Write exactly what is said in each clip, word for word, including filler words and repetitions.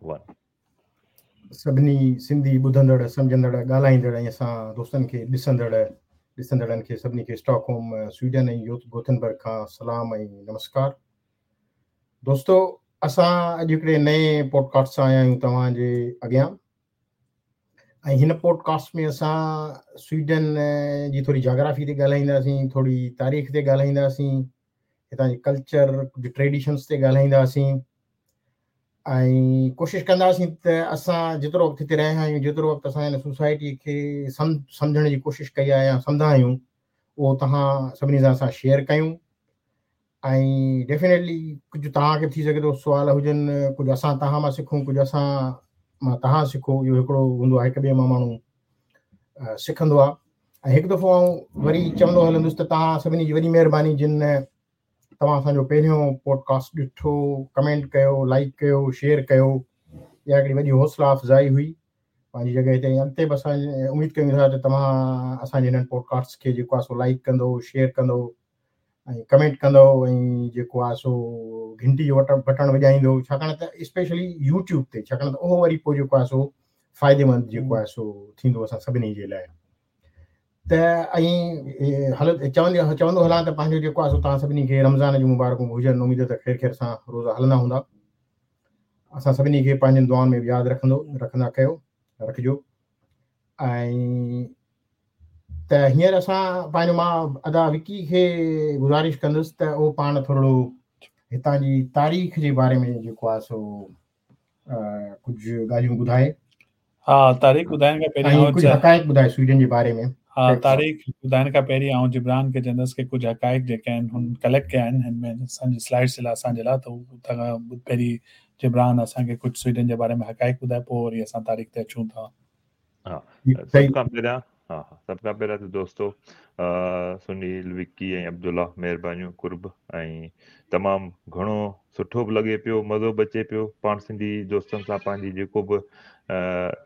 One. سڀني سنڌي ٻڌندڙ، سمجهندڙ، ڳالهائيندڙ ۽ اسان دوستن کي ڏسندڙ ڏسندڙن کي سڀني کي اسٽاڪهوم، سوئيڊن ۽ گوٿنبرگ کان سلام ۽ نمسڪار. دوستو، اسان اڄ هڪڙي نئين پوڊڪاسٽ سان آيا آهيون توهان جي اڳيان ۽ هن پوڊڪاسٽ ۾ اسان سوئيڊن جي ٿوري جاگرافي تي ڳالهائينداسين، ٿوري تاريخ تي ڳالهائينداسين، هتان جي ڪلچر، ڪجهه ٽريڊيشنس تي ڳالهائينداسين ۽ ڪوشش ڪنداسين ته اسان جيترو وقت هتي رهيا آهيون، جيترو وقت اسان هن سوسائٽي کي سمجهڻ جي ڪوشش ڪئي آهي يا سمجهندا آهيون، اهو توهان سڀني سان اسان شيئر ڪيون ۽ ڊيفينيٽلي ڪجهه توهان کي به ٿي سگهي ٿو سوال هجن، ڪجهه اسان توهان مان سکون، ڪجهه اسان مان توهان سکو. اهو هڪڙو هوندو آهي، هڪ ٻئي مان ماڻهو سکندو آهي. ۽ هڪ دفعو آئون وري چوندو هلندس ته توهان سڀني جي وڏي مهرباني جن توهان اسان جو پهريون پوڊڪاسٽ ڏٺو، ڪمينٽ ڪيو، لائيڪ ڪيو، شيئر ڪيو. اها هڪڙي وڏي حوصلا افزائي هئي پنهنجي جڳهه تي. ۽ اڳتي به اسان اميد ڪيون ٿا ته توهان اسان جي هنن پوڊڪاسٽ کي جيڪو آهي سو لائيڪ ڪندو، شيئر ڪندو ۽ ڪمينٽ ڪندو ۽ جيڪو آهي سو گهنٽي جو بٽڻ وڄائيندو، ڇاڪاڻ ته اسپيشلي يوٽيوب تي، ڇاڪاڻ ته اهو وري پوءِ جيڪو آهي سو فائديمند جيڪو آهي سو ٿيندو اسان سڀني جي لاءِ. ته ۽ هل چوندي چوندو هلان ته پنهنجو جيڪو آهي سو توهان سڀني کي رمضان جون مبارڪون هجن. اميد ته خير خير سان روزا هلندا هوندا. اسان سڀني کي پنهنجن دعائن ۾ به ياد رکندو رکندا ڪيو رکجو. ۽ ته هينئر اسان پنهنجو مان ادا وڪي کي گذارش ڪندس ته اهو پاڻ ٿورو هتان جي تاريخ جي باري ۾ جيڪو آهي سو ڪجهه ڳالهيون ٻڌائي. ها، تاريخ ٻڌائڻ کان پهرين ۽ ڪجهه حقائق ٻڌائي سوئيڊن جي باري ۾. ها، تاريخ ٻڌائڻ کان پهرين آئون جبران کي چوندس ڪه ڪجهه حقائق جيڪي آهن هن ڪليڪٽ ڪيا آهن هن ۾ اسان جي سلائيڊس جي لاءِ، اسان جي لاءِ، ته اتان کان پهرين جبران اسان کي ڪجهه سوئيڊن جي باري ۾ حقائق ٻڌائي، پوءِ وري اسان تاريخ تي اچون ٿا. ها، سڀ کان پهريان ها ها سڀ کان پهريان ته دوستو سنيل، وڪي ۽ عبدالله، مهربانيون، قرب ۽ تمام گهڻو سٺو به لڳي پيو، مزو به اچي پيو. پاڻ سنڌي دوستن سان پنهنجي جيڪو به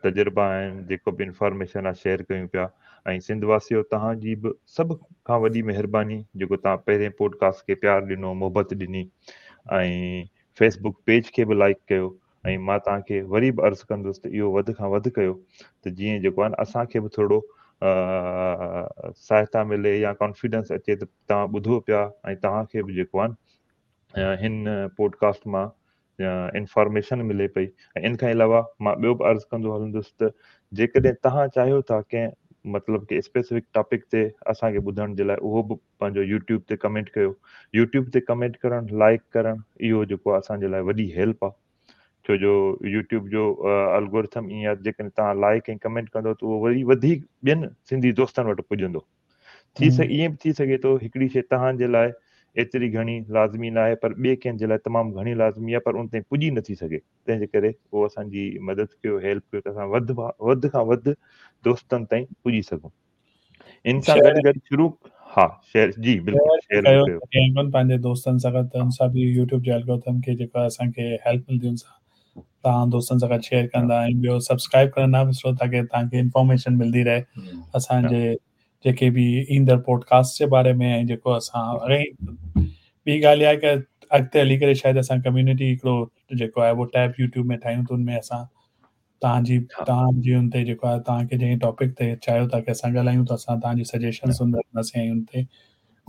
تجربا آهن، جيڪو به انفارميشن آهي، شيئر ڪيون پيا. ۽ سنڌ واسيو، توهان جي به سڀ کان وڏي مهرباني جيڪو توهان پهرين پوڊڪاسٽ کي پيار ڏنو، محبت ڏني ۽ فيسبڪ پيج کي به لائيڪ ڪيو. ۽ مان توهان کي وري به عرض ڪندس ته اهو وڌ کان وڌ ڪيو ته جيئن جيڪو آهي نه اسان کي به ٿورو سهائتا ملي يا ڪانفيڊنس اچي ته توهان ٻڌو پيا ۽ توهان کي به جيڪو آهي هن پوڊڪاسٽ مان انفارميشن ملي پئي. ۽ ان کان علاوه مان ٻيو به عرض ڪندو هلندس ته جيڪڏهن توهان چاهيو ٿا ڪنهن مطلب ڪه اسپيسفڪ ٽاپڪ تي اسان کي ٻڌڻ جي لاءِ، اهو به پنهنجو يوٽيوب تي ڪمينٽ ڪيو. يوٽيوب تي ڪمينٽ ڪرڻ، لائيڪ ڪرڻ، اهو جيڪو آهي اسان جي لاءِ وڏي هيلپ آهي. ڇو جو يوٽيوب جو الگورٿم ائين آهي، جيڪڏهن توهان لائيڪ ۽ ڪمينٽ ڪندو ته اهو وري وڌيڪ ٻين سنڌي دوستن وٽ پڄندو. ٿي سگهي ائين به ٿي سگهي ٿو هڪڙي شيءِ توهان جي لاءِ ايتري گهڻي لازمي نه آهي، پر ٻئي ڪنهن جي لاءِ تمام گهڻي لازمي آهي، پر ان تائين پڄي نٿي سگهي. تنهن جي ڪري اهو اسان جي مدد ڪيو، هيلپ ڪيو ته اسان وڌ وڌ کان وڌ دوستن تائين پڄي سگهون. ان سان گڏ گڏ شروع ها شيئر جي بلڪل شيئر ڪيو پنهنجي دوستن سان گڏ، ته ان سان به يوٽيوب جي الگورٿم کي جيڪو اسان کي هيلپ ملندي، ان سان توهان دوستن سان گڏ شيئر ڪندا. ۽ ٻيو سبسڪرائب ڪرڻ نه وسرو تاڪه توهان کي انفارميشن ملندي رهي اسان جي جيڪي به ايندڙ پوڊڪاسٽ جي باري ۾. ۽ جيڪو اسان ٻي ڳالهه اها آهي ڪه اڳتي هلي ڪري شايد اسان ڪميونٽي هڪڙو جيڪو آهي اهو ٽيب يوٽيوب ۾ ٺاهيون ته ان ۾ اسان توهان جي توهان جي ان تي جيڪو آهي توهان کي جنهن ٽاپڪ تي چاهيو ٿا ڪه اسان ڳالهايون ته اسان توهان جي سجيشنس رکنداسين ۽ ان تي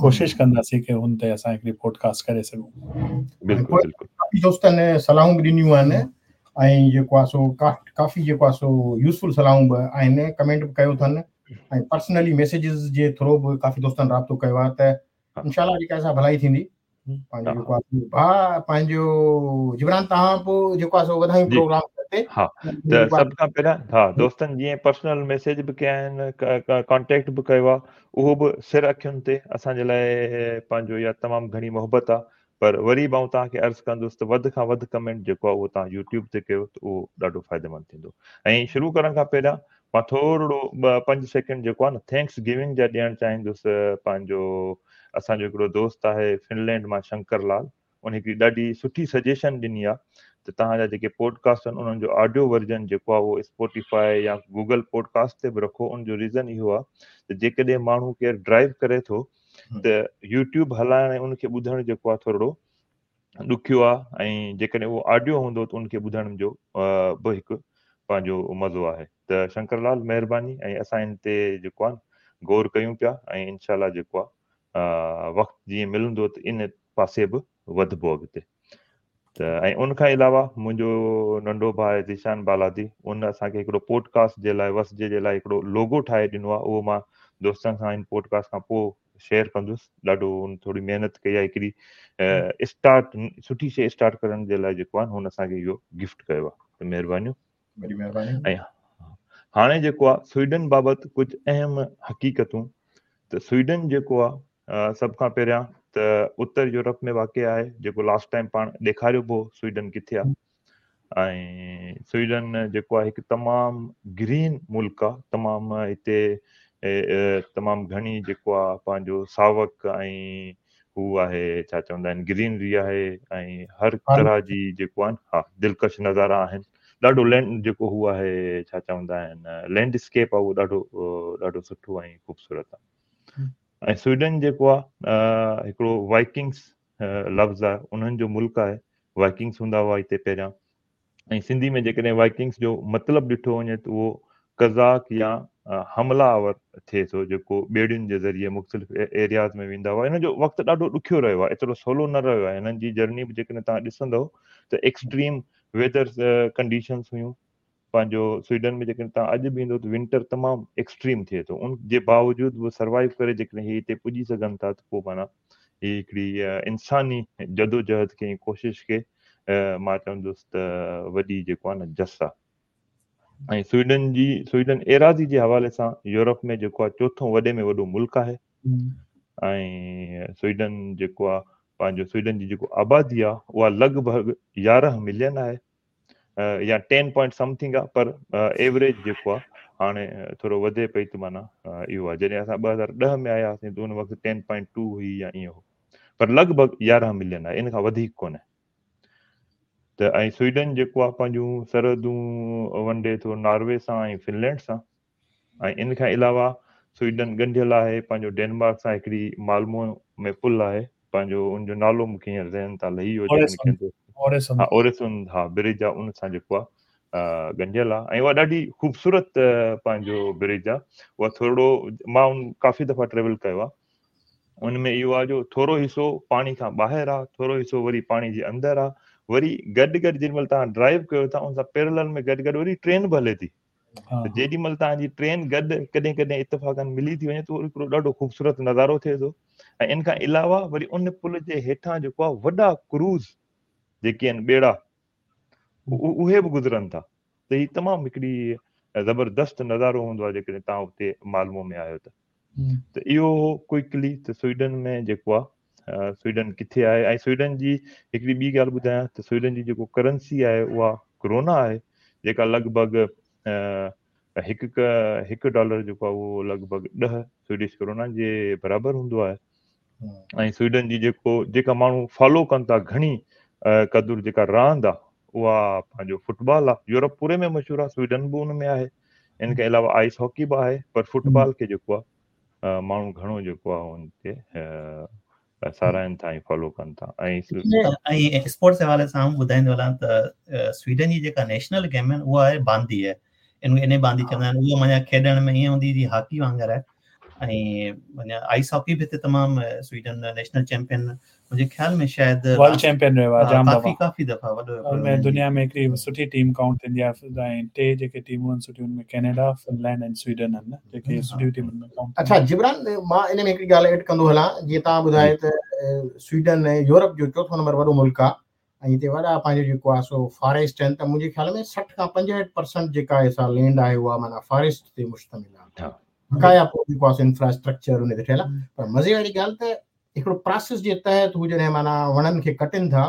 ڪوشش ڪنداسين ڪه هن تي اسان هڪڙي پوڊڪاسٽ ڪري سگهون. بلڪل بلڪل. ڪافي دوستن صلاحون به ڏنيون آهن ۽ جيڪو آهي سو ڪافي جيڪو آهي سو يوزفل صلاحون به آهن، ڪمينٽ به ڪيو اٿن ۽ پرسنلي ميسيجز جي ٿرو به ڪافي دوستن رابطو ڪيو آهي. ته انشاء الله جيڪا سا ڀلائي ٿيندي. پنهنجو جيڪو آهي ڀاءُ پنهنجو جبران، توهان پوءِ جيڪو آهي سو وڌايون پروگرام تي. ها، ته سڀ کان پهريان ها دوستن جيئن پرسنل ميسيج به ڪيا آهن، ڪانٽيڪٽ به ڪيو آهي، اهو به سر اکين تي اسان جي لاءِ پنهنجو اها تمام گهڻي محبت آهي. پر وري به آئون توهان کي عرض ڪندس ته وڌ کان وڌ ڪمينٽ جيڪو آهي اهو توهان يوٽيوب تي ڪيو ته اهو ڏاڍو فائديمند ٿيندو. ۽ شروع ڪرڻ کان پهريان مان ٿورو ٻه پنج سيڪنڊ جيڪو آهي نه thanks giving جا ڏيڻ چاهيندس. پنهنجو اسان جو هڪڙو دوست آهي فنلينڊ مان شنڪر لال، ان هڪڙي ڏاڍي سٺي سجيشن ڏني آهي ته توهان جا جيڪي پوڊڪاسٽ آهن انهن جو آڊيو ورجن جيڪو آهي اهو اسپوٽيفائي يا گوگل پوڊڪاسٽ تي به رکو. ان جو ريزن اهو آهي ته جيڪڏهن ماڻهو ڪير ڊرائيو ڪري ٿو ته يوٽيوب هلائڻ ۽ ان کي ٻڌڻ جيڪو آهي ٿورو ڏکيو آهي ۽ جيڪڏهن اهو آڊيو هوندو ته ان کي ٻڌڻ جو به هڪ پنهنجو مزو آهي. ته شنڪر لال مهرباني ۽ اسان ان تي جيڪو آهي غور ڪيون پيا ۽ انشاء الله جيڪو آهي وقت جيئن ملندو ته ان پاسي به وڌبو اڳتي. ته ۽ ان کان علاوه منهنجو ننڍو ڀاء ذيشان بالادي ان اسان کي هڪڙو پوڊڪاسٽ جي لاء وسجي جي لاء هڪڙو لوگو ٺاهي ڏنو آهي، اهو مان دوستن سان هن پوڊڪاسٽ کان پوءِ شيئر ڪندس. ڏاڍو هن ٿوري محنت ڪئي آهي، هڪڙي اسٽارٽ سٺي شيءِ اسٽارٽ ڪرڻ جي لاءِ جيڪو آهي هن اسان کي اهو گفٽ ڪيو آهي، ته مهربانيون. وڏي مهرباني. ۽ هاڻي جيڪو آهي سوئيڊن بابت ڪجهه اهم حقيقتون. ته سوئيڊن جيڪو آهي سڀ کان پهريان ته اتر يورپ ۾ واقع آهي، جيڪو لاسٽ ٽائيم پاڻ ڏيکاريو به هو سوئيڊن ڪٿي آهي. ۽ سوئيڊن جيڪو آهي هڪ تمام گرين ملڪ آهي، تمام هتي تمام گهڻي جيڪو آهي پنهنجو ساوڪ ۽ هو آهي ڇا چوندا آهن گرينري آهي ۽ هر طرح جي جيڪو آهي ها دلڪش نظارا آهن. ڏاڍو لينڊ جيڪو هو آهي ڇا چوندا آهن لينڊسڪيپ آهي، اهو ڏاڍو ڏاڍو سٺو ۽ خوبصورت آهي. ۽ سوئيڊن جيڪو آهي هڪڙو وائڪنگس لفظ آهي، انهن جو ملڪ آهي. وائڪنگس هوندا هئا هتي پهريان. ۽ سنڌي ۾ جيڪڏهن وائڪنگس جو مطلب ڏٺو وڃي ته اهو قزاق يا حمله آور ٿئي ٿو، جيڪو ٻيڙين جي ذريعي مختلف ايرياز ۾ ويندا هئا. هن جو وقت ڏاڍو ڏکيو رهيو آهي، ايترو سولو نه رهيو آهي. هنن جي جرني به جيڪڏهن توهان ڏسندؤ ته ايڪسٽريم ويدر ڪنڊيشنس هيون. پنهنجو سوئيڊن ۾ جيڪڏهن توهان اڄ به ايندو ته ونٽر تمام ايڪسٽريم ٿئي ٿو، ان جي باوجود به سروائيو ڪري جيڪڏهن هي هتي پڄي سگهن ٿا ته پوءِ معنيٰ هي هڪڙي انساني جدوجهد کي ڪوشش کي مان چوندس ته وڏي جيڪو آهي نه جس آهي. ۽ سوئيڊن جي سوئيڊن ايراضي جي حوالي سان يورپ ۾ جيڪو آهي چوٿون وڏي ۾ وڏو ملڪ آهي. ۽ سوئيڊن جيڪو آهي پنهنجو سوئيڊن جي جيڪو آبادي آهي اها لڳ ڀڳ يارهن ملين آهي يا ٽين پوائنٽ سمٿنگ آهي، پر ايوريج جيڪو آهي هاڻي ٿورو وڌي پئي ته معنيٰ اهو آهي. جڏهن اسان ٻه هزار ڏهه ۾ آياسين ته ان وقت ٽين پوائنٽ ٽو هئي يا ائين هو، پر لڳ ڀڳ يارهن ملين آهي، ان کان وڌيڪ ڪونهي. ته ۽ سوئيڊن جيڪو آهي پنهنجون سرحدون ونڊي ٿو ناروي سان ۽ فنلينڊ سان. ۽ ان کان علاوه سوئيڊن ڳنڍيل آهي پنهنجو ڊينمارڪ سان، هڪڙي مالمو ۾ پل آهي پنهنجو، ان جو نالو مون کي هينئر ذهن تان لهي ويو، ها اوريسن ها برج آهي، ان سان جيڪو آهي ڳنڍيل آهي. ۽ اها ڏاڍي خوبصورت پنهنجو برج آهي. اها ٿورو مان ان ڪافي دفعا ٽريول ڪيو آهي، ان ۾ اهو آهي جو ٿورو حصو پاڻي کان ٻاهر آهي، ٿورو حصو وري پاڻي جي اندر آهي، وري گڏ گڏ جيڏي مهل توهان ڊرائيو ڪيو ٿا ان سان پيرلل ۾ گڏ گڏ وري ٽرين به هلي ٿي. ته جيڏي مهل توهان جي ٽرين گڏ ڪڏهن ڪڏهن اتفاقن ملي ٿي وڃي ته هڪڙو ڏاڍو خوبصورت نظارو ٿئي ٿو. ۽ ان کان علاوه وري ان پل جي هيٺان جيڪو آهي وڏا ڪروز جيڪي آهن ٻيڙا اهي به گذرن ٿا. ته هي تمام هڪڙي زبردست نظارو هوندو آهي جيڪڏهن توهان اتي مالمو ۾ آهيو ته. ته اهو هو ڪوئڪلي ته سوئيڊن ۾ جيڪو آهي سوئيڊن ڪٿي آهي. ۽ سوئيڊن جي هڪڙي ٻي ڳالهه ٻڌايان ته سوئيڊن جي جيڪو ڪرنسي آهي اها ڪرونا آهي، جيڪا لڳ ڀڳ هڪ هڪ ڊالر جيڪو آهي اهو لڳ ڀڳ ڏهه سوئيڊش ڪرونا جي برابر هوندو آهي. ۽ سوئيڊن جي جيڪو جيڪا ماڻهو فالو ڪن ٿا گهڻي قدر جيڪا راند آهي اها پنهنجو فٽبال آهي، يورپ پوري ۾ مشهور آهي، سوئيڊن به ان ۾ آهي. ان کان علاوه آئس هاڪي به آهي، پر فٽبال کي جيڪو آهي ماڻهو گهڻو جيڪو آهي ان کي ساراهن ٿا ۽ فالو ڪن ٿا. ۽ ۽ اسپورٽس جي حوالي سان آئون ٻڌائيندو هلان ته سوئيڊن جي جيڪا نيشنل گيم آهي اها آهي باندي آهي، ان ان باندي چوندا آهن. اها معنيٰ کيڏڻ ۾ ائين هوندي جيئن هاڪي وانگر آهي. ۽ معنيٰ آئس هاڪي به هتي تمام سوئيڊن نيشنل چيمپيئن منهنجي خيال ۾ شايد ورلڊ چيمپيئن رهيو آهي جام ڪافي ڪافي دفعا وڏو ان ۾ دنيا ۾ هڪڙي سٺي ٽيم ڪائونٽ ٿيندي آهي. ۽ ٽي جيڪي ٽيمون آهن سٺيون ان ۾ ڪينيڊا، فنلينڊ ۽ سوئيڊن آهن جيڪي سٺيون ٽيمن ۾ ڪائونٽ. اڇا جبران، مان ان ۾ هڪڙي ڳالهه ايڊ ڪندو هلان، جيئن توهان ٻڌايو ته سوئيڊن يورپ جو چوٿون نمبر وڏو ملڪ آهي ۽ هتي وڏا پنهنجو جيڪو آهي سو فاريسٽ آهن، ته منهنجي خيال ۾ سٺ کان پنجهٺ پرسنٽ جيڪا آهي سا لينڊ آهي اها معنيٰ فاريسٽ تي مشتمل آهي. بقايا پوءِ جيڪو آهي سو انفراسٽرڪچر ان تي ٺهيل آهي. پر مزي واري ڳالهه ته هڪڙو پراسيس جي تحت هو جڏهن معنيٰ وڻن کي ڪٽن ٿا،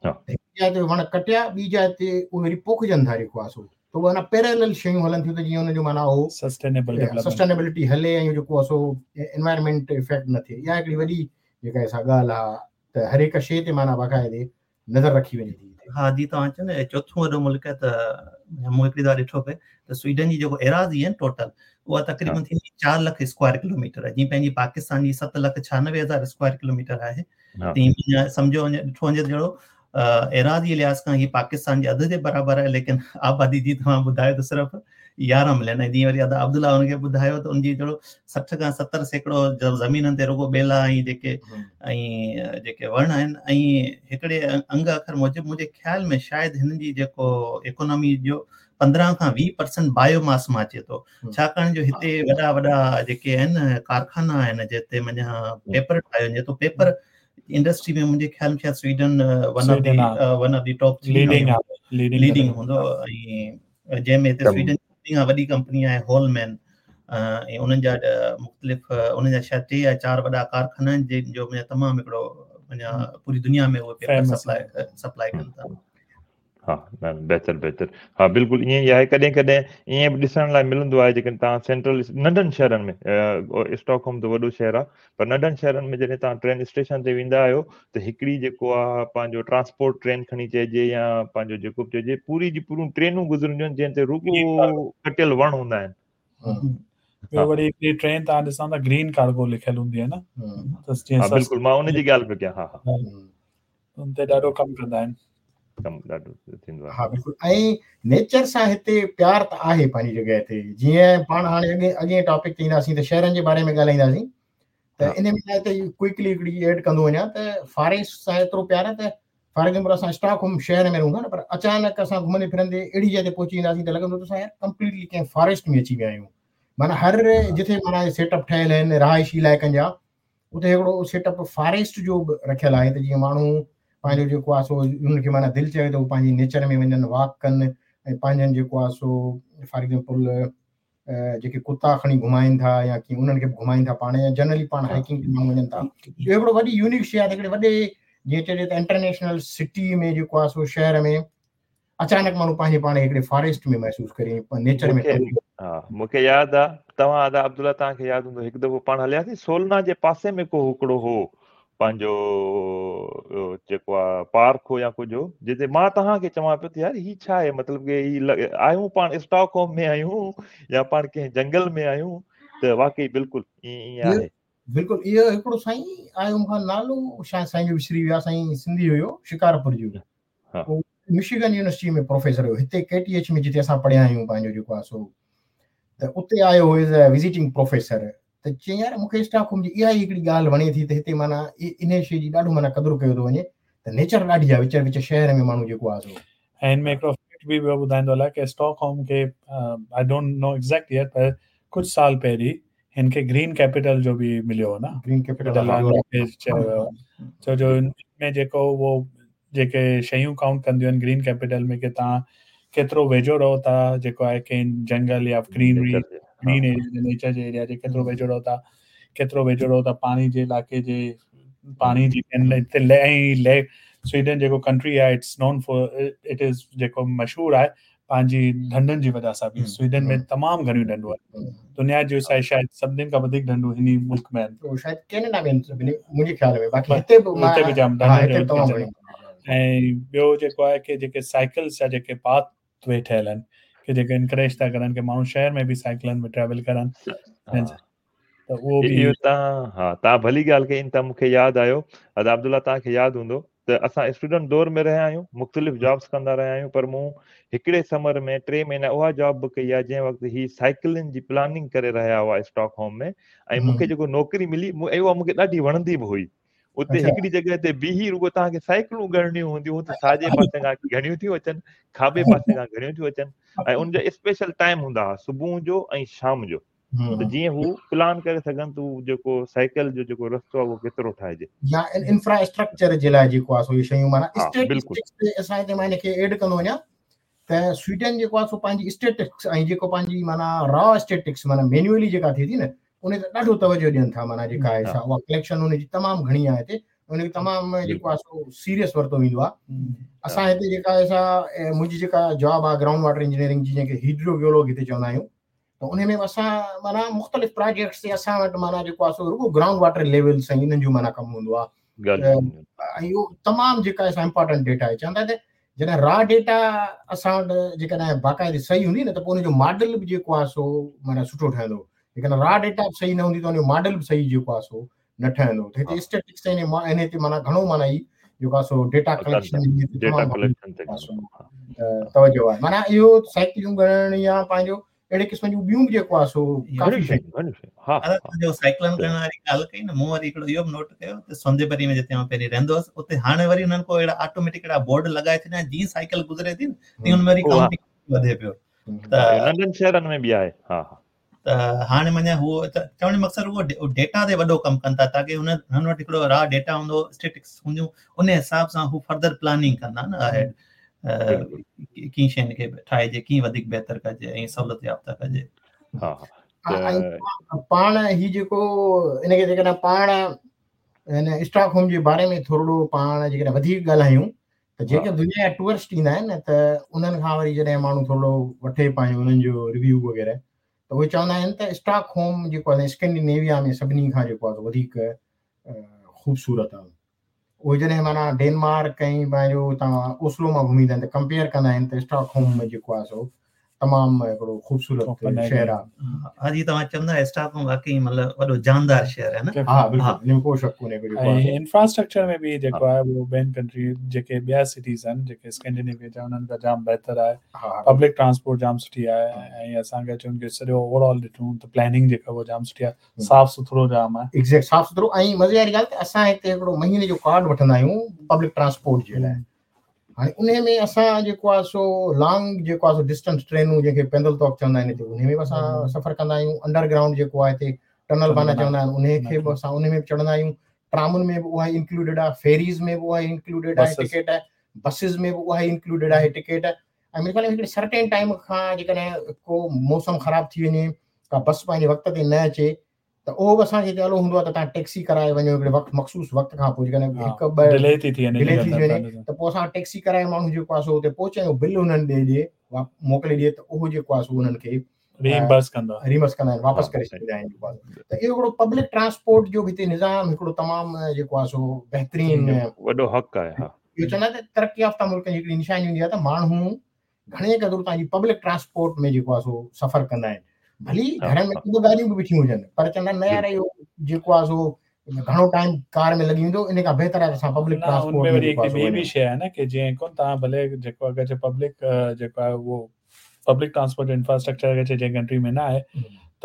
هڪ جاءِ تي وڻ ڪٽيا ٻي جاءِ تي اهي وري پوکجن ٿا جيڪو آهي سو، ته اهي اڃا پيرلل شيون هلن ٿيون ته جيئن ان جو معنيٰ اهو سسٽينيبلٽي هلي ۽ جيڪو آهي سو انوائرمينٽ افيڪٽ نه ٿئي. اها هڪڙي وڏي جيڪا سا ڳالهه آهي ته هر هڪ شيءِ تي معنيٰ باقاعدي نظر رکي وڃي ٿي. ها جي توهان چئو نه چوٿون وڏو ملڪ آهي ته مون هڪڙي دفعا ڏٺو پئي ته سوئيڊن جي جيڪو ايراضي آهي ٽوٽل اها تقريبن ٿيندي چار لک اسڪوائر ڪلوميٽر آهي، جيئن پنهنجي پاڪستان جي ست لک ڇهانوي هزار اسڪوائر ڪلوميٽر آهي، تيئن سمجهو وڃي ڏٺو وڃي ته جهڙو ايراضي لحاظ کان هي پاڪستان جي اڌ جي برابر آهي، ليڪن آبادي جي توهان ٻڌايو ته صرف يارهن ملين. ۽ جيئن وري ادا عبدالله هن کي ٻڌايو ته ان جي جهڙو سٺ کان ستر سيڪڙو زمينن تي رڳو ٻيلا ۽ جيڪي ۽ جيڪي وڻ آهن. ۽ هڪڙي انگ اکر موجب منهنجي خيال ۾ شايد هن جي جيڪو اڪانامي جو پندرهن کان ويهه پرسنٽ بايوماس مان اچي ٿو، ڇاڪاڻ جو هتي وڏا وڏا جيڪي آهن ڪارخانا آهن جتي معنيٰ پيپر ٺاهيو وڃي ٿو. پيپر انڊسٽري ۾ منهنجي خيال ۾ شايد Sweden one of the one of the top leading leading هوندو. ۽ جنهن ۾ هتي سوئيڊن کان وڏي ڪمپني آهي هولمين، ۽ انهن جا مختلف انهن جا شايد ٽي يا چار وڏا ڪارخانا آهن جن جو تمام هڪڙو معنيٰ پوري دنيا ۾ اهي پيپر سپلائي سپلائي ڪن ٿا. ها نه بهتر بهتر، ها بلڪل ائين ئي آهي. ڪڏهن ڪڏهن ائين به ڏسڻ لاءِ ملندو آهي جيڪڏهن توهان سينٽرل ننڍن شهرن ۾، اسٽاڪ هوم ته وڏو شهر آهي پر ننڍن شهرن ۾ جڏهن توهان ٽرين اسٽيشن تي ويندا آهيو ته هڪڙي جيڪو آهي پنهنجو ٽرانسپورٽ ٽرين کڻي چئجي يا پنهنجو جيڪو به چئجي، پوري جي پوريون ٽرينون گذرنديون آهن جنهن تي رڳو ڪٽيل وڻ هوندا آهن. ٻيو وري هڪڙي ٽرين توهان ڏسندا ته گرين ڪارگو لکيل هوندي آهي نه، ها بلڪل مان ان جي ڳالهه پيو ڪيان. ها ها ان تي ڏاڍو ڪم ڪندا آهن، ڪم ڏاڍو ٿيندو آهي. ها بلڪل، ۽ نيچر سان هتي پيار ته آهي پنهنجي جڳهه تي. جيئن پاڻ هاڻي اڳي اڳئين ٽاپڪ تي اينداسين ته شهرن جي باري ۾ ڳالهائينداسين ته ان ۾ ته ڪوئڪلي هڪڙي ايڊ ڪندو وڃان ته فاريسٽ سان ايترو پيار آهي ته فار ايگزامپل اسان اسٽاڪ هوم شهر ۾ رهون ٿا نه، پر اچانڪ اسان گهمندي ڦرندي اهڙي جاءِ تي پهچي وينداسين ته لڳندو ته اسان يار ڪمپليٽلي ڪنهن فاريسٽ ۾ اچي ويا آهيون. معنيٰ هر جتي معنيٰ سيٽ اپ ٺهيل آهن رهائشي علائقن جا، اتي هڪڙو سيٽ اپ فاريسٽ جو به رکيل آهي ته جيئن ماڻهو پنهنجو جيڪو آهي سو انهن کي معنيٰ دل چوي ته هو پنهنجي نيچر ۾ وڃن، واڪ ڪن ۽ پنهنجن جيڪو آهي سو فار ايگزامپل جيڪي ڪتا کڻي گهمائين ٿا يا ڪيئن انهن کي به گهمائين ٿا پاڻ، يا جنرلي پاڻ هائيڪنگ تي ماڻهو وڃن ٿا. اهو هڪڙو وڏي يونيڪ شيءِ آهي ته هڪڙي وڏي جيئن چئجي ته انٽرنيشنل سٽي ۾ جيڪو آهي سو شهر ۾ اچانڪ ماڻهو پنهنجي پاڻ کي هڪڙي فاريسٽ ۾ محسوس ڪري نيچر ۾. ها مون کي ياد آهي توهان ادا عبدالله توهان کي ياد هوندو، هڪ دفعو پاڻ هلياسين سولنا جي پاسي ۾ ڪو هڪڙو هو پنهنجو جيڪو آهي پارڪ هو يا ڪجهه هو، جتي مان توهان کي چوان پيو ته يار هي ڇا آهي، مطلب ڪه هي آهيون پاڻ اسٽاڪ هوم ۾ آهيون يا پاڻ ڪنهن جنگل ۾ آهيون، ته واقعي بلڪل ائين ائين آهي. بلڪل اهو هڪڙو سائين آيو مون کان نالو شايد سائين جو وسري ويو آهي، سائين سنڌي هيو شڪارپور جو، مشيگن يونيورسٽي ۾ پروفيسر هيو هتي ڪي ٽي ايڇ ۾ جتي اسان پڙهيا آهيون پنهنجو جيڪو آهي سو، ته اتي آيو هو ايز اي وزيٽنگ پروفيسر. ته چيائين يار مون کي اسٽاڪ هوم جي اها ئي هڪڙي ڳالهه وڻي ٿي ته هتي معنيٰ ان شيءِ جي ڏاڍو معنيٰ قدر ڪيو ٿو وڃي ته نيچر ڏاڍي آهي وچ وچ شهر ۾ ماڻهو جيڪو آهي سو. ۽ هن ۾ هڪڙو فيڪٽ به ٻيو ٻڌائيندو هلان ڪه اسٽاڪ هوم کي I don't know exact year پر ڪجهه سال پهرين هن کي گرين ڪيپيٽل جو به مليو هو نه، گرين ڪيپيٽل چيو ويو ڇو جو هن ۾ جيڪو اهو جيڪي شيون ڪائونٽ ڪنديون آهن گرين ڪيپيٽل ۾ ڪه توهان ڪيترو ويجهو رهو ٿا جيڪو آهي ڪنهن جنگل يا گرينري گرين ايريا نيچر جي ايريا جي ڪيترو ويجهو رهو ٿا، ڪيترو ويجهو رهو ٿا پاڻي جي علائقي جي پاڻي جي ۽ سوئيڊن جيڪو ڪنٽري آهي it's known for it is جيڪو مشهور آهي پنهنجي ڍنڍن جي وجهه سان به. سوئيڊن ۾ تمام گهڻيون ڍنڍون آهن، دنيا جون شايد سڀني کان وڌيڪ ڍنڍون هن ئي ملڪ ۾ آهن، شايد ڪينيڊا ۾ منهنجي خيال ۾، باقي هتي به هتي به جام ڍنڍون. ۽ ٻيو جيڪو آهي ڪه جيڪي سائيڪلس جا جيڪي پاٿ وي ٺهيل آهن ڪه جيڪي انڪريج ٿا ڪرن ڪه ماڻهو شهر ۾ به سائيڪلن ۾ ٽريول ڪرن، ته اهو به اهو توهان ها توهان ڀلي ڳالهه ڪئي، ته مون کي ياد آيو ادا عبدالله توهان کي ياد هوندو ته اسان اسٽوڊنٽ دور ۾ رهيا آهيون، مختلف جابس ڪندا رهيا آهيون، پر مون هڪڙي سمر ۾ ٽي مهينا اها جاب به ڪئي آهي جنهن وقت هي سائيڪلن جي پلاننگ ڪري رهيا هئا اسٽاڪ هوم ۾، ۽ مون کي جيڪو نوڪري ملي اها مون کي ڏاڍي وڻندي به هئي. اتي هڪڙي جڳهه تي بيهي رڳو توهان کي سائيڪلون ڳڻڻيون هونديون ته ساڄي پاسي کان گهڻيون ٿيون اچن، کاٻي پاسي کان گهڻيون ٿيون اچن، ۽ ان جا اسپيشل ٽائيم هوندا هئا صبح جو ۽ شام جو، ته جيئن هو پلان ڪري سگهن ته جيڪو سائيڪل جو جيڪو رستو آهي اهو ڪيترو ٺاهجي يا انفراسٽرڪچر جي لاءِ جيڪو آهي سو اهي شيون معنيٰ اسٽيٽسٽڪس تي اسان هتي مان هن کي ايڊ ڪندو وڃان ته سوئيڊن جيڪو آهي سو پنهنجي اسٽيٽسٽڪس ۽ جيڪو پنهنجي معنيٰ را اسٽيٽسٽڪس معنيٰ مينوئلي جيڪا ٿئي ٿي نه ان تي ڏاڍو توجهه ڏين ٿا، معنيٰ جيڪا آهي سا اها ڪليڪشن ان جي تمام گهڻي آهي هتي، ان کي تمام جيڪو آهي سو سيريس ورتو ويندو آهي. اسان هتي جيڪا آهي سا منهنجي جيڪا جاب آهي گرائونڊ واٽر انجنيئرنگ جي جنهن کي هيڊرو جيولوگ هتي چوندا آهيون، ته ان ۾ اسان معنيٰ مختلف پراجيڪٽس تي اسان وٽ معنيٰ جيڪو آهي سو رڳو گرائونڊ واٽر ليولس ۽ انهن جو معنيٰ ڪم هوندو آهي، ۽ اهو تمام جيڪا آهي سا امپارٽنٽ ڊيٽا آهي. چوندا ته جڏهن را ڊيٽا اسان وٽ جيڪڏهن باقاعدي صحيح هوندي نه ته پوءِ ان جو ماڊل به جيڪو آهي سو معنيٰ سٺو ٺهندو، جيڪڏهن را ڊيٽا به صحيح نه هوندي ته ان جو ماڊل به صحيح جيڪو آهي سو نه ٺهندو. ته هتي اسٽيٽسٽڪس ۽ ان تي معنيٰ گهڻو معنيٰ هي جيڪو آهي سو ڊيٽا ڪليڪشن ڊيٽا ڪليڪشن تي توجه آهي. معنيٰ اهو سائيڪلون ڳڻڻ يا پنهنجو اهڙي قسم جون ٻيون به جيڪو آهي سو ڪافي شيون. ها جو سائيڪلن ڪرڻ واري ڳالهه ڪئي نه، مون وري هڪڙو اهو به نوٽ ڪيو ته سونديبري ۾ جتي مان پهرين رهندو هوس اتي هاڻي وري انهن ڪو اهڙا آٽوميٽڪ اهڙا بورڊ لڳائي ڇڏيا، جيئن سائيڪل گذري ٿي تيئن ان ۾ وري ڪائونٽنگ وڌي پيو. ته ننڍن شهرن ۾ به آهي. ها ها ته هاڻي معنيٰ هو چوڻ جو مقصد اهو ڊيٽا تي وڏو ڪم ڪن ٿا تاڪه هن هن وٽ هڪڙو را ڊيٽا هوندو، اسٽيٽسٽڪس هونديون، ان حساب سان هو فردر پلاننگ ڪندا نه اهيڊ ڪيئن شين کي ٺاهجي، ڪيئن وڌيڪ بهتر ڪجي ۽ سهولت يافته ڪجي. ها پاڻ هي جيڪو ان کي جيڪڏهن پاڻ هن اسٽاڪ هوم جي باري ۾ ٿورڙو پاڻ جيڪڏهن وڌيڪ ڳالهايون ته جيڪي دنيا جا ٽوئرسٽ ايندا آهن نه ته انهن کان وري جڏهن ماڻهو ٿورڙو وٺي پنهنجو انهن جو ريويو وغيره ته اهي چوندا آهن ته اسٽاڪ هوم جيڪو آهي اسڪينڊينيويا ۾ سڀني کان جيڪو آهي وڌيڪ خوبصورت آهي. اهي جڏهن معنيٰ ڊينمارڪ ۽ پنهنجو هتان اوسلو مان گهمي ايندا آهن ته ڪمپيئر ڪندا آهن ته اسٽاڪ هوم ۾ جيڪو آهي سو تمام هڪڙو خوبصورت شهر آهي. ها جي توهان چوندا اسٽاڪ هوم واقعي مطلب وڏو جاندار شهر آهي نه. ها بلڪل، ان ۾ ڪو شڪ ڪونهي ڪو جيڪو آهي. انفراسٽرڪچر ۾ به جيڪو آهي اهو ٻين ڪنٽري جيڪي ٻيا سٽيز آهن جيڪي اسڪينڊينيويا جا انهن کان جام بهتر آهي. پبلڪ ٽرانسپورٽ جام سٺي آهي ۽ اسان کي چون کي سڄو اوور آل ڏٺون ته پلاننگ جيڪا اها جام سٺي آهي، صاف سٿرو جام آهي. ايگزيڪٽ صاف سٿرو. ۽ مزي واري ڳالهه ته اسان هتي هڪڙو مهيني جو ڪارڊ وٺندا آهيون پبلڪ ٽرانسپورٽ جي لاءِ. هاڻي ان ۾ اسان جيڪو آهي سو لانگ جيڪو آهي سو ڊسٽنس ٽرينون جنهن کي پيندل توڪ چوندا آهن هتي ان ۾ به اسان سفر ڪندا آهيون. انڊر گرائونڊ جيڪو آهي هتي ٽنل بانا چوندا آهن ان کي به اسان ان ۾ به چڙهندا آهيون. ٽرامن ۾ به اها ئي انڪلوڊيڊ آهي، فيريز ۾ به اها ئي انڪلوڊيڊ آهي ٽڪيٽ، بسز ۾ به اها ئي انڪلوڊيڊ آهي ٽڪيٽ. ۽ منهنجي خيال ۾ هڪڙي سرٽين ٽائيم کان جيڪڏهن ڪو موسم خراب ٿي وڃي، ڪا بس پنهنجي وقت تي نه اچي ته اهو به اسان کي هتي الو هوندو آهي ته توهان ٽيڪسي ڪرائي وڃو هڪڙي وقت مخصوص وقت کان پوءِ جيڪڏهن هڪ ٻه ڊلي ٿي ٿي وڃي ڊلي ٿي وڃي ته پوءِ اسان ٽيڪسي ڪرائي ماڻهو جيڪو آهي سو اتي پهچي ۽ بل انهن ڏي ڏئي موڪلي ڏئي ته اهو جيڪو آهي سو انهن کي ريمبرس ڪندا ريمبرس ڪندا آهن، واپس ڪري ڇڏيندا آهن جيڪو آهي. ته اهو هڪڙو پبلڪ ٽرانسپورٽ جو به هتي نظام هڪڙو تمام جيڪو آهي سو بهترين وڏو حق آهي. ها اهو چوندا آهن ته ترقي يافته ملڪن جي هڪڙي نشاني هوندي آهي ته ماڻهو گهڻي قدر توهان جي پبلڪ ٽرانسپورٽ ۾ جيڪو آهي سو سفر ڪندا آهن. ڀلي گهر ۾ ٻه گاڏيون به بيٺيون هجن پر چوندا آهن نه يار اهو جيڪو آهي سو گهڻو ٽائيم ڪار ۾ لڳي ويندو، ان کان بهتر آهي ته اسان پبلڪ ٽرانسپورٽ ۾ وري هڪڙي ٻي به شيءِ آهي نه ڪه جيئن ڪونه توهان ڀلي جيڪو اگر پبلڪ جيڪو آهي اهو پبلڪ ٽرانسپورٽ جو انفراسٽرڪچر اگر جنهن ڪنٽري ۾ نه آهي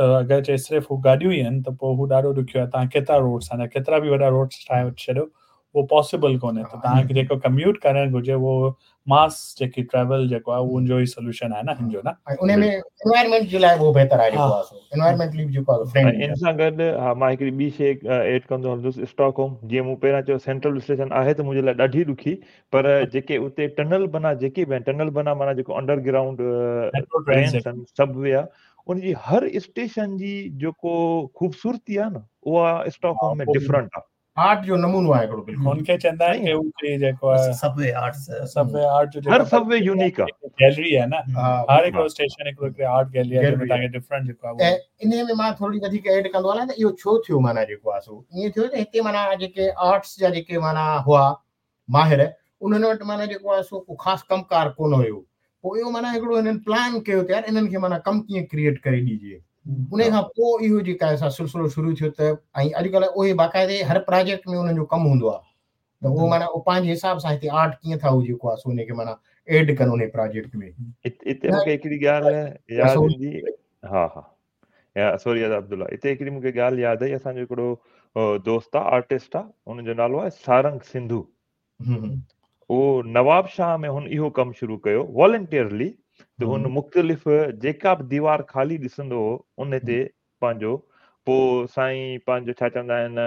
ته اگر چئي صرف هو گاڏيون ئي آهن ته پوءِ هو ڏاڍو ڏکيو آهي. توهان ڪيترا روڊس آهن، ڪيترا به وڏا روڊس ٺاهي ڇڏيو اهو پاسيبل ڪونهي. ته توهان کي جيڪو ڪميوٽ ڪرڻ گهرجي اهو ماس جيڪي ٽريول جيڪو آهي اهو ان جو ئي سوليوشن آهي نه هن جو نه. ۽ ان ۾ انوائرمينٽ جي لاءِ اهو بهتر آهي جيڪو آهي سو انوائرمينٽلي به جيڪو آهي فرينڊلي. ان سان گڏ ها مان هڪڙي ٻي شيءِ ايڊ ڪندو هلندس. اسٽاڪ هوم جيئن مون پهريان چيو سينٽرل اسٽيشن آهي ته منهنجي لاءِ ڏاڍي ڏکي، پر جيڪي اتي ٽنل بنا جيڪي به آهن، ٽنل بنا معنيٰ جيڪو انڊر گرائونڊ ٽرينس آهن، سب وي آهي، ان جي هر اسٽيشن جي جيڪو خوبصورتي آهي نه اها اسٽاڪ هوم ۾ ڊفرنٽ آهي. آرٽ جو نمونو آهي هڪڙو بلڪل. هن کي چوندا آهن ڪه هو جيڪو آهي sub V arts, sub V art جو هر سب وي يونيڪ آهي، گيلري آهي نه، هر هڪڙو اسٽيشن هڪڙو هڪڙي آرٽ گيلري آهي جنهن ۾ توهان کي ڊفرنٽ جيڪو آهي. ۽ انهي ۾ مان ٿوري وڌيڪ ايڊ ڪندو هلان ته اهو ڇو ٿيو معنيٰ جيڪو آهي سو ائين ٿيو ته هتي معنيٰ جيڪي آرٽس جا جيڪي معنيٰ هئا ماهر انهن وٽ معنيٰ جيڪو آهي سو ڪو خاص ڪم ڪار ڪونه هيو. پوءِ اهو معنيٰ هڪڙو هنن پلان ڪيو ته يار انهن کي معنيٰ ڪم ڪيئن ڪريئيٽ ڪري ڏجي. ان کان پوءِ اهو جيڪا آهي سلسلو شروع ٿيو ته ۽ اڄڪلهه اهي باقاعدي هر پروجيڪٽ ۾ انهن جو ڪم هوندو آهي ته اهو معنيٰ اهو پنهنجي حساب سان هتي آرٽ ڪيئن ٿا هو جيڪو آهي سو ان کي معنيٰ ايڊ ڪن ان پروجيڪٽ ۾. هتي مون کي هڪڙي ڳالهه ياد ايندي، ها ها يا سوري عبدالله، هتي هڪڙي مون کي ڳالهه ياد آئي. اسان جو هڪڙو دوست آهي، آرٽسٽ آهي، هن جو نالو آهي سارنگ سنڌو. اهو نواب شاهه ۾ هن اهو ڪم شروع ڪيو والنٽيئرلي ته هن مختلف جيڪا به ديوار خالي ڏسندو هو ان تي پنهنجو پوءِ سائين پنهنجو ڇا چوندا آهن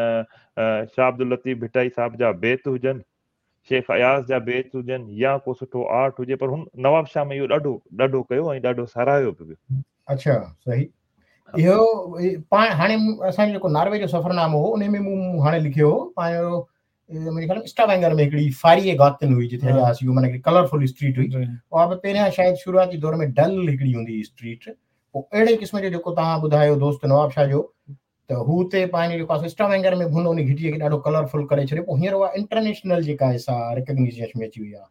شاهه عبدل لطيف ڀٽائي صاحب جا بيت هجن، شيخ اياز جا بيت هجن يا ڪو سٺو آرٽ هجي، پر هن نواب شاهه ۾ اهو ڏاڍو ڏاڍو ڪيو ۽ ڏاڍو ساراهيو به ويو. اڇا صحيح. اهو پاڻ هاڻي اسان جو جيڪو ناروي جو سفرنامو هو ان ۾ مون هاڻي لکيو هو پنهنجو منهنجي خيال ۾ اسٽاوينگر ۾ هڪڙي فاري گاتن هئي جتي هليا هئاسين، اهو معنيٰ هڪڙي ڪلرفل اسٽريٽ هئي. اها به پهريان شايد شروعاتي دور ۾ ڊل هڪڙي هوندي هئي اسٽريٽ. پوءِ اهڙي قسم جو جيڪو توهان ٻڌايو دوست نواب شاهه جو ته هو اتي پنهنجو جيڪو آهي اسٽاوينگر ۾ به هن ان گهٽيءَ کي ڏاڍو ڪلرفل ڪري ڇڏيو. پوءِ هينئر اها انٽرنيشنل جيڪا آهي سا ريڪگنيشن ۾ اچي وئي آهي،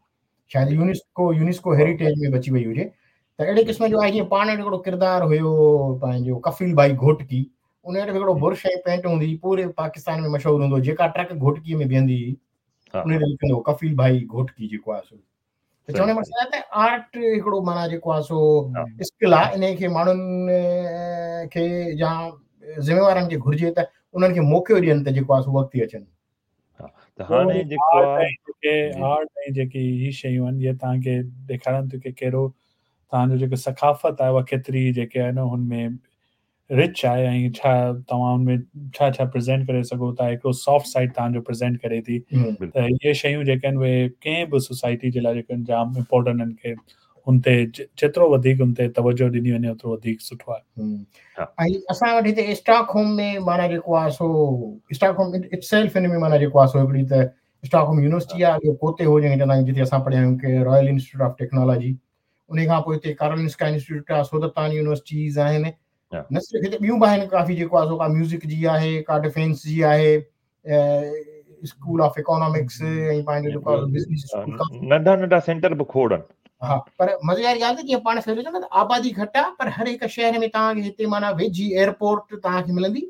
شايد يونيسڪو يونيسڪو هيريٽيج ۾ به اچي وئي هجي. ته اهڙي قسم جو آهي جيئن پاڻ وٽ هڪڙو ڪردار هيو پنهنجو ڪفيل ڀائي گهوٽڪي، ان وٽ هڪڙو برش ۽ پينٽ هوندي هئي، پوري پاڪستان ۾ مشهور هوندو هو. جيڪا ٽرڪ گهوٽڪي ۾ بيهندي هئي ان تي لکندو هو ڪفيل ڀائي گهوٽڪي جيڪو آهي سو. ته چوڻ جو مقصد آهي ته آرٽ هڪڙو معنيٰ جيڪو آهي سو اسڪل آهي، ان کي ماڻهن کي يا ذميوارن کي گهرجي ته انهن کي موقعو ڏين ته جيڪو آهي سو اڳتي اچن. ته هاڻي جيڪو آهي آرٽ ۽ جيڪي هي شيون آهن اهي توهان کي ڏيکارن ٿيون ڪه ڪهڙو توهان جو جيڪو ثقافت آهي اها ڪيتري جيڪي آهي نه هن ۾ رچ آهي ۽ ڇا توهان هن ۾ ڇا ڇا پريزينٽ ڪري سگهو ٿا. هڪڙو سافٽ سائيڊ توهان جو پريزينٽ ڪري ٿي. ته اهي شيون جيڪي آهن اهي ڪنهن به سوسائٽي جي لاءِ جيڪي آهن جام امپورٽنٽ آهن ڪه هن تي جيترو وڌيڪ هن تي توجهه ڏني وڃي اوترو وڌيڪ سٺو آهي. ۽ اسان وٽ هتي اسٽاڪ هوم ۾ معنيٰ جيڪو آهي سو اسٽاڪ هوم it self هن ۾ معنيٰ جيڪو آهي سو هڪڙي ته اسٽاڪ هوم يونيورسٽي آهي، ٻيو ڪوتي هو جنهن کي چوندا آهيون جتي اسان پڙهيا آهيون ڪي رائل انسٽيٽيوٽ آف ٽيڪنالاجي، ان کان پوءِ هتي ڪارولنسڪا انسٽيٽيوٽ آهي، سودتان يونيورسٽيز آهن، نه صرف هتي ٻيون به آهن ڪافي جيڪو آهي سو ڪا ميوزڪ جي آهي، ڪا ڊفينس جي آهي، اسڪول آف اڪانامڪس ۽ پنهنجو جيڪو آهي بزنس اسڪول، ننڍا ننڍا سينٽر به کوڙ آهن. ها، پر مزي واري ڳالهه ته جيئن پاڻ سوچيو نه ته آبادي گهٽ آهي پر هر هڪ شهر ۾ توهان کي هتي معنيٰ ويجهي ايئرپورٽ توهان کي ملندي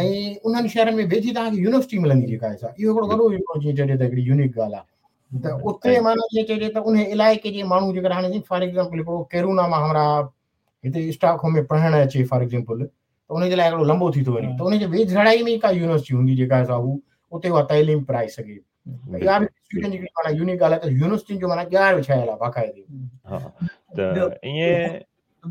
۽ انهن شهرن ۾ ويجهي توهان کي يونيورسٽي ملندي جيڪا آهي سا. اهو هڪڙو وڏو جيئن چئجي ته هڪڙي يونيڪ ڳالهه آهي ته اتي معنيٰ جيئن چئجي ته ان علائقي جي ماڻهو جيڪر هاڻي فار ايگزامپل هڪڙو ڪيرونا مان همراهه هتي اسٽاڪ هوم ۾ پڙهڻ اچي فار ايگزامپل ته ان جي لاءِ هڪڙو لمبو ٿي ٿو وڃي ته ان جي ويجهڙائي ۾ ڪا يونيورسٽي هوندي جيڪا سا هو اتي اها تعليم پرائي سگهي. اها به سوئيڊن جي معنيٰ يونيڪ ڳالهه آهي ته يونيورسٽين جو معنيٰ ڄار وڇايل آهي باقاعدي. ها، ته ائين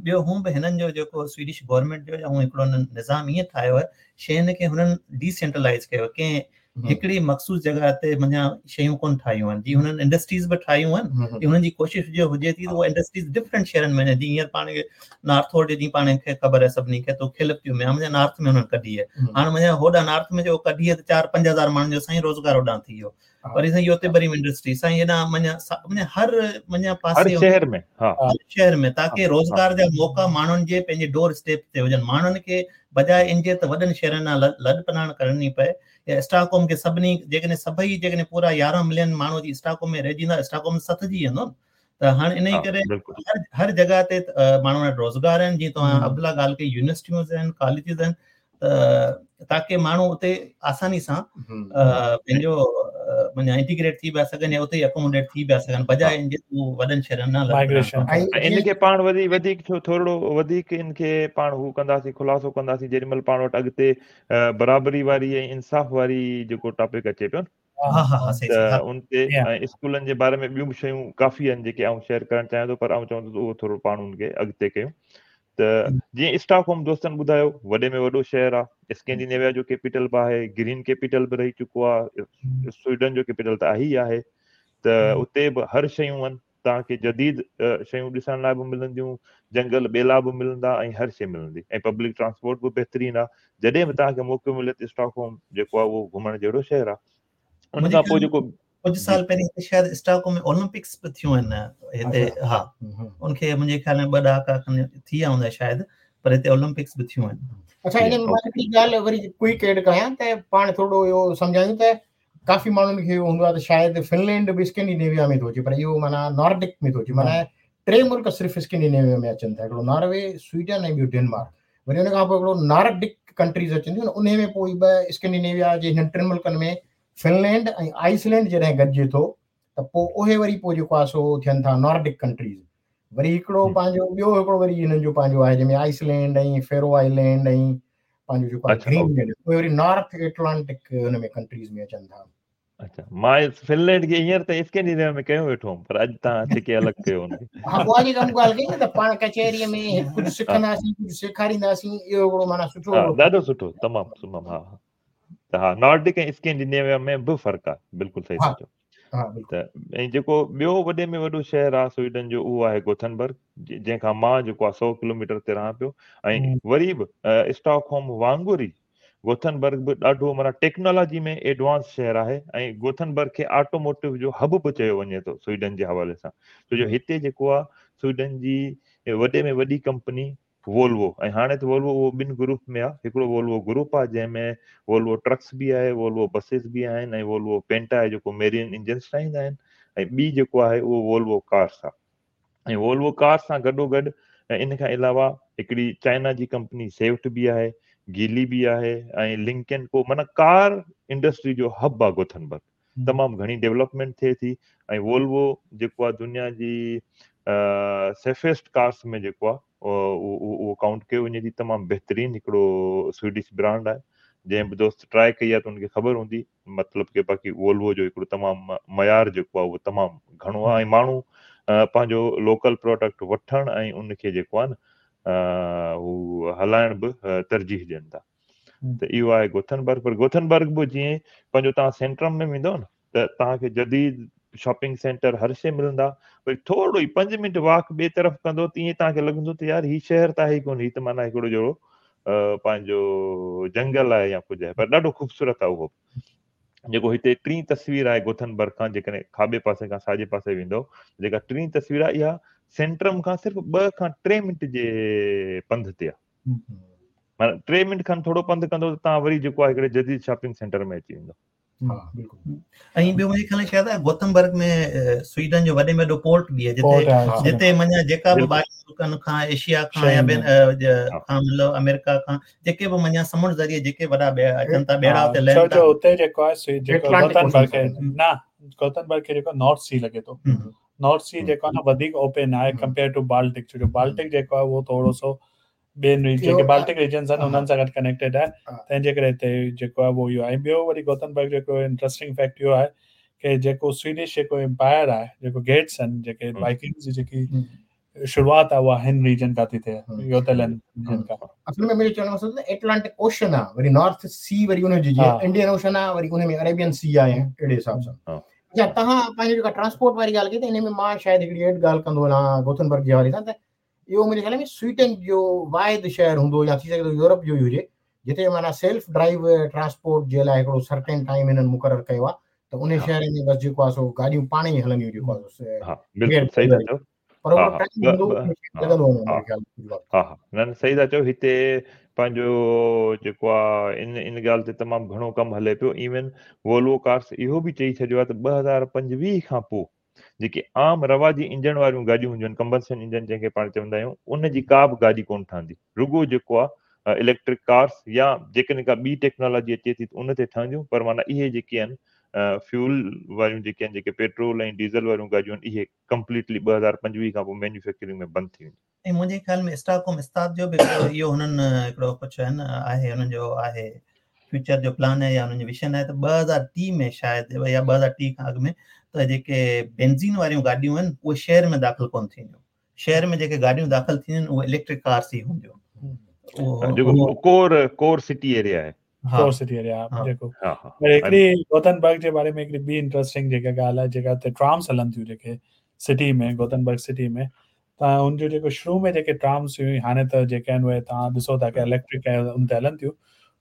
ٻيو هون به هنن جو جيڪو سوئيڊش گورنمينٽ جو هون هڪڙو نظام ائين ٺاهيو آهي شين کي هنن ڊيسينٽرلائيز ڪيو، ڪنهن هڪڙي مخصوص جڳهه تي معنيٰ شيون ڪونه ٺاهيون آهن. جيئن هنن انڊسٽريز به ٺاهيون آهن، هنن جي ڪوشش جو هجي ٿي ته اها انڊسٽريز ڊفرنٽ شهرن ۾ وڃن. جيئن هينئر پاڻ کي نارٿ هولڊ جي پاڻ کي خبر آهي سڀني کي ته کيلپتيون ۾ معنيٰ نارٿ ۾ هنن ڪڍي آهي. هاڻي معنيٰ هوڏان نارٿ ۾ جو ڪڍي آهي ته چار پنج هزار ماڻهن جو سائين روزگار هوڏان ٿي ويو. وري سائين يوتيبري ۾ انڊسٽري سائين هيڏان معنيٰ معنيٰ هر معنيٰ پاسي شهر ۾ هر شهر ۾ تاڪه روزگار جا موقعا ماڻهن جي پنهنجي ڊور اسٽيپ تي هجن. ماڻهن کي بجاءِ ان جي ته وڏن شهرن ڏانهن لڏ پلاڻ ڪرڻي پئي يا اسٽاڪ هوم کي سڀني جيڪڏهن سڀئي جيڪڏهن پورا يارهن ملين ماڻهو جي اسٽاڪ هوم ۾ رهجي ويندا، اسٽاڪ هوم سٿجي ويندو. ته هاڻي ان ڪري هر هر جڳهه تي ماڻهن وٽ روزگار آهن. جيئن توهان عبدالله ڳالهه ڪئي، يونيورسٽيون آهن، ڪاليجز آهن، ته تاڪه ماڻهو اتي آساني سان پنهنجو معنيٰ انٽيگريٽ ٿي پيا سگهن يا اتي ئي اڪوموڊيٽ ٿي پيا سگهن بجاءِ ان جي وڏن شهرن ڏانهن. ان کي پاڻ وري وڌيڪ ٿورو وڌيڪ ان کي پاڻ هو ڪنداسين، خلاصو ڪنداسين جيڏي مهل پاڻ وٽ اڳتي برابري واري ۽ انصاف واري جيڪو ٽاپڪ اچي پيو ته ان تي ۽ اسڪولن جي باري ۾ ٻيون به شيون ڪافي آهن جيڪي آئون شيئر ڪرڻ چاهيان ٿو، پر آئون چوندس اهو ٿورو پاڻ ان کي اڳتي ڪيون. ته جيئن اسٽاڪ هوم دوستن ٻڌايو وڏي ۾ وڏو شهر آهي، اسڪينڊينيويا جو ڪيپيٽل به آهي، گرين ڪيپيٽل به رهي چڪو آهي، سوئيڊن جو ڪيپيٽل ته آهي ئي آهي. ته اتي به هر شيون آهن، توهان کي جديد شيون ڏسڻ لاءِ به ملنديون، جنگل ٻيلا به ملندا ۽ هر شيءِ ملندي ۽ پبلڪ ٽرانسپورٽ به بهترين آهي. جڏهن به توهان کي موقعو ملي ته اسٽاڪ هوم جيڪو آهي اهو گهمڻ جهڙو شهر آهي. ان کان پوءِ جيڪو ڪجهه سال پهرين هتي شايد اسٽاڪ هوم ۾ اولمپڪس به ٿيون آهن هتي، ها ان کي منهنجي خيال ۾ ٻه ڏهاڪا کن ٿي ويا هوندا شايد، پر هتي اولمپڪس به ٿيون آهن. اڇا، ان ۾ مان هڪڙي ڳالهه وري ڪوئڪ ايڊ ڪيان ته پاڻ ٿورو اهو سمجهايون ته ڪافي ماڻهن کي اهو هوندو آهي ته شايد فنلينڊ به اسڪينڊينيويا ۾ ٿو اچي، پر اهو معنيٰ نارڊڪ ۾ ٿو اچي. معنيٰ ٽي ملڪ صرف اسڪينڊينيويا ۾ اچن ٿا، هڪڙو ناروي، سوئيڊن ۽ ٻيو ڊينمارڪ. وري ان کان پوءِ هڪڙو نارڊڪ ڪنٽريز اچن ٿيون، ان ۾ پوءِ ٻه اسڪينڊينيويا جي هنن ٽن ملڪن ۾ فنلينڊ ۽ آئسلينڊ جڏهن گڏجي ٿو ته پوءِ اهي وري پوءِ جيڪو آهي سو ٿين ٿا نارڊڪ ڪنٽريز. وري هڪڙو پنهنجو ٻيو هڪڙو وري هنن جو پنهنجو آهي جنهن ۾ آئسلينڊ ۽ فيرو آئلينڊ ۽ پنهنجو جيڪو آهي گرين لينڊ، اهي وري نارٿ ايٽلانٽڪ هن ۾ ڪنٽريز ۾ اچن ٿا. اڇا، مان فنلينڊ کي هينئر تائين اسڪينڊينيويا ۾ ڪيو ويٺو هوم، پر اڄ توهان ڇڪي الڳ ڪيو هن کي. ها، اها جيڪا مون ڳالهه ڪئي نه ته پاڻ ڪچهريءَ ۾ ڪجهه سکنداسين، ڪجهه سيکارينداسين، اهو هڪڙو معنيٰ سٺو ڏاڍو سٺو، تمام تمام. ها ته ها، نارڊڪ ۽ اسڪينڊينيويا ۾ به فرق آهي، بلڪل صحيح ٿا چئو. ته ۽ جيڪو ٻيو وڏي ۾ وڏو شهر آهي سوئيڊن جو اهو آهي گوٿنبرگ، جنهن کان مان جيڪو آهي سؤ ڪلو ميٽر تي رهان پيو. ۽ وري به اسٽاڪ هوم وانگر ئي گوٿنبرگ به ڏاڍو معنيٰ ٽيڪنالاجي ۾ ايڊوانس شهر آهي ۽ گوٿنبرگ کي آٽوموٽو جو هب به چيو وڃي ٿو سوئيڊن جي حوالي سان، ڇو جو هتي جيڪو آهي سوئيڊن جي وڏي ۾ وڏي ڪمپني وولوو، ۽ هاڻي ته وولوو اهو ٻن گروپ ۾ آهي، هڪڙو وولوو گروپ آهي جنهن ۾ وولوو ٽرڪس به آهي، وولوو بسز به آهن ۽ وولوو پينٽا آهي جيڪو ميرين انجنس ٺاهيندا آهن، ۽ ٻي جيڪو آهي اهو وولوو ڪارس آهي. ۽ وولوو ڪارس سان گڏو گڏ ان کان علاوه هڪڙي چائنا جي ڪمپني سيفٽ به آهي، گيلي به آهي ۽ لنڪ اينڊ ڪو معنيٰ ڪار انڊسٽري جو هب آهي گوٿنبرگ. تمام گهڻي ڊيولپمينٽ ٿئي ٿي ۽ وولوو جيڪو آهي دنيا جي سيفيسٽ ڪارس ۾ جيڪو آهي اهو ڪائونٽ ڪيو وڃي ٿي. تمام بهترين هڪڙو سويڊش برانڊ آهي. جنهن به دوست ٽرائي ڪئي آهي ته ان کي خبر هوندي، مطلب ڪي باقي وولوو جو هڪڙو تمام معيار جيڪو آهي اهو تمام گهڻو آهي ۽ ماڻهو پنهنجو لوڪل پراڊڪٽ وٺڻ ۽ ان کي جيڪو آهي نه هو هلائڻ به ترجيح ڏين ٿا. ته اهو آهي گوٿنبرگ. پر گوٿنبرگ به جيئن پنهنجو توهان سينٽرم ۾ ويندو نه ته توهان کي جديد شاپنگ سينٽر هر شيء ملندا، وري ٿورو ئي پنج منٽ واڪ ٻئي طرف ڪندو ته ائين توهان کي لڳندو ته يار هي شهر ته آهي ئي ڪونه، هي ته معنيٰ هڪڙو جهڙو پنهنجو جنگل آهي يا ڪجهه آهي، پر ڏاڍو خوبصورت آهي اهو به. جيڪو هتي ٽين تصوير آهي گوٿنبرگ کان، جيڪڏهن کاٻي پاسي کان ساڄي پاسي ويندو، جيڪا ٽين تصوير آهي اها سينٽرم کان صرف ٻه کان ٽي منٽ جي پنڌ تي آهي. معنيٰ ٽي منٽ کن ٿورو پنڌ ڪندو ته توهان وري جيڪو آهي هڪڙي جديد شاپنگ سينٽر ۾ اچي ويندو. ها بلڪل. ۽ ٻيو منهنجي خيال ۾ شايد گوٿنبرگ ۾ سوئيڊن جو وڏي ۾ وڏو پورٽ به آهي، جتي جتي معنيٰ جيڪا به ٻاهر ملڪن کان، ايشيا کان يا ٻين کان، مطلب آمريڪا کان جيڪي به معنيٰ سمنڊ ذريعي جيڪي وڏا اچن ٿا ٻيڙا اتي لهن ٿا. ڇو جو اتي جيڪو آهي جيڪو گوٿنبرگ کي نه، گوٿنبرگ کي جيڪو نارٿ سي لڳي ٿو، نارٿ سي جيڪو آهي نه وڌيڪ اوپن آهي ڪمپيئر ٽو بالٽڪ، ڇو جو بالٽڪ جيڪو آهي اهو ٿورو سو ٻين جيڪي بالٽڪ ريجنز آهن انهن سان گڏ ڪنيڪٽيڊ آهي، تنهن جي ڪري هتي جيڪو آهي اهو اهو آهي. ۽ ٻيو وري گوٿنبرگ جو هڪڙو انٽرسٽنگ فيڪٽ اهو آهي ڪي جيڪو سويڊش جيڪو امپائر آهي، جيڪو گيٽس آهن، جيڪي وائڪنگز جي جيڪي شروعات آهي اها هن ريجن کان ٿي ٿئي، يوتلينڊ ريجن کان. اصل ۾ منهنجو چوڻ جو مقصد ته ايٽلانٽڪ اوشن آهي، وري نارٿ سي، وري ان جي جيئن انڊين اوشن آهي، وري ان ۾ اريبين سي آهي، اهڙي حساب سان. اڇا توهان پنهنجي جيڪا ٽرانسپورٽ واري ڳالهه ڪئي ته ان ۾ مان شايد هڪڙي ايڊ ڳالهه ڪندو هلان گوٿنبرگ جي حوالي سان ته اهو منهنجي خيال ۾ سوئيڊن جو واحد شهر هوندو يا ٿي سگهي ٿو يورپ جو ئي هجي جتي معنيٰ سيلف ڊرائيو ٽرانسپورٽ جي لاء هڪڙو سرٽين ٽائيم هنن مقرر ڪيو آهي ته ان شهر ۾ بس جيڪو آهي سو گاڏيون پاڻ ئي هلنديون جيڪو آهي سو ها بلڪل صحيح ٿا چئو. پر اهو ٽائيم هوندو لڳندو هوندو منهنجي خيال ۾ ها ها نه نه صحيح ٿا چئو. هتي پنهنجو جيڪو آهي ان ان ڳالهه تي تمام گهڻو ڪم هلي پيو. ايون وولوو ڪارس اهو به چئي ڇڏيو آهي ته ٻه هزار پنجويهه کان پوء جيڪي عام رواجي انجڻ واريون گاڏيون هونديون آهن، ڪمبسشن انجڻ جنهن کي پاڻ چوندا آهيون، ان جي ڪا به گاڏي ڪونه ٺهندي. رڳو جيڪو آهي اليڪٽرڪ ڪارس يا جيڪڏهن ڪا ٻي ٽيڪنالاجي اچي ٿي ته ان تي ٺهنديون، پر معنيٰ اهي جيڪي آهن فيول واريون جيڪي آهن، جيڪي پيٽرول ۽ ڊيزل واريون گاڏيون آهن، اهي ڪمپليٽلي ٻه هزار پنجويهه کان پوء مينيوفيڪچرنگ ۾ بند ٿي وينديون. ۽ منهنجي خيال ۾ اسٽاڪهوم استاد جو به هڪڙو اهو هنن هڪڙو ڪجهه آهن آهي هنن جو آهي فيوچر جو پلان آهي يا هنن جو ويزن آهي ته ٻه هزار ٽيهه ۾ شايد يا ٻه هزار ٽيهه کان اڳ ۾ ته جيڪي بينزين واريون گاڏيون آهن اهي شهر ۾ داخل ڪونه ٿينديون. شهر ۾ جيڪي گاڏيون داخل ٿينديون اهي اليڪٽرڪ ڪارس ئي هونديون. جيڪو ڪور ڪور سٽي ايريا آهي، ڪور سٽي ايريا جيڪو. پر هڪڙي گوٿنبرگ جي باري ۾ هڪڙي ٻي انٽرسٽنگ جيڪا ڳالهه آهي، جيڪا هتي ٽرامس هلن ٿيون جيڪي سٽي ۾ گوٿنبرگ سٽي ۾ ته ان جو جيڪو شروع ۾ جيڪي ٽرامس هيون، هاڻي ته جيڪي آهن اهي توهان ڏسو ٿا ڪي اليڪٽرڪ ۽ ان تي هلن ٿيون،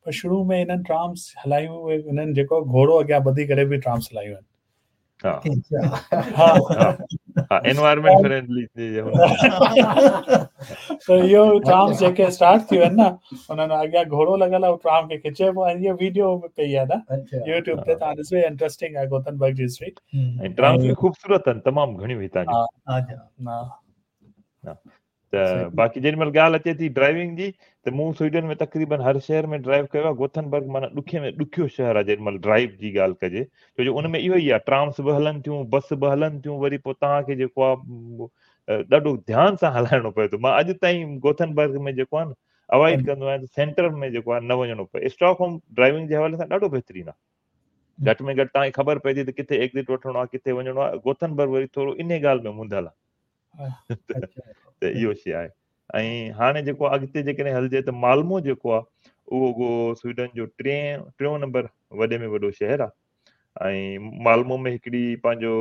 پر شروع ۾ انهن ٽرامس هلايون اهي انهن جيڪو گهوڙو اڳيان ٻڌي ڪري به ٽرامس هلايون آهن. ها ها انوائرمينٽ فرينڊلي ته اهو ٽرامس جيڪي اسٽارٽ ٿيون آهن نه انهن اڳيان گهوڙو لڳل آهي ٽرام کي کچي پيو ۽ اهو ويڊيو به پئي آهي نه يوٽيوب تي توهان ڏسو، انٽرسٽنگ آهي گوٿنبرگ جي هسٽري. ۽ ٽرامس به خوبصورت آهن تمام گهڻيون هتان جون. ها ته باقي جيڏي مهل ڳالهه اچي ٿي ڊرائيونگ جي ته مون سوئيڊن ۾ تقريبن هر شهر ۾ ڊرائيو ڪيو آهي. گوٿنبرگ معنيٰ ڏکي ۾ ڏکيو شهر آهي جيڏي مهل ڊرائيو جي ڳالهه ڪجي، ڇو جو ان ۾ اهو ئي آهي ٽرامس به هلن ٿيون، بس به هلن ٿيون، وري پوء توهان کي جيڪو آهي ڏاڍو ڌيان سان هلائڻو پئي ٿو. مان اڄ تائين گوٿنبرگ ۾ جيڪو آهي نه اوائڊ ڪندو آهيان ته سينٽر ۾ جيڪو آهي نه وڃڻو پئي. اسٽاڪ هوم ڊرائيونگ جي حوالي سان ڏاڍو بهترين آهي، گهٽ ۾ گهٽ توهان کي خبر پئي ٿي ته ڪٿي ايگزٽ وٺڻو آهي، ڪٿي وڃڻو آهي. گوٿنبرگ وري ٿورو انهي ڳالهه ۾ منڌل آهي ته اهو شيء آهي. ۽ هاڻي جيڪو اڳتي جيڪڏهن هلجي ته مالمو جيڪو آهي اهو سوئيڊن جو ٽئين ٽيون نمبر وڏي ۾ وڏو شهر آهي. ۽ مالمو ۾ هڪڙي پنهنجو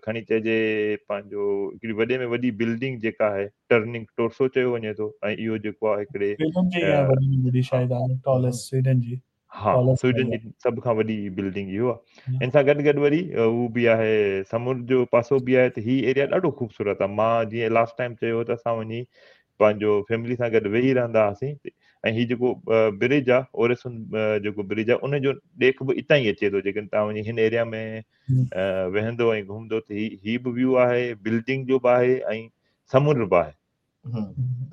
کڻي چئجي پنهنجو هڪڙي وڏي ۾ وڏي بلڊنگ جيڪا آهي ٽرننگ ٽورسو چيو وڃي ٿو. ۽ اهو جيڪو آهي هڪڙي سوئيڊن جي وڏي ۾ وڏي شايد آهي ٽاليسٽ سوئيڊن جي، ها سوئيڊن جي سڀ کان وڏي بلڊنگ اهو آهي. ان سان گڏ گڏ وري هو به آهي سمنڊ جو پاسو به آهي. ته هي ايريا ڏاڍو خوبصورت آهي. مان جيئن لاسٽ ٽائيم چيو ته اسان وڃي پنهنجو فيملي سان گڏ ويهي رهندا هئاسين. ۽ هي جيڪو برج آهي اوريسن جيڪو برج آهي ان جو ڏيک به اتان ئي اچي ٿو. جيڪڏهن توهان وڃي هن ايريا ۾ ويهندو ۽ گهمندو ته هي هي به ويو آهي، بلڊنگ جو به آهي ۽ سمنڊ به آهي.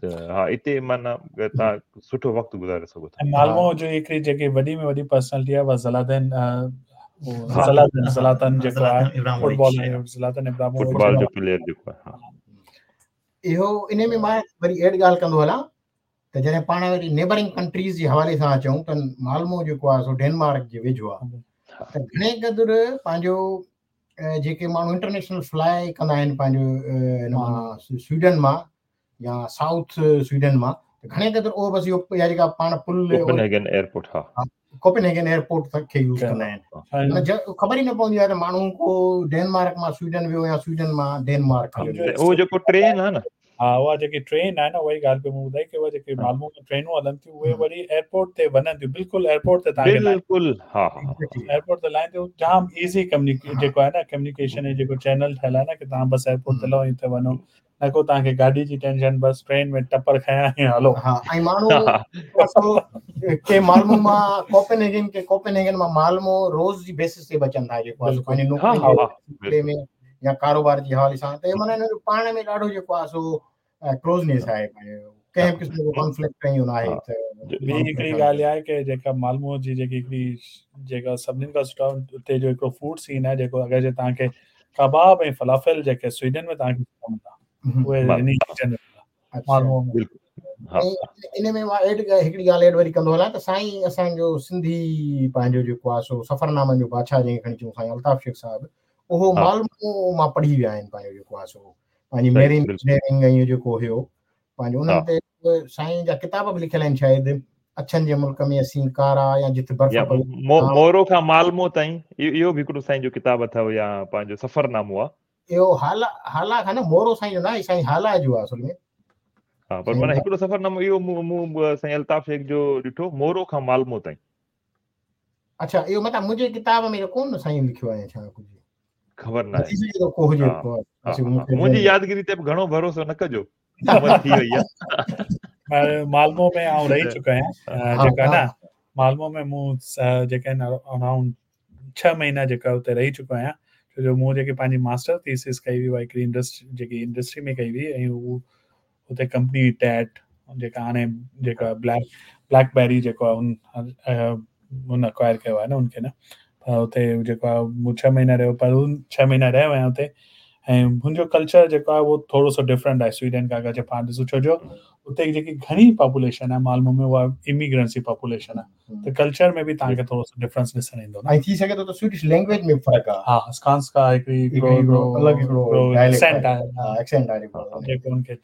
ته ها اتي معنيٰ توهان سٺو وقت گذاري سگهو ٿا. ۽ مالمو جو هڪڙي جيڪي وڏي ۾ وڏي پرسنالٽي آهي اها زلاتن زلاتن زلاتن جيڪو آهي فٽبال زلاتن ابراهيمووچ فٽبال جو پليئر جيڪو آهي. ها اهو ان ۾ مان وري ايڊ ڳالهه ڪندو هلان ته جڏهن پاڻ وري نيبرنگ ڪنٽريز جي حوالي سان اچون ته مالمو جيڪو آهي سو ڊينمارڪ جي ويجهو آهي ته گهڻي قدر پنهنجو جيڪي ماڻهو انٽرنيشنل فلائي ڪندا آهن پنهنجو هن مان سوئيڊن مان يا سائوٿ سوئيڊن مان ته گهڻي قدر اهو بس اهو يا جيڪا پاڻ پل ڪوپنهيگن ايئرپورٽ ها ڪوپنهيگن ايئرپورٽ کي يوز ڪندا آهن خبر ئي نه پوندي آهي ته ماڻهو ڪو ڊينمارڪ مان سوئيڊن ويو يا سوئيڊن مان ڊينمارڪ هليو ويو. اهو جيڪو ٽرين آهي نه ها اها جيڪي ٽرين آهي نه اها ئي ڳالهه پئي مون ٻڌائي ڪي اها جيڪي مالمو ۾ ٽرينون هلن ٿيون اهي وري ايئرپورٽ تي وڃن ٿيون بلڪل ايئرپورٽ تي توهان کي بلڪل ها ها ايئرپورٽ تي لاهين ٿيون جام ايزي ڪميونيڪي جيڪو آهي نه ڪميونيڪيشن جو جيڪو چينل ٺهيل آهي نه ڪي توهان بس ايئرپورٽ تي لهو ۽ اتي وڃو نه ڪو توهان کي گاڏي جي ٽينشن بس ٽرين ۾ ٽپر کنيا ۽ هلو. ها ۽ ماڻهو ڪي مالمو مان ڪوپنهيگن ڪي ڪوپنهيگن مان مالمو روز جي بيسس تي به اچن ٿا جيڪو آهي پنهنجي نوڪري جي ۾ يا ڪاروبار جي حوالي سان ته معنيٰ هن جو پاڻ ۾ ڏاڍو جيڪو آهي سو ڪلوزنيس آهي پنهنجو ڪنهن به قسم جو ڪانفلڪٽ ائين نه آهي ته ٻي هڪڙي ڳالهه اها آهي ڪي جيڪا مالمو جي جيڪي هڪڙي جيڪا سڀني کان سٺا اتي جو هڪڙو فوڊ سين آهي جيڪو اگر جي توهان کي ڪباب ۽ فلافل جيڪي سوئيڊن ۾ توهان کي سٺا ملندا اهي ان ريجن ۾ ملندا مالمو ۾. ان ۾ مان ايڊ هڪڙي ڳالهه ايڊ وري ڪندو هلان ته سائين اسان جو سنڌي پنهنجو جيڪو آهي سو سفرنامن جو بادشاهه جنهن کي کڻي چئون سائين الطاف شيخ صاحب اهو مالمو مان پڙهي ويا آهن پنهنجو جيڪو آهي سو پنهنجي ميرين انجنيئرنگ ۽ اهو جيڪو هيو پنهنجو انهن تي سائين جا ڪتاب به لکيل آهن شايد اڇن جي ملڪ ۾ اسين ڪارا يا جت برف پئي مورو کان مالمو تائين اهو به هڪڙو سائين جو ڪتاب اٿو يا پنهنجو سفرنامو آهي اهو هالا هالا کان نه مورو سائين جو نه آهي سائين هالا جو آهي اصل ۾ ها پر معنيٰ هڪڙو سفرنامو اهو مون سائين الطاف شيخ جو ڏٺو مورو کان مالمو تائين. اڇا اهو مطلب منهنجي ڪتاب ۾ ڪونه سائين لکيو آهي ڇا ڪجهه خبر نه آهي ڪو هجي منهنجي يادگيري تي به گهڻو ڀروسو نه ڪجو عمر ٿي وئي آهي. مالمو ۾ آئون رهي چڪو آهيان جيڪا نه مالمو ۾ مون جيڪا آهن اراؤنڊ ڇهه مهينا جيڪا اتي رهي چڪو آهيان ڇو جو مون جيڪي پنهنجي ماسٽر ٿيسس ڪئي هئي اها هڪڙي انڊسٽري جيڪي انڊسٽري ۾ ڪئي هئي ۽ هو اتي ڪمپني هئي ٽيٽ جيڪا هاڻي جيڪا بليڪ بليڪ بيري جيڪو آهي ان هن اڪوائر ڪيو آهي نه ان کي نه پر اتي جيڪو آهي مون ڇهه مهينا رهيو پر ان ڇهه مهينا رهيو آهيان اتي ۽ هن جو ڪلچر جيڪو آهي اهو ٿورو سو ڊفرنٽ آهي سوئيڊن کان اگر پاڻ ڏسون ڇو جو اتي جيڪي گهڻي پاپوليشن آهي مالمو ۾ اها اميگرنٽس جي پاپوليشن آهي ته ڪلچر ۾ به توهان کي ٿورو سو ڊفرنس ڏسڻ ايندو نه ۽ ٿي سگهي ٿو ته سوئيڊش لينگويج ۾ فرق آهي ها اسڪانسڪا هڪڙي هڪڙو الڳ هڪڙو ايڪسينٽ آهي ها ايڪسينٽ آهي جيڪو ان کي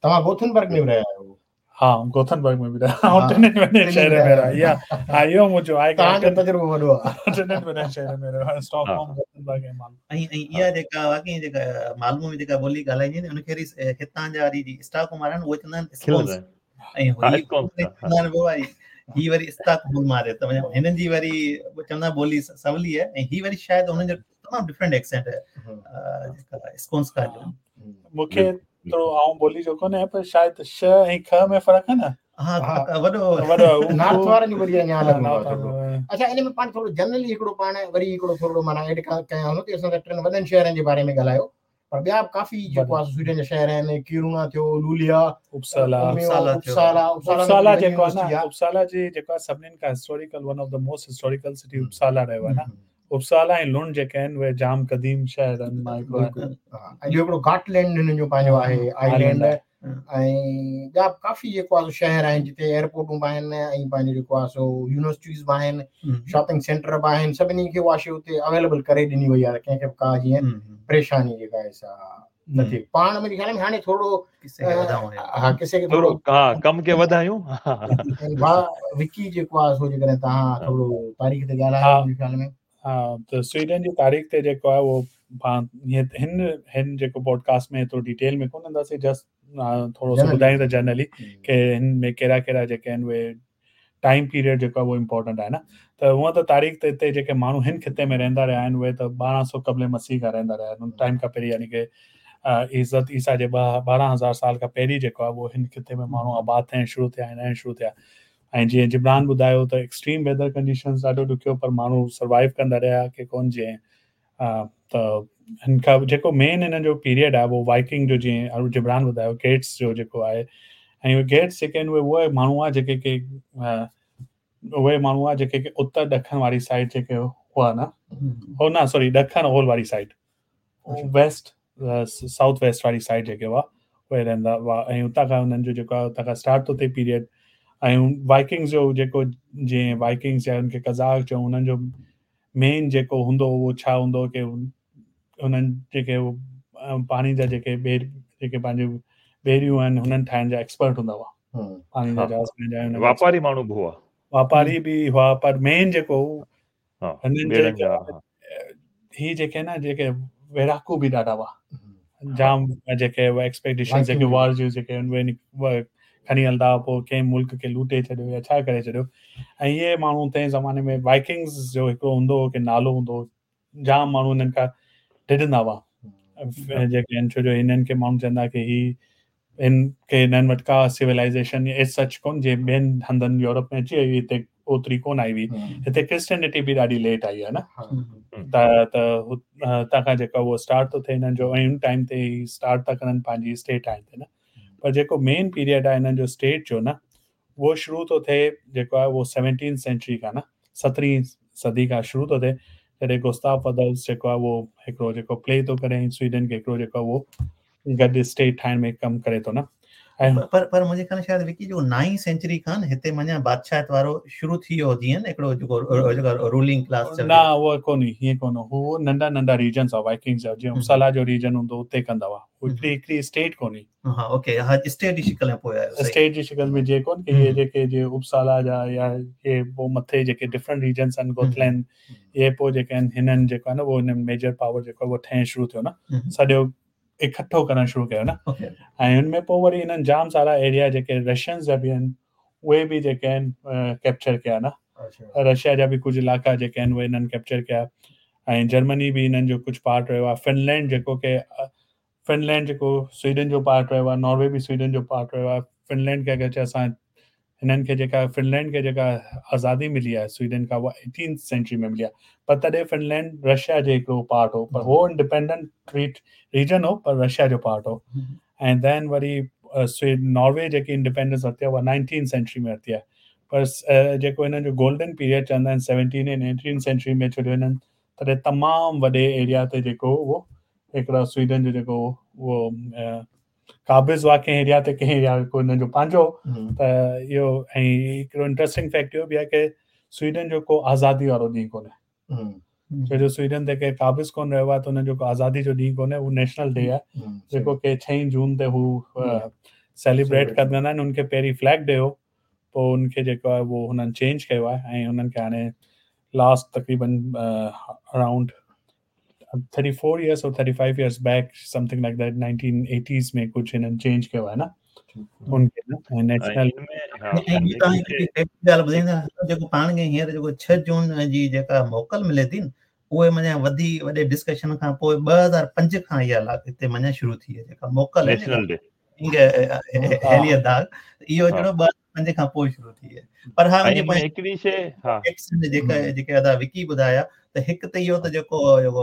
توهان گوٿنبرگ ۾ به رهيا آهيو؟ ها گوٿنبرگ ۾ به رهيا آهيان ٽنهي وڏن شهرن ۾ رهيا ها اهو منهنجو آهي توهان جو تجربو وڏو آهي ٽنهي وڏن شهرن ۾ رهيو آهيان اسٽاڪهوم گوٿنبرگ ۽ مالمو ۽ ۽ اها جيڪا واقعي جيڪا مالمو ۾ جيڪا ٻولي ڳالهائجي ان کي وري هتان جا وري اسٽاڪهوم وارا آهن اهي چوندا آهن اسڪونس ۽ هي چوندا آهن وري هي وري اسٽاڪهوم واري ته هنن جي وري چوندا ٻولي سولي آهي ۽ هي وري شايد هنن جو تمام ڊفرنٽ ايڪسينٽ آهي جيڪا اسڪونسڪا جو مون کي ٿورو آئون ٻولي جو ڪونه آهيان پر شايد ش ۽ ک ۾ فرق آهي نه ها وڏو وڏو نارٿ وارن جو وري اڃا الڳ هوندو آهي اڇا ان ۾ پاڻ ٿورو جنرلي هڪڙو پاڻ وري هڪڙو ٿورو معنيٰ ايڊ ڪيان ٿو ته اسان ته ٽن وڏن شهرن جي باري ۾ ڳالهايو پر ٻيا به ڪافي جيڪو آهي سوئيڊن جا شهر آهن ڪيرونا ٿيو لوليا اپسالا اپسالا اپسالا اپسالا جيڪو آهي نه اپسالا جي جيڪو آهي سڀنين کان historical one of the most historical city Uppsala رهيو آهي نه اپسالا ۽ لنڊ جيڪي آهن اهي جام قديم شهرن مان هڪڙو آهي. ۽ ٻيو هڪڙو گاٽلينڊ هنن جو پنهنجو آهي آئلينڊ ۽ ٻيا به ڪافي جيڪو آهي سو شهر آهن جتي ايئرپورٽون به آهن ۽ پنهنجو جيڪو آهي سو يونيورسٽيز به آهن شاپنگ سينٽر به آهن سڀني کي اها شيء اتي اويليبل ڪري ڏني وئي آهي ڪنهن کي به ڪا جيئن پريشاني جيڪا آهي سا نه ٿئي پاڻ منهنجي خيال ۾ هاڻي ٿورو ها قصي کي ٿورو ها ڪم کي وڌايون ڀاء وڪي جيڪو آهي سو جيڪڏهن توهان ٿورو تاريخ تي ڳالهايو منهنجي خيال ۾ ها ته سوئيڊن جي تاريخ تي جيڪو آهي اهو پاڻ هن هن جيڪو پوڊڪاسٽ ۾ ايترو ڊيٽيل ۾ ڪونه اينداسين جسٽ ٿورو سو ٻڌايون ته جنرلي ڪي هن ۾ ڪهڙا ڪهڙا جيڪي آهن اهي ٽائيم پيريڊ جيڪو آهي اهو امپورٽنٽ آهي نه ته هونئن ته تاريخ ته هتي جيڪي ماڻهو هن خطي ۾ رهندا رهيا آهن اهي ته ٻارهن سؤ قبل مسيح کان رهندا رهيا آهن ان ٽائيم کان پهرين يعني ڪي حضرت عيسيٰ جي ٻه ٻارهن هزار سال کان پهرين جيڪو آهي اهو هن خطي ۾ ماڻهو آباد ٿيڻ شروع ٿيا ۽ رهڻ شروع ٿيا ۽ جيئن جبران ٻڌايو ته ايڪسٽريم ويدر ڪنڊيشنز ڏاڍو ڏکيو پر ماڻهو سروائيو ڪندا رهيا ڪي ڪونه جيئن ته هن کان جيڪو مين هنن جو پيريڊ آهي اهو وائڪنگ جو، جيئن جبران ٻڌايو گيٽس جو جيڪو آهي، ۽ اهي گيٽس جيڪي آهن اهي اهي ماڻهو هئا جيڪي ڪي اهي ماڻهو هئا جيڪي ڪي اتر ڏکڻ واري سائيڊ جيڪي هئا نه، هو نه سوري ڏکڻ اولهه واري سائيڊ، ويسٽ سائوٿ ويسٽ واري سائيڊ جيڪي هئا اهي رهندا هئا، ۽ اتان کان هنن جو جيڪو آهي اتان کان اسٽارٽ ٿو ٿئي پيريڊ. ۽ وائڪنگس جو جيڪو جيئن وائڪنگس يا هن کي قزاق چئون، هنن جو مين جيڪو هوندو اهو ڇا هوندو ڪي هنن جيڪي پاڻي جا جيڪي ٻيڙ جيڪي پنهنجون ٻيڙيون آهن هنن ٺاهڻ جا ايڪسپرٽ هوندا هئا، پاڻي جا جهاز ٺاهڻ جا. واپاري ماڻهو به هئا، واپاري به هئا، پر مين جيڪو هنن جي هي جيڪي نه جيڪي ويڙهاڪو به ڏاڍا هئا، جام جيڪي ايڪسپيڊيشن جيڪي وار جون جيڪي اهي کڻي هلندا هئا، پوءِ ڪنهن ملڪ کي لوٽي ڇڏيو يا ڇا ڪري ڇڏيو. ۽ اهي ماڻهو تنهن زماني ۾ وائڪنگس جو هڪڙو هوندو هو ڪي نالو هوندو هو، جام ماڻهو هنن کان ڊڄندا هئا جيڪي آهن، ڇو جو هنن کي ماڻهو چوندا ڪه هي هن کي هنن وٽ ڪا سولائيزيشن ايز سچ ڪونه، جيئن ٻين هنڌن يورپ ۾ اچي وئي هئي هتي اوتري ڪونه آئي هئي، هتي ڪرسچينٽي به ڏاڍي ليٽ آئي آهي نه، ته ته هتان کان جيڪو اهو اسٽارٽ ٿو ٿئي هنن جو، ۽ ان ٽائيم تي هي اسٽارٽ ٿا ڪرن پنهنجي اسٽيٽ ٺاهڻ تي نه. پر جيڪو مين پيريڊ آهي هنن جو اسٽيٽ جو نه، اهو شروع ٿو ٿئي جيڪو آهي اهو سيونٽين سينچري کان نه، سترهين صدي کان شروع ٿو ٿئي، جڏهن گستاف ادولف جيڪو آهي اهو هڪڙو جيڪو پلي ٿو ڪري ۽ سوئيڊن کي هڪڙو جيڪو آهي اهو گڏ اسٽيٽ ٺاهڻ ۾ ڪم ڪري ٿو نه. پر پر منهنجي خيال ۾ شايد وڪي جو نائين سينچري کان هتي معنيٰ بادشاهت وارو شروع ٿي ويو جيئن هڪڙو جيڪو جيڪو رولنگ ڪلاس چئجي. نه اهو ڪونهي، هيئن ڪونه هو، ننڍا ننڍا ريجنس هئا وائڪنگس جا، جيئن اپسالا جو ريجن هوندو اتي ڪندا هئا، هڪڙي هڪڙي اسٽيٽ ڪونهي. ها اوڪي، ها اسٽيٽ جي شڪل ۾ پوء آيو، اسٽيٽ جي شڪل ۾ جي ڪون ڪي اهي جيڪي جي اپسالا جا يا اهي پوء مٿي جيڪي ڊفرنٽ ريجنس آهن گوٿلينڊ، اهي پوء جيڪي آهن هنن جيڪو آهي نه اهو هن ميجر پاور جيڪو آهي اهو ٺهڻ شروع ٿيو نه، سڄو اڪٺو ڪرڻ شروع ڪيو نه. ۽ هن ۾ پوء وري هنن جام سارا ايريا جيڪي رشينز جا به آهن اهي به جيڪي آهن ڪيپچر ڪيا نه، رشيا جا به ڪجهه علائقا جيڪي آهن اهي هنن ڪيپچر ڪيا، ۽ جرمني به هنن جو ڪجهه پارٽ رهيو آهي، فنلينڊ جيڪو ڪي فنلينڊ جيڪو سوئيڊن جو پارٽ رهيو آهي، ناروي به سوئيڊن جو پارٽ رهيو آهي. فنلينڊ کي اگرچه اسان هنن کي جيڪا فنلينڊ کي جيڪا آزادي ملي آهي سوئيڊن کان اها ايٽينٿ سينچري ۾ ملي آهي، پر تڏهن فنلينڊ رشيا جي هڪڙو پارٽ هو، پر هو انڊيپينڊنٽ ريجن هو پر رشيا جو پارٽ هو. ۽ دين وري سوئيڊ ناروي جيڪي انڊيپينڊنس ورتي آهي اها نائنٽين سينچري ۾ ورتي آهي، پر جيڪو هنن جو گولڊن پيريڊ چوندا آهن سيونٽين ۽ ايٽين سينچري ۾ ڇو جو هنن تڏهن تمام وڏي ايريا تي جيڪو اهو هڪڙا سوئيڊن جو جيڪو اهو قابض هئا ڪنهن ايريا تي، ڪنهن ايريا ڪو هنن جو پنهنجو. ته اهو ۽ هڪڙو انٽريسٽنگ فيڪٽ اهو به آهي ڪه سوئيڊن جو ڪو آزادي وارو ڏينهن ڪونهي، ڇو جو سوئيڊن تي ڪير قابض ڪونه رهيو آهي ته هنن جو ڪو آزادي جو ڏينهن ڪونهي، هو نيشنل ڊي آهي جيڪو ڪي ڇهين جون تي هو سيليبريٽ ڪندا آهن. هن کي پهرين فليگ ڊي هو، پوءِ هن کي جيڪو آهي اهو هنن چينج ڪيو آهي، ۽ هنن کي هاڻي لاسٽ تقريبن around thirty four years or thirty five years back something like that nineteen eighties ۾ ڪجهه هنن چينج ڪيو آهي نه ان کي نه. ۽ نيشنل ڳالهه ٻڌائيندا جيڪو پاڻ کي هينئر جيڪو ڇهه جون جي جيڪا موڪل ملي ٿي اهي معنيٰ وڌي وڏي ڊسڪشن کان پوءِ ٻه هزار پنج کان اها هتي معنيٰ شروع ٿي آهي جيڪا موڪل نيشنل ڊي هيلي داغ، اهو جهڙو ٻه پنج کان پوءِ شروع ٿي آهي. پر ها هڪڙي شيءِ ها جيڪا جيڪي ادا وڪي ٻڌايا ته هڪ ته اهو ته جيڪو جيڪو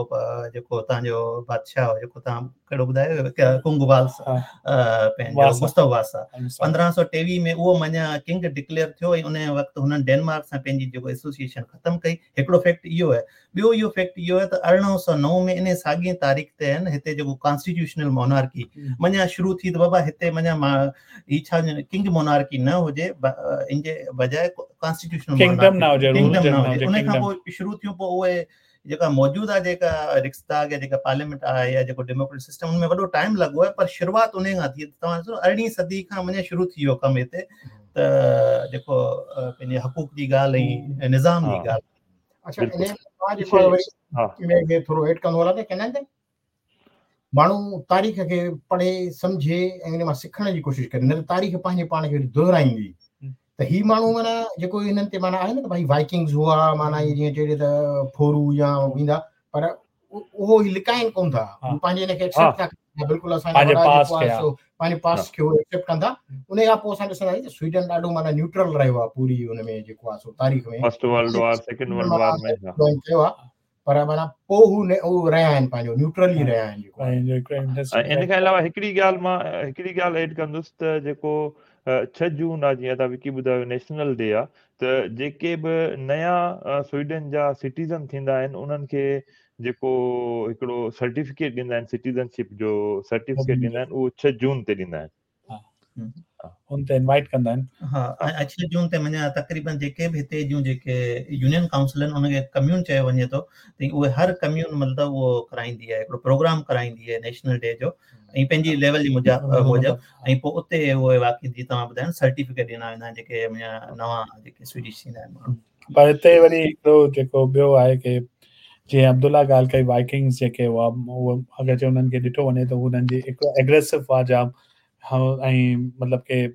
جيڪو توهان جو بادشاهه هو جيڪو توهان ڪهڙو ٻڌايو ڪنگ والس پنهنجو گستاو واسا پندرهن سؤ ٽيويهه ۾ اهو معنيٰ ڪنگ ڊڪليئر ٿيو ۽ ان وقت هنن ڊينمارڪ سان پنهنجي جيڪو ايسوسيئيشن ختم ڪئي. هڪڙو فيڪٽ اهو آهي. ٻيو اهو فيڪٽ اهو آهي ته ارڙهن سؤ نو ۾ ان ساڳي تاريخ تي آهن هتي جيڪو ڪانسٽيٽيوشنل مونارڪي معنيٰ شروع ٿي ته بابا هتي معنيٰ هي ڇا ڪنگ مونارڪي نه هجي، ان جي بجاءِ ڪانسٽيٽيوشنل ڪنگڊم نه هجي، ڪنگڊم نه هجي. ان کان پوءِ شروع ٿيون، پوءِ اهي جيڪا موجوده جيڪا رڪسداگ يا جيڪا پارليامينٽ آهي يا جيڪو ڊيموڪريٽڪ سسٽم ان ۾ وڏو ٽائيم لڳو آهي، پر شروعات ان کان ٿي. توهان ڏسو ارڙهين صدي کان معنيٰ شروع ٿي ويو ڪم هتي ته جيڪو پنهنجي حقوق جي ڳالهه ۽ نظام جي ڳالهه. اڇا ان ۾ مان جيڪو آهي وري ان کي ٿورو ايڊ ڪندو هلان ته چوندا آهن ته ماڻهو تاريخ کي پڙهي سمجهي ۽ ان مان سکڻ جي ڪوشش ڪري، نه ته تاريخ پنهنجي پاڻ کي دهرائيندي. ته هي ماڻهو معنيٰ جيڪو هنن تي معنيٰ آهي نه ته ڀائي وائڪنگز هئا، معنيٰ اهي جيئن چئجي ته ڦورو يا ويندا، پر اهو هي لڪائن ڪونه ٿا، هو پنهنجي هن کي ايڪسيپٽ ٿا ڪن، بلڪل اسان جا وڏا جيڪو آهي سو پنهنجي پاسٽ کي هو ايڪسيپٽ ڪن ٿا. ان کان پوءِ اسان ڏسنداسين ته سوئيڊن ڏاڍو معنيٰ نيوٽرل رهيو آهي پوري ان ۾ جيڪو آهي سو تاريخ ۾ first world war second world war ۾ join ڪيو آهي. پر معنيٰ پوءِ هو اهو رهيا آهن پنهنجو نيوٽرل ئي رهيا آهن جيڪو. ۽ ان کان علاوه هڪڙي ڳالهه مان هڪڙي ڳالهه ايڊ ڪندس ته جيڪو ڇهه جون آهي جيئن ادا وڪي ٻڌايو نيشنل ڊي آهي ته جيڪي به نيا سوئيڊن جا سٽيزن ٿيندا آهن انهن کي جيڪو هڪڙو سرٽيفڪيٽ ڏيندا آهن سٽيزنشپ جو سرٽيفڪيٽ ڏيندا آهن اهو ڇهه جون تي ڏيندا آهن. ان تي انوائيٽ ڪندا آهن. ها ۽ ڇهه جون تي معنيٰ تقريبن جيڪي به هتي جون جيڪي يونين ڪائونسل آهن ان کي ڪميون چيو وڃي ٿو ته اهي هر ڪميون مطلب اهو ڪرائيندي آهي هڪڙو پروگرام ڪرائيندي آهي نيشنل ڊي جو ۽ پنهنجي ليول جي موجب ۽ پوءِ اتي اهي واقعي جيئن توهان ٻڌايو سرٽيفڪيٽ ڏنا ويندا آهن جيڪي معنيٰ نوان جيڪي سوئيڊش ٿيندا آهن ماڻهو. پر هتي وري هڪڙو جيڪو ٻيو آهي ڪه جيئن عبدالله ڳالهه ڪئي وائڪنگس جيڪي هئا اهي اگر جي انهن کي ڏٺو وڃي ته هنن جي هڪڙو ايگريسو هئا جام ۽ مطلب ڪه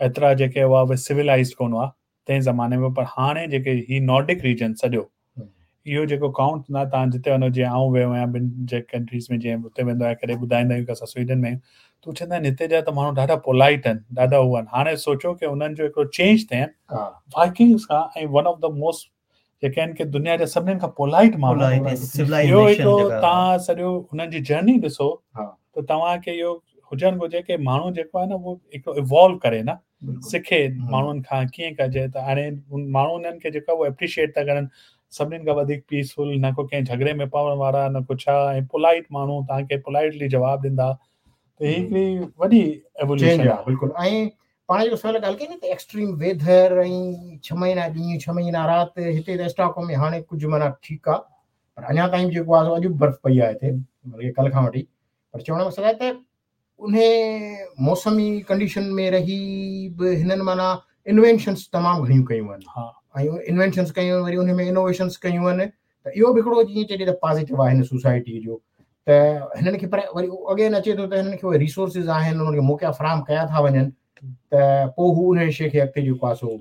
ايترا جيڪي هئا اهي سولائيزڊ ڪونه هئا تنهن زماني ۾ پر هاڻي جيڪي هي نارڊڪ ريجن سڄو اهو جيڪو ڪائونٽ نه توهان جتي وڃو جيئن آئون ويو آهيان ٻن جي ڪنٽريز ۾ جيئن اتي ويندو آهيان ڪڏهن ٻڌائيندا آهيون ڪه اسان سوئيڊن ۾ آهيون ته چوندا آهن هتي جا ته ماڻهو ڏاڍا پولائيٽ آهن ڏاڍا اهي آهن. هاڻي سوچو ڪه انهن جو هڪڙو چينج ٿيا آهن وائڪنگس کان ۽ ون آف the most جيڪي آهن ڪه دنيا جا سڀنين کان پولائيٽ ماڻهو اهو هڪڙو توهان سڄو هنن جي جرني ڏسو ته توهان کي اهو هجڻ گهرجي ڪه ماڻهو جيڪو آهي نه اهو هڪڙو ايوالو ڪري نه سکي ماڻهن کان ڪيئن ڪجي ته هاڻي ماڻهو انهن کي جيڪو اهو ايپريشيئيٽ ٿا ڪرن سڀنين کان وڌيڪ پيسفل نه ڪو ڪنهن جهڳڙي ۾ پوڻ وارا نه ڪو ڇا ۽ پولائيٽ ماڻهو توهان کي پولائيٽلي جواب ڏيندا ته هي هڪڙي وڏي ايووليوشن آهي. بلڪل ۽ پاڻ جيڪو سوال ڳالهه ڪئي نه ته ايڪسٽريم ويدر ۽ ڇهه مهينا ڏينهن ڇهه مهينا رات هتي ته اسٽاڪهوم ۾ هاڻي ڪجهه معنيٰ ٺيڪ آهي پر اڃا تائين به جيڪو آهي اڄ به برف پئي آهي هتي بلڪه ڪلهه کان وٺي. پر چوڻ جو مقصد آهي ته ان موسمي ڪنڊيشن ۾ رهي به هنن معنيٰ انوينشنس تمام گهڻيون ڪيون آهن ۽ انوينشنس ڪيون وري ان ۾ انوويشنس ڪيون آهن ته اهو به هڪڙو جيئن چئجي ته پازيٽو آهي هن سوسائٽيءَ جو ته هنن کي پر وري اڳين اچي ٿو ته هنن کي اهي ريسورسز آهن انهن کي موقعا فراهم ڪيا ٿا وڃن ته پوءِ هو ان شيءِ کي اڳتي جيڪو آهي سو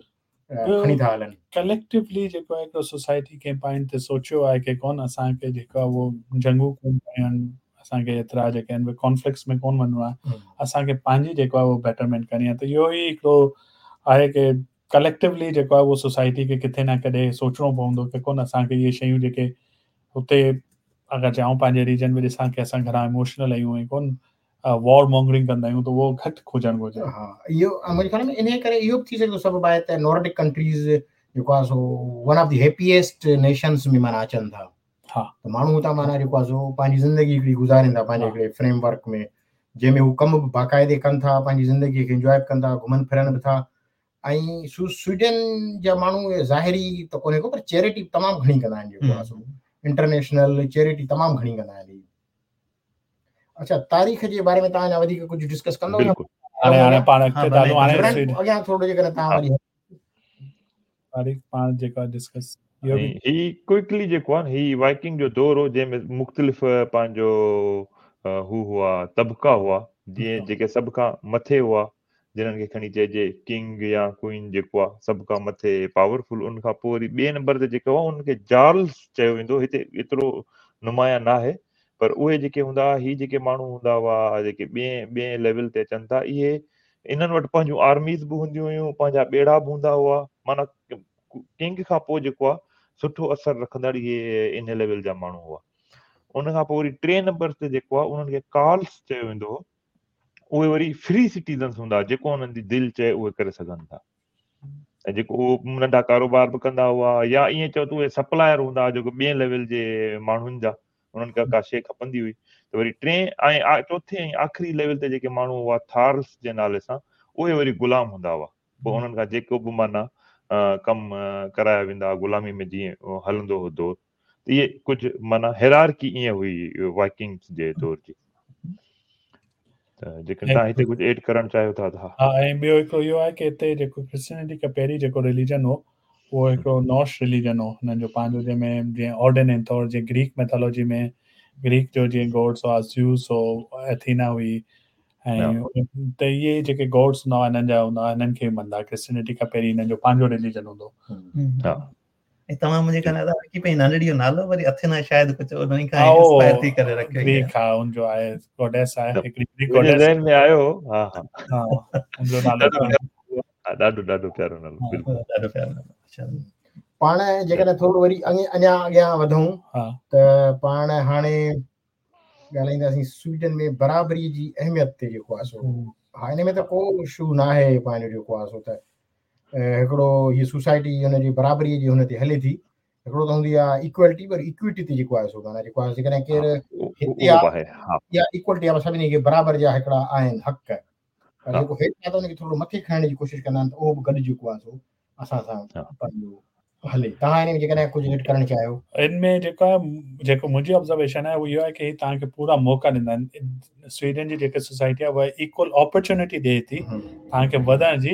کڻي ٿا هلن. ڪليڪٽيولي جيڪو آهي هڪڙو سوسائٽي ڪنهن پوائنٽ تي سوچيو آهي ڪه ڪونه اسان کي جيڪو آهي اهو جنگون ڪونه ڪيون آهن اسان کي ايترا جيڪي آهن اهي ڪانفلڪٽس ۾ ڪونه وڃڻو آهي اسان کي پنهنجي جيڪو آهي اهو بيٽرمينٽ ڪرڻي آهي. ته اهو ئي هڪڙو آهي ڪه ڪليڪٽيولي جيڪو آهي اهو سوسائٽي کي ڪٿي نه ڪڏهن سوچڻو پوندو ڪه ڪونه اسان کي اهي شيون جيڪي هتي اگر آئون پنهنجي ريجن ۾ ڏسان ڪه اسان گهڻا ايموشنل آهيون ۽ ڪونه وار مانگرنگ ڪندا آهيون ته اهو گهٽ هجڻ گهرجي. ها اهو منهنجي خيال ۾ ان ڪري اهو به ٿي سگهي ٿو سبب آهي ته نارڊڪ ڪنٽريز جيڪو آهي سو one of the happiest nations ۾ معنيٰ اچن ٿا. ها ته ماڻهو هتان معنيٰ جيڪو آهي سو پنهنجي زندگي هڪڙي گذارين ٿا پنهنجي هڪڙي فريم ورڪ ۾ جنهن ۾ هو ڪم به باقاعدي ڪن ٿا پنهنجي زندگيءَ کي انجواءِ به ڪن ٿا گهمن ڦرن به ٿا. ۽ سوئيڊن جا ماڻهو ظاهري ته ڪونهي ڪو پر چيرٽي تمام گهڻي ڪندا آهن جيڪو آهي سو انٽرنيشنل چيرٽي تمام گهڻي ڪندا آهن. اڇا تاريخ جي باري ۾ توهان اڃا وڌيڪ ڪجهه ڊسڪس ڪندؤ؟ هاڻي هاڻي پاڻ اڳتي ٿا هلون. هاڻي اڳيان ٿورو جيڪڏهن توهان وري تاريخ پاڻ جيڪو ڊسڪس هي ڪوئڪلي جيڪو آهي هي وائڪنگ جو دور هو جنهن ۾ مختلف پنهنجو هو هئا طبقا هئا جيئن جيڪي سڀ کان مٿي هئا جنهن کي کڻي چئجي ڪنگ يا ڪوئين جيڪو آهي سڀ کان مٿي پاورفل. ان کان پوءِ وري ٻئي نمبر تي جيڪو آهي ان کي جارلس چيو ويندو هتي ايترو نمايان نه آهي پر اهي جيڪي هوندا هئا هي جيڪي ماڻهو هوندا هئا جيڪي ٻئي ٻئي ليول تي اچن ٿا اهي انهن وٽ پنهنجون آرميز به هونديون هيون پنهنجا ٻيڙا به هوندا هئا معنيٰ ڪنگ کان پوءِ جيڪو آهي سٺو اثر رکندڙ اهي ان ليول جا ماڻهو هئا. ان کان پوءِ وري ٽي نمبر تي جيڪو آهي انهن کي ڪارلس چيو ويندو هو اهي وري فري سٽيزنس هوندا جيڪو انهن جي دل چئي اهي ڪري سگهن ٿا ۽ جيڪو اهو ننڍا ڪاروبار به ڪندا هئا يا ائين چئو ته اهي سپلائر هوندا هئا جيڪو ٻئي ليول جي ماڻهن جا انهن کي ڪا شيءِ کپندي هئي ته وري ٽي ۽ چوٿين ۽ آخري ليول تي جيڪي ماڻهو هئا ٿارلس جي نالي سان اهي وري غلام هوندا هئا. پوءِ انهن کان جيڪو به معنيٰ ڪم ڪرايا ويندا هئا غلامي ۾ جيئن هلندو هو دور ته اهي ڪجهه معنيٰ هيرارڪي ائين هئي وائڪنگس جي دور جي. ته جيڪڏهن توهان هتي ڪجهه ايڊ ڪرڻ چاهيو ٿا ته ها. ها ۽ ٻيو هڪڙو اهو آهي ڪه هتي جيڪو ڪرسچينٽي کان پهرين جيڪو رليجن هو اهو هڪڙو نارس رليجن هو هنن جو پنهنجو جنهن ۾ جيئن آرڊن ۽ ٿور جيئن گريڪ ميٿالاجي ۾ گريڪ جو جيئن گاڊس هئا زيوس هو ايٿينا هئي ۽ ته اهي جيڪي گاڊس هوندا هئا هنن جا هوندا هئا هنن کي مڃندا. ڪرسچينٽي کان پهرين هنن جو پنهنجو رليجن هوندو. ها ۽ توهان منهنجي خيال ۾ وڪي پنهنجي نانڙي جو نالو وري اٿينا شايد ڪجهه انهن کان انسپائر ٿي ڪري رکيو گريڪ ها ان جو آهي گاڊيس آهي هڪڙي گريڪ گاڊيس ذهن ۾ آيو. ها ها ها ان جو نالو ڏاڍو ڏاڍو پيارو نالو. بلڪل ڏاڍو پيارو نالو. اڇا پاڻ جيڪڏهن ٿورو وري اڃا اڳيان وڌون ته پاڻ هاڻي ڳالهائينداسين سوئيڊن ۾ برابري جي اهميت تي جيڪو آهي سو ها ان ۾ ته ڪو اشو نه آهي پنهنجو جيڪو آهي سو ته هڪڙو هيءَ سوسائٽي هن جي برابريءَ جي هن تي هلي ٿي. هڪڙو ته هوندي آهي اڪوالٽي پر اڪوئٽي تي جيڪو آهي سو معنيٰ جيڪو آهي جيڪڏهن ڪير هتي آهي يا اڪوالٽي آهي سڀني کي برابر جا هڪڙا آهن حق، پر جيڪو هيٺ آهي ته هن کي ٿورو مٿي کڻڻ جي ڪوشش ڪندا آهن ته اهو به گڏ جيڪو آهي سو اسان سان پنهنجو هلي. توهان هن ۾ جيڪڏهن ڪجهه ايڊ ڪرڻ چاهيو؟ ان ۾ جيڪو آهي جيڪو منهنجي آبزرويشن آهي اهو اهو آهي ڪه توهان کي پورا موقعا ڏيندا آهن. سوئيڊن جي جيڪا سوسائٽي آهي اها ايڪول اپرچونٽي ڏئي ٿي توهان کي وڌڻ جي،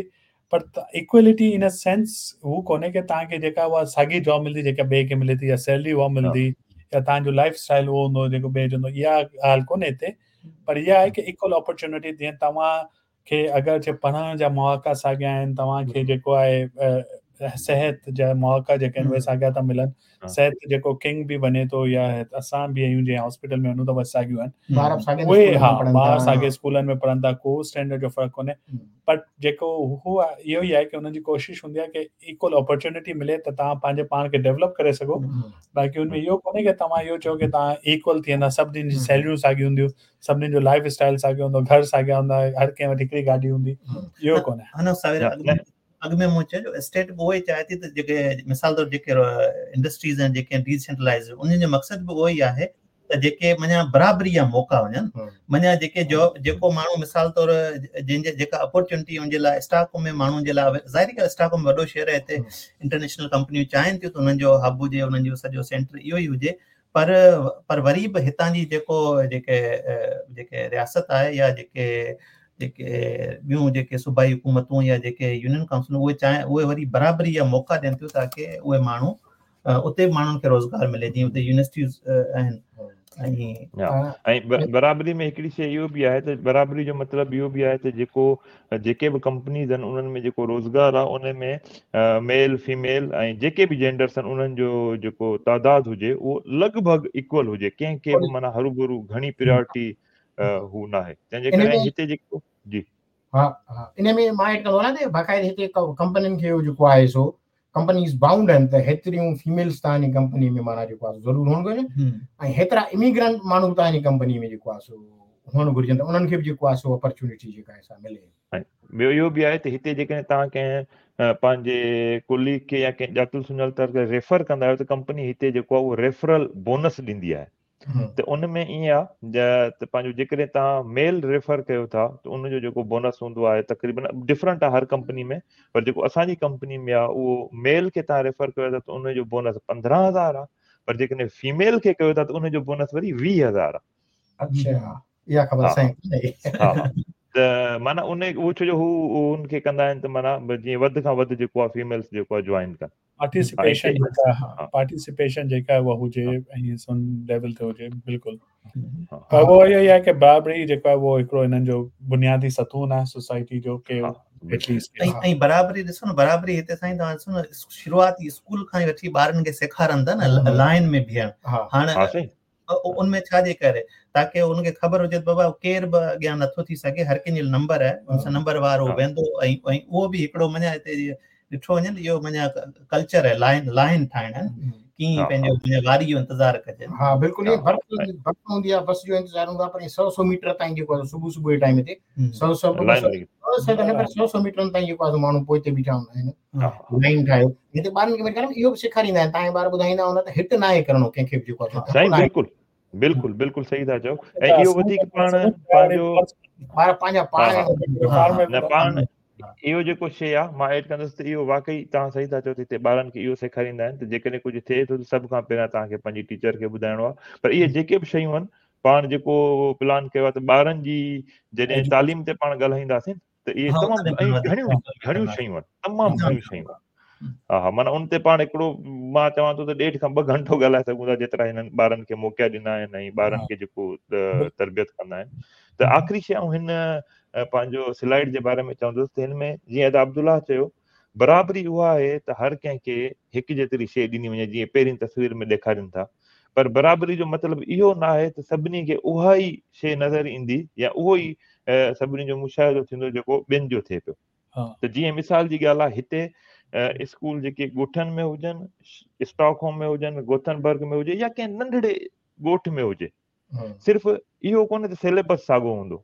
پر اڪوالٽي ان سينس هو ڪونهي ڪه توهان کي جيڪا اها ساڳي جاب ملندي جيڪا ٻئي کي ملي ٿي يا سيلري اها ملندي يا توهان جو لائف اسٽائل اهو هوندو جيڪو ٻئي جو هوندو، اها ڳالهه ڪونهي هتي. پر اها آهي ڪه ايڪول اپرچونٽي جيئن توهان کي اگر پڙهڻ جا مواقع ساڳيا آهن، توهان کي جيڪو آهي صحت جا مواقع جيڪي آهن اهي ساڳيا ٿا ملن. صحت جيڪو ڪنگ به وڃي ٿو يا اسان به آهيون جيئن هاسپيٽل ۾ وڃون ته اهي ساڳيون آهن، اهي ها ٻار ساڳي اسڪولن ۾ پڙهن ٿا، ڪو اسٽينڊرڊ جو فرق ڪونهي. پر جيڪو هو اهو ئي آهي ڪه هنن جي ڪوشش هوندي آهي ڪه ايڪول اپرچونٽي ملي ته توهان پنهنجي پاڻ کي ڊيولپ ڪري سگهو. باقي هن ۾ اهو ڪونهي ڪه توهان اهو چئو ڪه توهان ايڪول ٿي ويندا، سڀني جي سيلريون ساڳيون هونديون، سڀني جو لائف اسٽائل ساڳيو هوندو، گهر ساڳيا هوندا، هر ڪنهن وٽ هڪڙي گاڏي هوندي، اهو ڪونهي. اڳ ۾ مون چيو اسٽيٽ به اهو ئي چاهي ٿي ته جيڪي مثال طور جيڪي انڊسٽريز آهن جيڪي ڊيسينٽرلائز، انهن جو مقصد به اهو ئي آهي ته جيڪي معنيٰ برابري جا موقعا وڃن، معنيٰ جيڪي جو جيڪو ماڻهو مثال طور جنهن جي جيڪا اپرچونٽي ان جي لاءِ اسٽاڪ ۾ ماڻهن جي لاءِ، ظاهري ڳالهه اسٽاڪ ۾ وڏو شهر آهي، هتي انٽرنيشنل ڪمپنيون چاهين ٿيون ته انهن جو هب هجي، انهن جو سڄو سينٽر اهو ئي هجي. پر پر وري به هتان جي جيڪو جيڪي جيڪي رياست آهي يا جيڪي جيڪي ٻيون جيڪي صوبائي حڪومتون يا جيڪي يونين ڪائونسلون اهي چاهين اهي وري برابري جا موقعا ڏين ٿيون تاڪه اهي ماڻهو اتي به ماڻهن کي روزگار ملي، جيئن اتي يونيورسٽيز آهن. ۽ برابري ۾ هڪڙي شيءِ اهو به آهي ته برابري جو مطلب اهو به آهي ته جيڪو جيڪي به ڪمپنيز آهن انهن ۾ جيڪو روزگار آهي ان ۾ ميل فيميل ۽ جيڪي به جينڊرس آهن انهن جو جيڪو تعداد هجي اهو لڳ ڀڳ ايڪول هجي، ڪنهن کي به معنيٰ هرو ڀرو گهڻي پريارٽي هو نه آهي. تنهن جي ڪري هتي جيڪو جي ها ها ان ۾ مان ايڊ ڪندو آهيان ته باقاعده هتي ڪمپنين کي جيڪو آهي سو ڪمپنيز بائونڊ آهن ته هيتريون فيميلز توهان جي ڪمپني ۾ معنيٰ جيڪو آهي ضرور هئڻ گهرجن ۽ هيترا اميگرنٽ ماڻهو توهان جي ڪمپني ۾ جيڪو آهي سو هئڻ گهرجن ته انهن کي به جيڪو آهي سو اپرچونٽي جيڪا آهي سا ملي. ۽ ٻيو اهو به آهي ته هتي جيڪڏهن توهان ڪنهن پنهنجي ڪوليگ کي يا ڪنهن ڄاتل سڃاتل کي ريفر ڪندا آهيو ته ڪمپني هتي جيڪو آهي اهو ريفرل بونس ڏيندي آهي. ته ان ۾ ائين آهي ته پنهنجو جيڪڏهن توهان ميل ريفر ڪيو ٿا ته ان جو جيڪو بونس هوندو آهي تقريبن ڊفرنٽ آهي هر ڪمپني ۾، پر جيڪو اسان جي ڪمپني ۾ آهي اهو ميل کي توهان ريفر ڪيو ٿا ته ان جو بونس پندرهن هزار آهي، پر جيڪڏهن فيميل کي ڪيو ٿا ته ان جو بونس وري ويهه هزار آهي. اڇا اها خبر اسان کي ها ته معنيٰ ان اهو ڇو جو هو ان کي ڪندا آهن ته معنيٰ جيئن وڌ کان وڌ جيڪو آهي فيميلس جيڪو آهي جوائن ڪن. پارٽيسپيشن جيڪا پارٽيسپيشن جيڪا اها هجي ۽ سن ليول تي هجي بلڪل. پر اهو اهو ئي آهي ڪه برابري جيڪو آهي اهو هڪڙو هنن جو بنيادي ستون آهي سوسائٽي جو ڪه ۽ برابري ڏسو نه، برابري هتي سائين توهان ڏسو نه شروعاتي اسڪول کان ئي وٺي ٻارن کي سيکارن ٿا نه لائن ۾ بيهڻ. هاڻي ان ۾ ڇا جي ڪري تاڪه ان کي خبر هجي ته بابا ڪير به اڳيان نٿو ٿي سگهي، هر ڪنهن جو نمبر آهي، ان سان نمبر وارو ويندو. ۽ اهو به هڪڙو معنيٰ هتي ڏٺو وڃي نه اهو معنيٰ ڪلچر آهي لائن لائن ٺاهڻ ڪيئن پنهنجو معنيٰ واري جو انتظار ڪجي. ها بلڪل، ائين برف برف هوندي آهي، بس جو انتظار هوندو آهي، پر سؤ سؤ ميٽر تائين جيڪو آهي صبح صبح جي ٽائيم تي سؤ سؤ سؤ ته نه پر سؤ سؤ ميٽرن تائين جيڪو آهي ماڻهو پوئتي بيٺا هوندا آهن لائن ٺاهيو. هتي ٻارن کي اهو به سيکاريندا آهن، توهان جا ٻار ٻڌائيندا هوندا ته هٽ نه آهي ڪرڻو ڪنهن کي به جيڪو آهي. سائين بلڪل بلڪل بلڪل صحيح ٿا چئو. ۽ اهو وڌيڪ پاڻ پنهنجو ٻار پنهنجا پاڻ نه پاڻ اهو جيڪو شيءِ آهي مان ايڊ ڪندس ته اهو واقعي توهان صحيح ٿا چئو ته هتي ٻارن کي اهو سيکاريندا آهن ته جيڪڏهن ڪجهه ٿئي ٿو ته سڀ کان پهريان توهان کي پنهنجي ٽيچر کي ٻڌائڻو آهي. پر اهي جيڪي به شيون آهن پاڻ جيڪو پلان ڪيو آهي ته ٻارن جي جڏهن تعليم تي پاڻ ڳالهائينداسين ته اهي تمام گهڻيون گهڻيون شيون آهن، تمام گهڻيون شيون آهن. ها ها معنيٰ ان تي پاڻ هڪڙو مان چوان ٿو ته ڏيڍ کان ٻه گهنٽو ڳالهائي سگهون ٿا جيترا هنن ٻارن کي موقعا ڏنا آهن ۽ ٻارن کي جيڪو تربيت ڪندا آهن. ته آخري شيءِ آئون هن پنهنجو سلائيڊ جي باري ۾ چوندس ته هن ۾ جيئن ادا عبدالله چيو برابري اها آهي ته هر ڪنهن کي هڪ جيتري شيءِ ڏني وڃي جيئن پهرين تصوير ۾ ڏيکارين ٿا، پر برابري جو مطلب اهو نه آهي ته سڀني کي اها ئي شيءِ نظر ايندي يا اهو ئي سڀني جو مشاهدو ٿيندو جيڪو ٻين جو ٿئي پيو. ته جيئن مثال جي ڳالهه آهي هتي اسڪول جيڪي ڳوٺن ۾ هجن، اسٽاڪ هوم ۾ هجن، گوٿنبرگ ۾ هجي يا ڪنهن ننڍڙي ڳوٺ ۾ هجي، صرف اهو ڪونهي ته سليبس ساڳيو هوندو،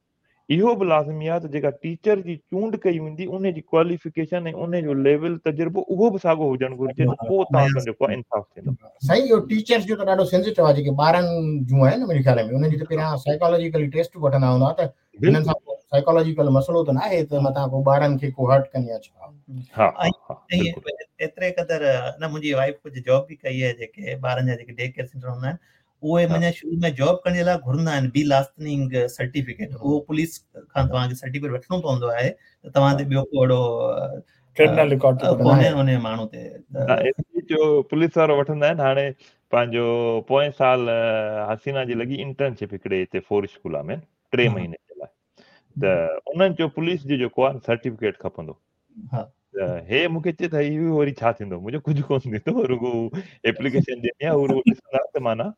اهو به لازمي آهي ته جيڪا ٽيچر جي چونڊ ڪئي ويندي ان جي ڪواليفڪيشن ۽ ان جو ليول تجربو اهو به ساڳيو هجڻ گهرجي ته پوء توهان سان جيڪو آهي انصاف ٿيندو. سائين اهو ٽيچرز جو ته ڏاڍو سينسيٽو آهي، جيڪي ٻارن جون آهن منهنجي خيال ۾ انهن جي ته پهريان سائيڪالاجيڪلي ٽيسٽ به وٺندا هوندا ته هنن سان سائيڪالاجيڪل مسئلو ته نه آهي ته متان ڪو ٻارن کي ڪو هرٽ ڪن يا ڇا. ها ها بلڪل. ايتري قدر نه منهنجي وائيف ڪجهه جاب به ڪئي آهي، جيڪي ٻارن جا جيڪي ڊي ڪيئر سينٽر هوندا آهن اهي معنيٰ شروع ۾ جاب ڪرڻ جي لاء گهرندا آهن بي لاستننگ سرٽيفڪيٽ، اهو پوليس کان توهان کي سرٽيفڪيٽ وٺڻو پوندو آهي ته توهان تي ٻيو ڪو اهڙو ڪرمنل رڪارڊ ڪونهي ان ماڻهو تي. جو پوليس وارو وٺندا آهن. هاڻي پنهنجو پوئين سال حسينا جي لڳي انٽرنشپ هڪڙي هتي فور اسڪول ۾ ٽي مهيني جي لاء، ته انهن جو پوليس جو جيڪو آهي سرٽيفڪيٽ کپندو. ها هي مون کي چئي ته اهو وري ڇا ٿيندو؟ منهنجو ڪجهه ڪونه ٿيندو، رڳو ايپليڪيشن ڏيڻي آهي، هو رڳو ڏسندا ته معنيٰ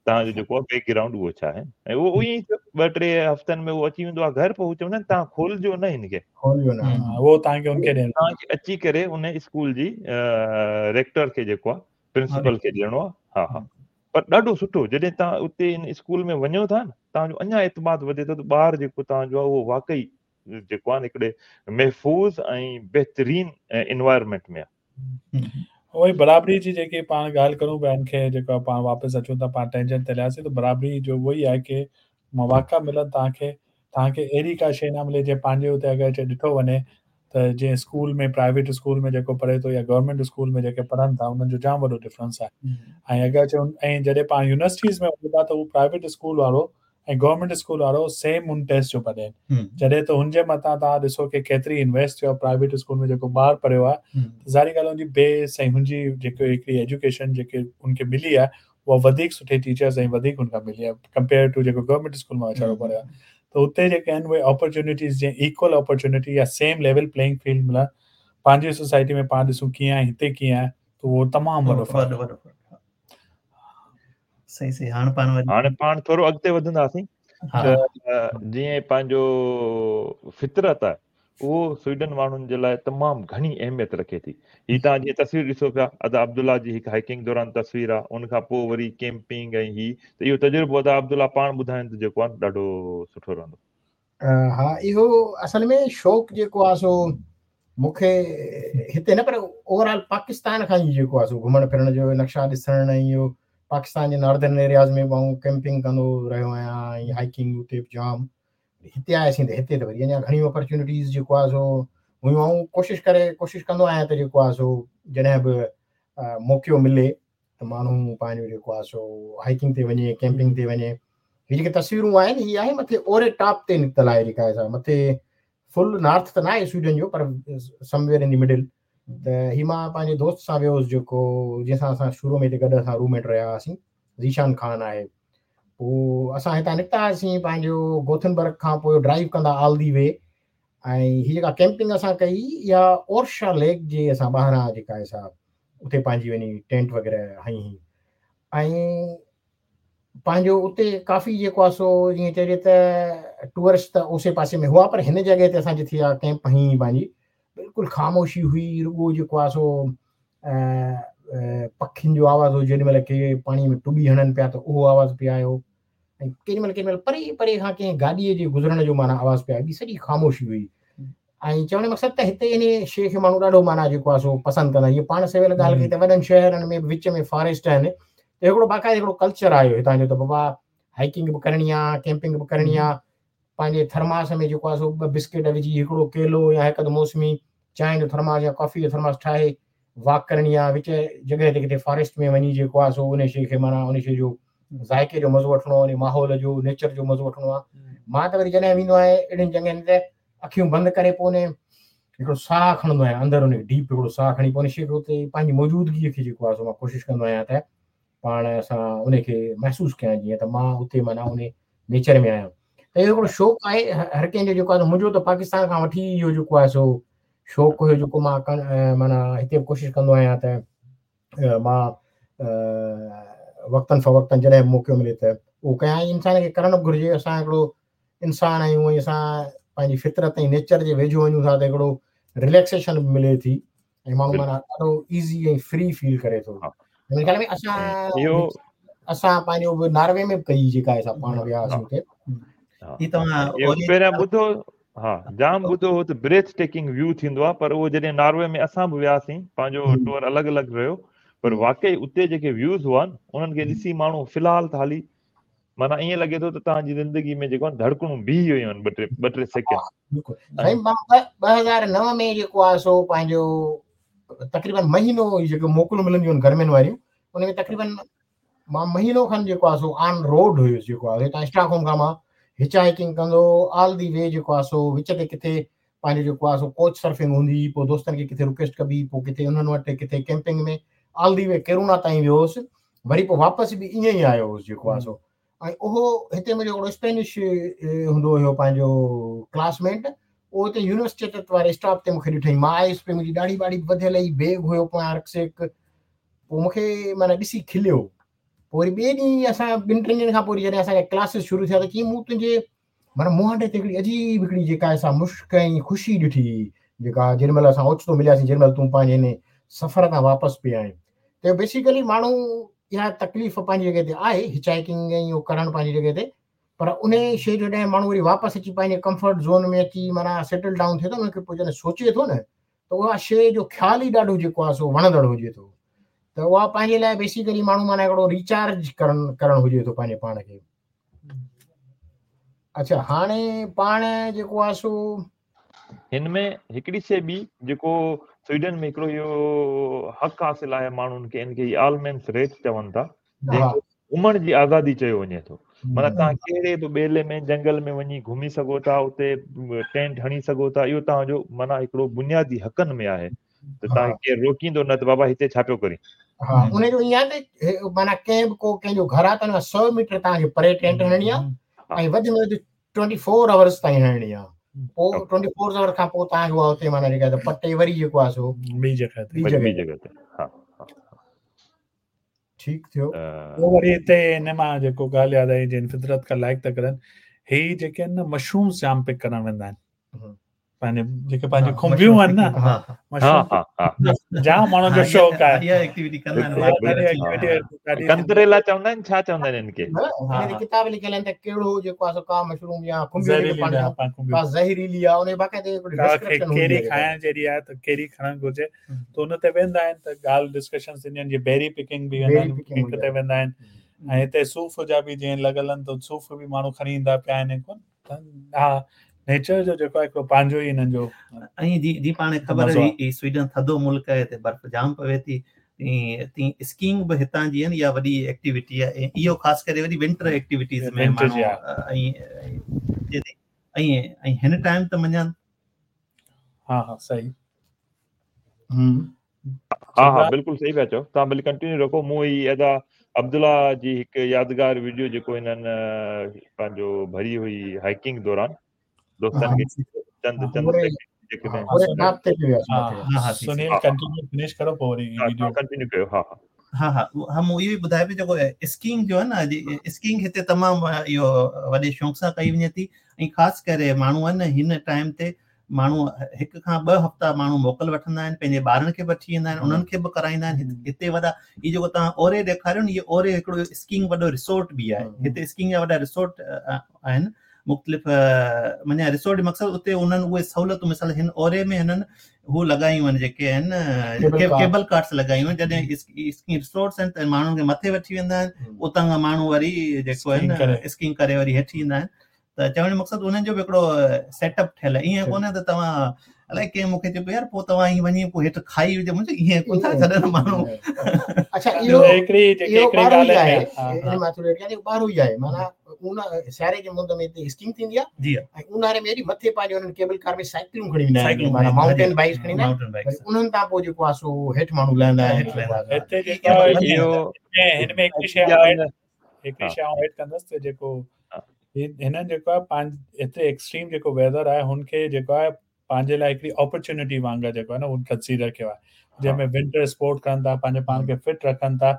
توهان جو جيڪو آهي بيڪ گرائونڊ اهو ڇا آهي. ۽ اهو ائين ئي ٿيو، ٻه ٽي هفتن ۾ اهو اچي ويندو آهي گهر، پوءِ هو چوندا آهن توهان کولجو نه هن کي، کولجو نه، اهو توهان کي ان کي ڏيڻو، توهان کي اچي ڪري ان اسڪول جي ريڪٽر کي جيڪو آهي پرنسپل کي ڏيڻو آهي. ها ها، پر ڏاڍو سٺو جڏهن توهان اتي ان اسڪول ۾ وڃو ٿا نه، توهان جو اڃا اعتماد وڌي ٿو ته ٻار جيڪو توهان جو آهي اهو واقعي جيڪو آهي هڪڙي محفوظ ۽ بهترين انوائرمينٽ ۾ آهي. اهو ئي برابري جي جيڪي پاڻ ڳالهه ڪرون پيا، ان کي جيڪو پاڻ واپس اچون ٿا، پاڻ ٽينجنٽ تي هلياسين ته برابري جو اهو ئي آهي ڪه مواقع ملن توهان کي، توهان کي اهڙي ڪا شيءِ نه ملي جيئن پنهنجي اتي اگر چي ڏٺو وڃي ته جيئن اسڪول ۾ پرائيويٽ اسڪول ۾ جيڪو پڙهي ٿو يا گورنمينٽ اسڪول ۾ جيڪي پڙهن ٿا انهن جو جام وڏو ڊفرنس آهي. ۽ اگر چي ۽ جڏهن پاڻ يونيورسٽيز ۾ وڃون ٿا ته هو پرائيويٽ اسڪول وارو ۽ گورنمينٽ اسڪول وارو سيم هن ٽيسٽ جو پيا ڏين، جڏهن ته هن جي مٿان توهان ڏسو ڪه ڪيتري انويسٽ ٿيو آهي پرائيويٽ اسڪول ۾ جيڪو ٻار پڙهيو آهي ته ظاهري ڳالهه هن جي بيس ۽ هن جي جيڪو هڪڙي ايجوڪيشن جيڪي هن کي ملي آهي اها وڌيڪ سٺي ٽيچرس ۽ وڌيڪ هن کان ملي آهي ڪمپيئر ٽو جيڪو گورنمينٽ اسڪول مان ويچارو پڙهيو آهي. ته اتي جيڪي آهن اهي اپرچونٽيز جيئن ايڪول اپرچونٽي يا سيم ليول پليئنگ فيلڊ ملڻ پنهنجي سوسائٽي ۾ پاڻ ڏسون ڪيئن آهي هتي ڪيئن آهي ته اهو تمام وڏو فرق آهي. صحيح صحيح. هاڻي پاڻ هاڻي پاڻ ٿورو اڳتي وڌنداسين ته جيئن پنهنجو فطرت آهي اهو سوئيڊن ماڻهن جي لاءِ تمام گهڻي اهميت رکي ٿي. هي توهان جيئن تصوير ڏسو پيا ادا عبدالله جي هڪ هائيڪنگ دوران تصوير آهي، ان کان پوءِ وري ڪيمپنگ ۽ هي ته اهو تجربو ادا عبدالله پاڻ ٻڌائين ته جيڪو آهي ڏاڍو سٺو رهندو. ها اهو اصل ۾ شوق جيڪو آهي سو مون کي هتي نه پر اوور آل پاڪستان کان ئي جيڪو آهي سو گهمڻ ڦرڻ جو نقشا ڏسڻ ۽ اهو پاڪستان جي ناردرن ايرياز ۾ به آئون ڪيمپنگ ڪندو رهيو آهيان ۽ هائيڪنگ اتي به جام. هتي آياسين ته هتي ته وري اڃا گهڻيون اپرچونٽيز جيڪو آهي سو هيون. آئون ڪوشش ڪري ڪوشش ڪندو آهيان ته جيڪو آهي سو جڏهن به موقعو ملي ته ماڻهو پنهنجو جيڪو آهي سو هائيڪنگ تي وڃي، ڪيمپنگ تي وڃي. هي جيڪي تصويرون آهن هي آهي مٿي اوري ٽاپ تي نڪتل آهي جيڪا آهي مٿي فل نارٿ ته نه آهي سوئيڊن جو پر سمويئر ان the middle. ته هي مان پنهنجي دوست سان ويو هئس جيڪو جنهن سان اسان شروع ۾ هتي گڏ اسان روم ميٽ رهيا هئاسين، ذيشان خان آهي. پوءِ اسان هتان نڪتا هئاسين پنهنجو گوٿنبرگ کان پوءِ ڊرائيو ڪندا آل the V ۽ هي جيڪا ڪيمپنگ اسان ڪئي اها اورشا ليڪ جي اسان ٻاهران جيڪا آهي سا اتي پنهنجي وڃي ٽينٽ وغيره هنئي هئي ۽ پنهنجو اتي ڪافي جيڪو آهي سو جيئن چئجي ته ٽوئرسٽ ته اوسي پاسي ۾ هئا پر هن جڳهه تي اسان جتي اها ڪيمپ هنئي پنهنجي بلڪل خاموشي هئي، رڳو جيڪو آهي سو پکين جو آواز هو، جيڏي مهل ڪي پاڻيءَ ۾ ٽٻي هڻن پيا ته اهو آواز پئي آيو ۽ ڪيڏي مهل ڪيڏي مهل پري پري کان ڪنهن گاڏيءَ جي گذرڻ جو معنيٰ آواز پئي آيو، ٻي سڄي خاموشي هئي. ۽ چوڻ جو مقصد ته هتي ان شيءِ کي ماڻهو ڏاڍو معنيٰ جيڪو آهي سو پسند ڪندا آهن. جيئن پاڻ سويل ڳالهه ڪئي ته وڏن شهرن ۾ وچ ۾ فاريسٽ آهن ته هڪڙو باقاعده هڪڙو ڪلچر آيو هتان جو ته بابا هائيڪنگ به ڪرڻي آهي، ڪيمپنگ به ڪرڻي آهي، پنهنجي ٿرماس ۾ جيڪو آهي سو ٻه بسڪيٽ وجهي هڪڙو ڪيلو يا هڪ اڌ موسمي چانهه جو ٿرماس يا ڪافي جو ٿرماس ٺاهي واڪ ڪرڻي آهي، وچ جڳهه تي ڪٿي فاريسٽ ۾ وڃي جيڪو آهي سو ان شيءِ کي معنيٰ ان شيءِ جو ذائقي جو مزو وٺڻو آهي، ان ماحول جو نيچر جو مزو وٺڻو آهي. مان ته وري جڏهن ويندو آهيان اهڙين جڳهين تي اکيون بند ڪري پوءِ ان هڪڙو ساهه کڻندو آهيان اندر، ان ڊيپ هڪڙو ساهه کڻي پوءِ ان شيءِ کي اتي پنهنجي موجودگيءَ کي جيڪو آهي سو مان ڪوشش ڪندو آهيان ته پاڻ سان ان کي محسوس ڪيان جيئن ته مان اتي معنيٰ ان نيچر ۾ آهيان. ته اهو هڪڙو شوق آهي هر ڪنهن جو جيڪو آهي. منهنجو ته پاڪستان کان وٺي اهو جيڪو آهي سو شوق هيو جيڪو مان معنيٰ هتي به ڪوشش ڪندو آهيان ته مان وقتن فوقتن جڏهن به موقعو ملي ته اهو ڪيان. انسان کي ڪرڻ به گهرجي. اسان هڪڙو انسان آهيون ۽ اسان پنهنجي فطرت ۽ نيچر جي ويجهو وڃون ٿا ته هڪڙو رليڪسيشن به ملي ٿي ۽ ماڻهو معنيٰ ڏاڍو ايزي ۽ فري فيل ڪري ٿو. منهنجي خيال ۾ اسان اهو اسان پنهنجو به ناروي ۾ به ڪئي جيڪا اسان پاڻ ويا هئاسين اتي. هي توهان پهريان ٻڌو ها جام ٻڌو هو ته بريٿ ٽيڪنگ ويو ٿيندو آهي پر اهو جڏهن ناروي ۾ اسان به وياسين پنهنجو ٽوئر الڳ الڳ رهيو پر واقعي اتي جيڪي ويوز هئا انهن کي ڏسي ماڻهو في الحال ته هالي معنيٰ ائين لڳي ٿو ته توهان جي زندگي ۾ جيڪو آهي ڌڙڪڻون بيهي ويون آهن ٻه ٽي ٻه ٽي سيڪنڊ. بلڪل سائين مان ٻه هزار نو ۾ جيڪو آهي سو پنهنجو تقريبن مهينو جيڪو موڪلون ملنديون آهن گرمين واريون ان ۾ تقريبن مان مهينو کن جيڪو آهي سو آن روڊ هيس جيڪو آهي هتان اسٽاڪ هوم کان مان هچ هائيڪنگ ڪندو آل the V جيڪو آهي سو وچ تي ڪٿي پنهنجو جيڪو آهي سو ڪوچ سرفنگ هوندي هئي پوء دوستن کي ڪٿي رڪويسٽ ڪبي پوء ڪٿي انهن وٽ ڪٿي camping ۾ all the V corona تائين ويو هوس وري پوء واپس به ائين ئي آيو هوس جيڪو آهي سو ۽ اهو هتي منهنجو هڪڙو اسپينش هوندو هيو پنهنجو ڪلاس ميٽ اهو هتي يونيورسٽي واري اسٽاپ تي مونکي ڏٺائين مان آيس پئي منهنجي ڏاڙهي ٻاڙهي به وڌيل هئي بيگ هيو پويان رڪسيڪ پوء مونکي معنيٰ ڏسي کليو پوء وري ٻئي ڏينهن اسان ٻن ٽن ڏينهن کان پوء جڏهن اسان جا ڪلاسز شروع ٿيا ته چيائين مون تنهنجي معنيٰ منهن تي هڪڙي عجيب هڪڙي جيڪا اسان مشڪ ۽ خوشي ڏٺي جيڪا جيڏي مهل اسان اوچتو ملياسين جيڏي مهل تون پنهنجي هن سفر تان واپس پئي آئين ته بيسيڪلي ماڻهو اها تڪليف پنهنجي جڳهه تي آهي هچ هائيڪنگ ۽ اهو ڪرڻ پنهنجي جڳهه تي پر ان شيء جو جڏهن ماڻهو وري واپس اچي پنهنجي ڪمفرٽ زون ۾ اچي معنيٰ سيٽل ڊائون ٿئي ٿو ان کي پوء جڏهن سوچي ٿو نه ته اها شيء جو خيال ئي ڏاڍو جيڪو آهي سو وڻندڙ هجي ٿو ته اها پنهنجي لاء بيسيڪلي ماڻهو معنيٰ هڪڙو ريچارج ڪرڻ ڪرڻ هجي ٿو پنهنجي پاڻ کي. اڇا هاڻي پاڻ جيڪو آهي سو هن ۾ هڪڙي شيء ٻي جيڪو سوئيڊن ۾ هڪڙو اهو حق حاصل آهي ماڻهن کي ان کي آلمينس ريٽ چون ٿا جنهن کي گهمڻ جي آزادي چيو وڃي ٿو معنيٰ توهان ڪهڙي به ٻيلي ۾ جنگل ۾ وڃي گهمي سگهو ٿا اتي ٽينٽ هڻي سگهو ٿا اهو توهان جو معنيٰ هڪڙو بنيادي حقن ۾ آهي ته توهان کي ڪير روڪيندو نه ته بابا هتي ڇا پيو ڪرين. ها ان جو ائين آهي ته معنيٰ ڪنهن به ڪو ڪنهن جو گهر آهي ته ان کان سؤ ميٽر توهان کي پري ٽينٽ هڻڻي آهي ۽ وڌ ۾ وڌ ٽوئنٽي فور آورس تائين هڻڻي آهي پوء ٽوئنٽي فور آور کان پوء توهان کي اها اتي معنيٰ جيڪا پٽي وري جيڪو آهي سو ٻي جڳهه تي ٻي جڳهه تي ها ٺيڪ ٿيو. پوء وري هتي ان مان جيڪو ڳالهه ياد آئي جن فطرت کان لائڪ ٿا ڪرن هي جيڪي آهن نه مشرومز جام پڪ ڪرڻ ويندا آهن پنهنجي جيڪي پنهنجي کنڀيون آهن نه مشروم جام ماڻهن جو شوق آهي اها ايڪٽيوٽي ڪندا آهن ڪنتريلا چوندا آهن ڇا چوندا آهن ان کي ان تي ڪتاب لکيل آهن ته ڪهڙو جيڪو آهي سو ڪا مشروم يا کنڀيون جيڪي پاڻ ڪا زهريلي آهي ان جي باقاعده هڪڙي ڊسڪرپشن هوندي آهي ڪهڙي کائڻ جهڙي آهي ته ڪهڙي کڻڻ گهرجي ته ان تي ويندا آهن ته ڳالهه ڊسڪشن ٿينديون آهن جيئن بيري پڪنگ به ويندا آهن پڪ تي ويندا آهن ۽ هتي صوف جا به جيئن لڳل آهن ته صوف به ماڻهو کڻي ايندا پيا آهن ڪون ها نيچر جو جيڪو آهي هڪڙو پنهنجو ئي هنن جو ۽ جي جي پاڻ خبر آهي هي سوئيڊن ٿڌو ملڪ آهي هتي برف جام پوي ٿي تي اسڪينگ به هتان جي آهن اها وڏي ايڪٽيوٽي آهي اهو خاص ڪري وري ونٽر ايڪٽيوٽيز ۾ ماڻهو ۽ ۽ ۽ هن ٽائيم ته مڃان ها ها صحيح ها ها بلڪل صحيح پيا چئو توهان ڀلي ڪنٽينيو رکو مون هي ادا عبدالله جي هڪ يادگار ويڊيو جيڪو هنن پنهنجو ڀري هئي هائيڪنگ دوران دوستن کي چند چند سنيل ڪنٽينيو فنش ڪرو پوء وري ويڊيو ڪنٽينيو ڪيو ها ها ها ها ها مون اهو ئي ٻڌايو پيو جيڪو اسڪينگ جو آهي نه اسڪينگ هتي تمام اهو وڏي شوق سان ڪئي وڃي ٿي ۽ خاص ڪري ماڻهو آهن نه هن ٽائيم تي ماڻهو هڪ کان ٻه هفتا ماڻهو موڪل وٺندا آهن پنهنجي ٻارن کي به وٺي ايندا آهن انهن کي به ڪرائيندا آهن هتي وڏا هي جيڪو توهان اوري ڏيکاريو نه هي اوري هڪڙو اسڪينگ وڏو ريسورٽ به آهي هتي اسڪينگ جا وڏا ريسورٽ آهن مختلف معنيٰ ريسورٽ جو مقصد اتي انهن اهي سهولتون مثال هن اوري ۾ هنن هو لڳايون آهن جيڪي آهن ڪيبل ڪارس لڳايون آهن جڏهن اسڪينگ ريسورٽس آهن ته ماڻهن کي مٿي وٺي ويندا آهن اتان کان ماڻهو وري جيڪو آهي نه اسڪينگ ڪري وري هيٺ ايندا آهن ته چوڻ جو مقصد انهن جو به هڪڙو سيٽ اپ ٺهيل آهي ائين ڪونهي ته توهان الائي ڪنهن مون کي چيو يار پوء توهان ائين وڃي پوء هيٺ کائي وجهو مون چيو ائين ڪونه ٿا ڇڏن ماڻهو اڇا اهو هڪڙي جيڪي هڪڙي ڳالهه آهي ان مان ٿوري اڳيان ٻارهو ئي آهي معنيٰ اون سياري جي مند ۾ هتي اسڪينگ ٿيندي آهي جي ۽ اونهاري ۾ وري مٿي پنهنجو انهن ڪيبل ڪار ۾ سائيڪلون کڻي ويندا آهن معنيٰ مائونٽين بائيڪس کڻي ويندا آهن انهن تان پوء جيڪو آهي سو هيٺ ماڻهو لهندا آهن هتي جيڪو هن ۾ هڪڙي شيء هڪڙي شيء آئون ايڊ ڪندس ته جيڪو هنن جيڪو آهي پنهنجي هتي ايڪسٽريم جيڪو ويدر آهي هن کي جيڪو آهي پنهنجي لاء هڪڙي اپرچونٽي وانگر جيڪو آهي نه هن ڪنسيڊر ڪيو آهي جنهن ۾ ونٽر اسپورٽ ڪن ٿا پنهنجي پاڻ کي فٽ رکن ٿا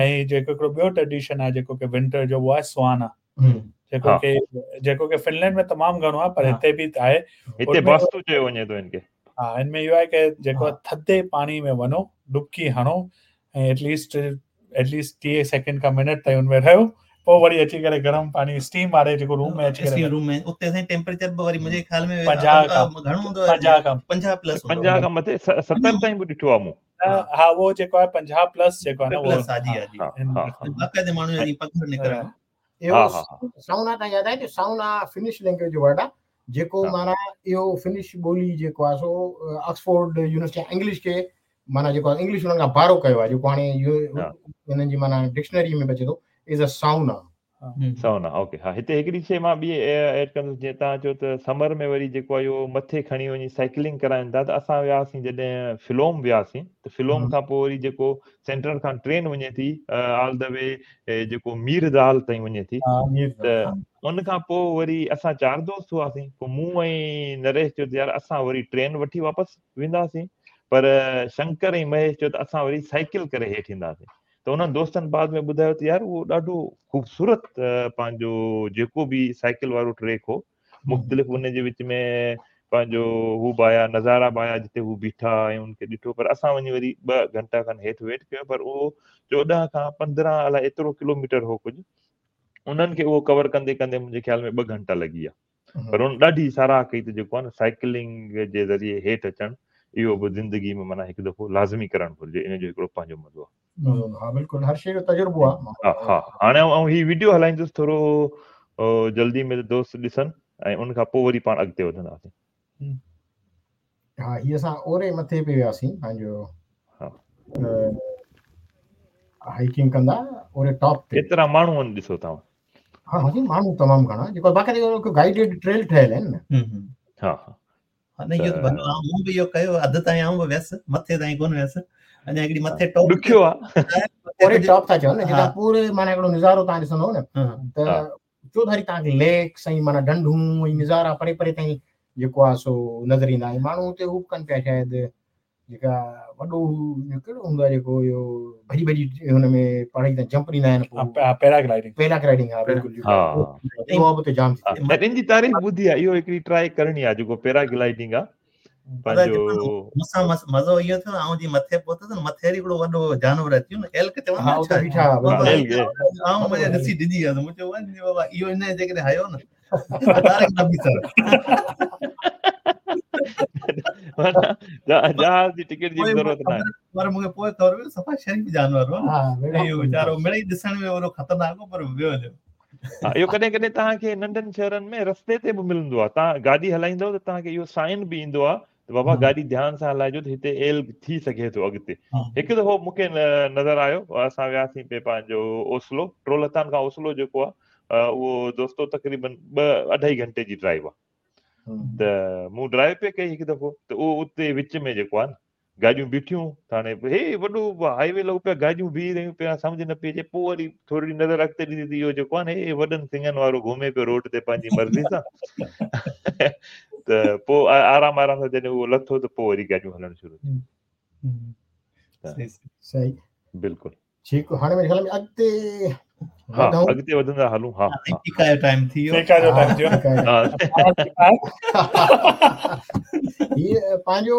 ۽ جيڪو هڪڙو ٻيو ٽريڊيشن آهي جيڪو ڪي ونٽر جو اهو آهي سوانا جيڪو ڪي جيڪو ڪي فنلينڊ ۾ تمام گهڻو آهي پر هتي به آهي هتي باستو چيو وڃي ٿو هن کي ها هن ۾ اهو آهي ڪه جيڪو ٿڌي پاڻي ۾ وڃو ڊبڪي هڻو ۽ ايٽ ليسٽ ايٽ ليسٽ ٽيهه سيڪنڊ کان منٽ تائين ان ۾ رهيو پوءِ وري اچي ڪري گرم پاڻي اسٽيم واري جيڪو روم ۾ اچي ڪري روم ۾ اتي سائين ٽيمپريچر به وري منهنجي خيال ۾ پنجاهه کان گهڻو هوندو آهي پنجاهه کان پنجاهه پلس پنجاهه کان مٿي ستر تائين به ڏٺو آهي مون ها اهو جيڪو آهي پنجاهه پلس جيڪو آهي نه پلس ها جي ها جي باقاعده ماڻهو جي پگهر نڪرڻ اهو سائونا تان ياد آهي ته سائونا فنش لينگويج جو ورڊ آهي جيڪو معنيٰ اهو فنش ٻولي جيڪو آهي سو آڪسفورڊ يونيورسٽي انگلش کي معنيٰ جيڪو آهي انگلش انهن کان بارو ڪيو آهي جيڪو هاڻي انهن جي معنيٰ ڊڪشنري ۾ به اچي ٿو از ا سائونا سائونا اوڪي ها هتي هڪڙي شيء مان ٻي ايڊ ڪندس جيئن توهان چيو ته سمر ۾ وري جيڪو آهي اهو مٿي کڻي وڃي سائيڪلنگ ڪرائين ٿا ته اسان وياسين جڏهن فلوم وياسين ته فلوم کان پوء وري جيڪو سينٽرل کان ٽرين وڃي ٿي آل the V جيڪو مير دال تائين وڃي ٿي ته ان کان پوء وري اسان چار دوست هئاسين پوء مون ۽ نريش چيو ته يار اسان وري ٽرين وٺي واپس وينداسين پر شنڪر ۽ مهيش چيو ته اسان وري سائيڪل ڪري هيٺ اينداسين ته انهن دوستن بعد ۾ ٻڌايو ته يار اهو ڏاڍو خوبصورت پنهنجو جيڪو به سائيڪل وارو ٽريڪ هو مختلف ان جي وچ ۾ پنهنجو هو به آيا نظارا به آيا جتي هو بيٺا ۽ ان کي ڏٺو پر اسان وڃي وري ٻه گهنٽا کن هيٺ ويٽ ڪيو پر اهو چوڏهن کان پندرهن الائي ايترو ڪلوميٽر هو ڪجهه انهن کي اهو ڪور ڪندي ڪندي منهنجي خيال ۾ ٻه گهنٽا لڳي ويا پر ان ڏاڍي ساراهه ڪئي ته جيڪو آهي نه سائيڪلنگ جي ذريعي هيٺ اچڻ اهو به زندگي ۾ معنيٰ هڪ دفعو لازمي ڪرڻ گهرجي ان جو هڪڙو پنهنجو مزو آهي. ها بلڪل هر شيء جو تجربو آهي. ها ها هاڻي آئون هي ويڊيو هلائيندس ٿورو جلدي ۾ دوست ڏسن ۽ ان کان پوء وري پاڻ اڳتي وڌنداسين. ها هي اسان اوري مٿي پي وياسين پنهنجو ها هائيڪنگ ڪندا اوري ٽاپ تي ڪيترا ماڻهو آهن ڏسو توهان ها ها ماڻهو تمام گهڻا جيڪو باقاعده هڪ گائيڊڊ ٽريل ٺهيل آهن نه ها ها ها نه اهو ته ڀلو آ مون به اهو ڪيو اڌ تائين آئون به ويس مٿي تائين ڪونه ويس اڃا هڪڙي مٿي ٽاپ ڏکيو آ اوري ٽاپ ٿا چون نه جتان پوري معنيٰ هڪڙو نظارو توهان ڏسندو نه ته چوڌاري توهان کي ليڪس ۽ معنيٰ ڍنڍون ۽ نظارا پري پري تائين جيڪو آهي سو نظر ايندا ۽ ماڻهو اتي هو به ڪن پيا شايد جيڪا وڏو ڪهڙو هوندو آهي جيڪو اهو ڀڄي ڀڄي هن ۾ پهاڙي تان جمپ ڏيندا آهن پيراگلائيڊنگ پيراگلائيڊنگ ها بلڪل ها اهو به اتي جام ٿي ان جي تعريف ٻڌي آهي اهو هڪڙي ٽرائي ڪرڻي آهي جيڪو پيراگلائيڊنگ آهي پنهنجو مون سان مزو اهو ٿيو آئون جي مٿي پهتس نه مٿي وري هڪڙو وڏو جانور اچي ويو نه ايلڪ چوندا ها اتي بيٺا آئون مزي ڏسي ڊڄي ويس مون چيو وڃ بابا اهو ان جيڪڏهن هنيو نه جهاز جي ٽڪيٽ جي ضرورت نه آهي پر مون کي پوءِ خبر پئي صفا شريف جانور هو اهو ويچارو مڙئي ڏسڻ ۾ وڏو خطرناڪ هو پر ويو هليو ها اهو ڪڏهن ڪڏهن توهان کي ننڍن شهرن ۾ رستي تي به ملندو آهي توهان گاڏي هلائيندؤ ته توهان کي اهو سائن به ايندو آهي ته بابا گاڏي ڌيان سان هلائجو ته هتي ايلگ ٿي سگهي ٿو اڳتي هڪ دفعو مون کي نظر آيو اسان وياسين پئي پنهنجو اوسلو ٽرولهتان کان اوسلو جيڪو آهي اهو دوستو تقريبن ٻه اڍائي گهنٽي جي ڊرائيو آهي ته مون ڊرائيو پئي ڪئي هڪ دفعو ته اهو اتي وچ ۾ جيڪو آهي نه گاڏيون بيٺيون ته هاڻي هي وڏو هاء وي لڳو پيو گاڏيون بيهي رهيون پيا سمجهه نه پئي اچي پوء وري ٿوري نظر اڳتي ڏسي ته اهو جيڪو آهي نه هي وڏن سڱن وارو گهمي پيو روڊ تي پنهنجي مرضي سان ته پوء آرام آرام سان جڏهن اهو لٿو ته پوء وري گاڏيون هلڻ شروع ٿيون صحيح بلڪل ٺيڪ هاڻي ميري خيال ۾ اڳتي ها اڳتي وڌندا هلون ها فيڪا جو ٽائيم ٿي ويو فيڪا جو ٽائيم ٿي ويو هي پنهنجو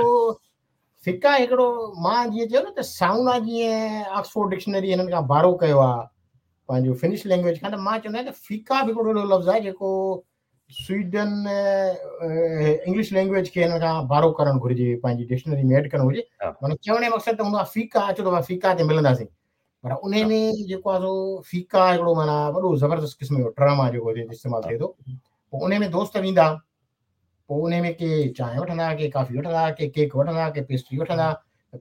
فيڪا هڪڙو مان جيئن چيو نه ته سائونا جيئن آڪسفورڊ ڊڪشنري هنن کان بارو ڪيو آهي پنهنجو فنش لينگويج کان ته مان چوندو آهيان ته فيڪا به هڪڙو اهڙو لفظ آهي جيڪو سويڊن انگلش لينگويج کي هن کان بارو ڪرڻ گهرجي پنهنجي ڊڪشنري ۾ ايڊ ڪرڻ گهرجي معنيٰ چوڻ جو مقصد ته هوندو آهي فيڪا اچو ته فيڪا تي ملنداسين پر ان ۾ جيڪو آهي سو فيڪا هڪڙو معنيٰ وڏو زبردست قسم جو ٽرم آهي جيڪو هتي استعمال ٿئي ٿو پوء ان ۾ دوست ويندا پوء ان ۾ ڪي چانهه وٺندا ڪي ڪافي وٺندا ڪي ڪيڪ وٺندا ڪي پيسٽري وٺندا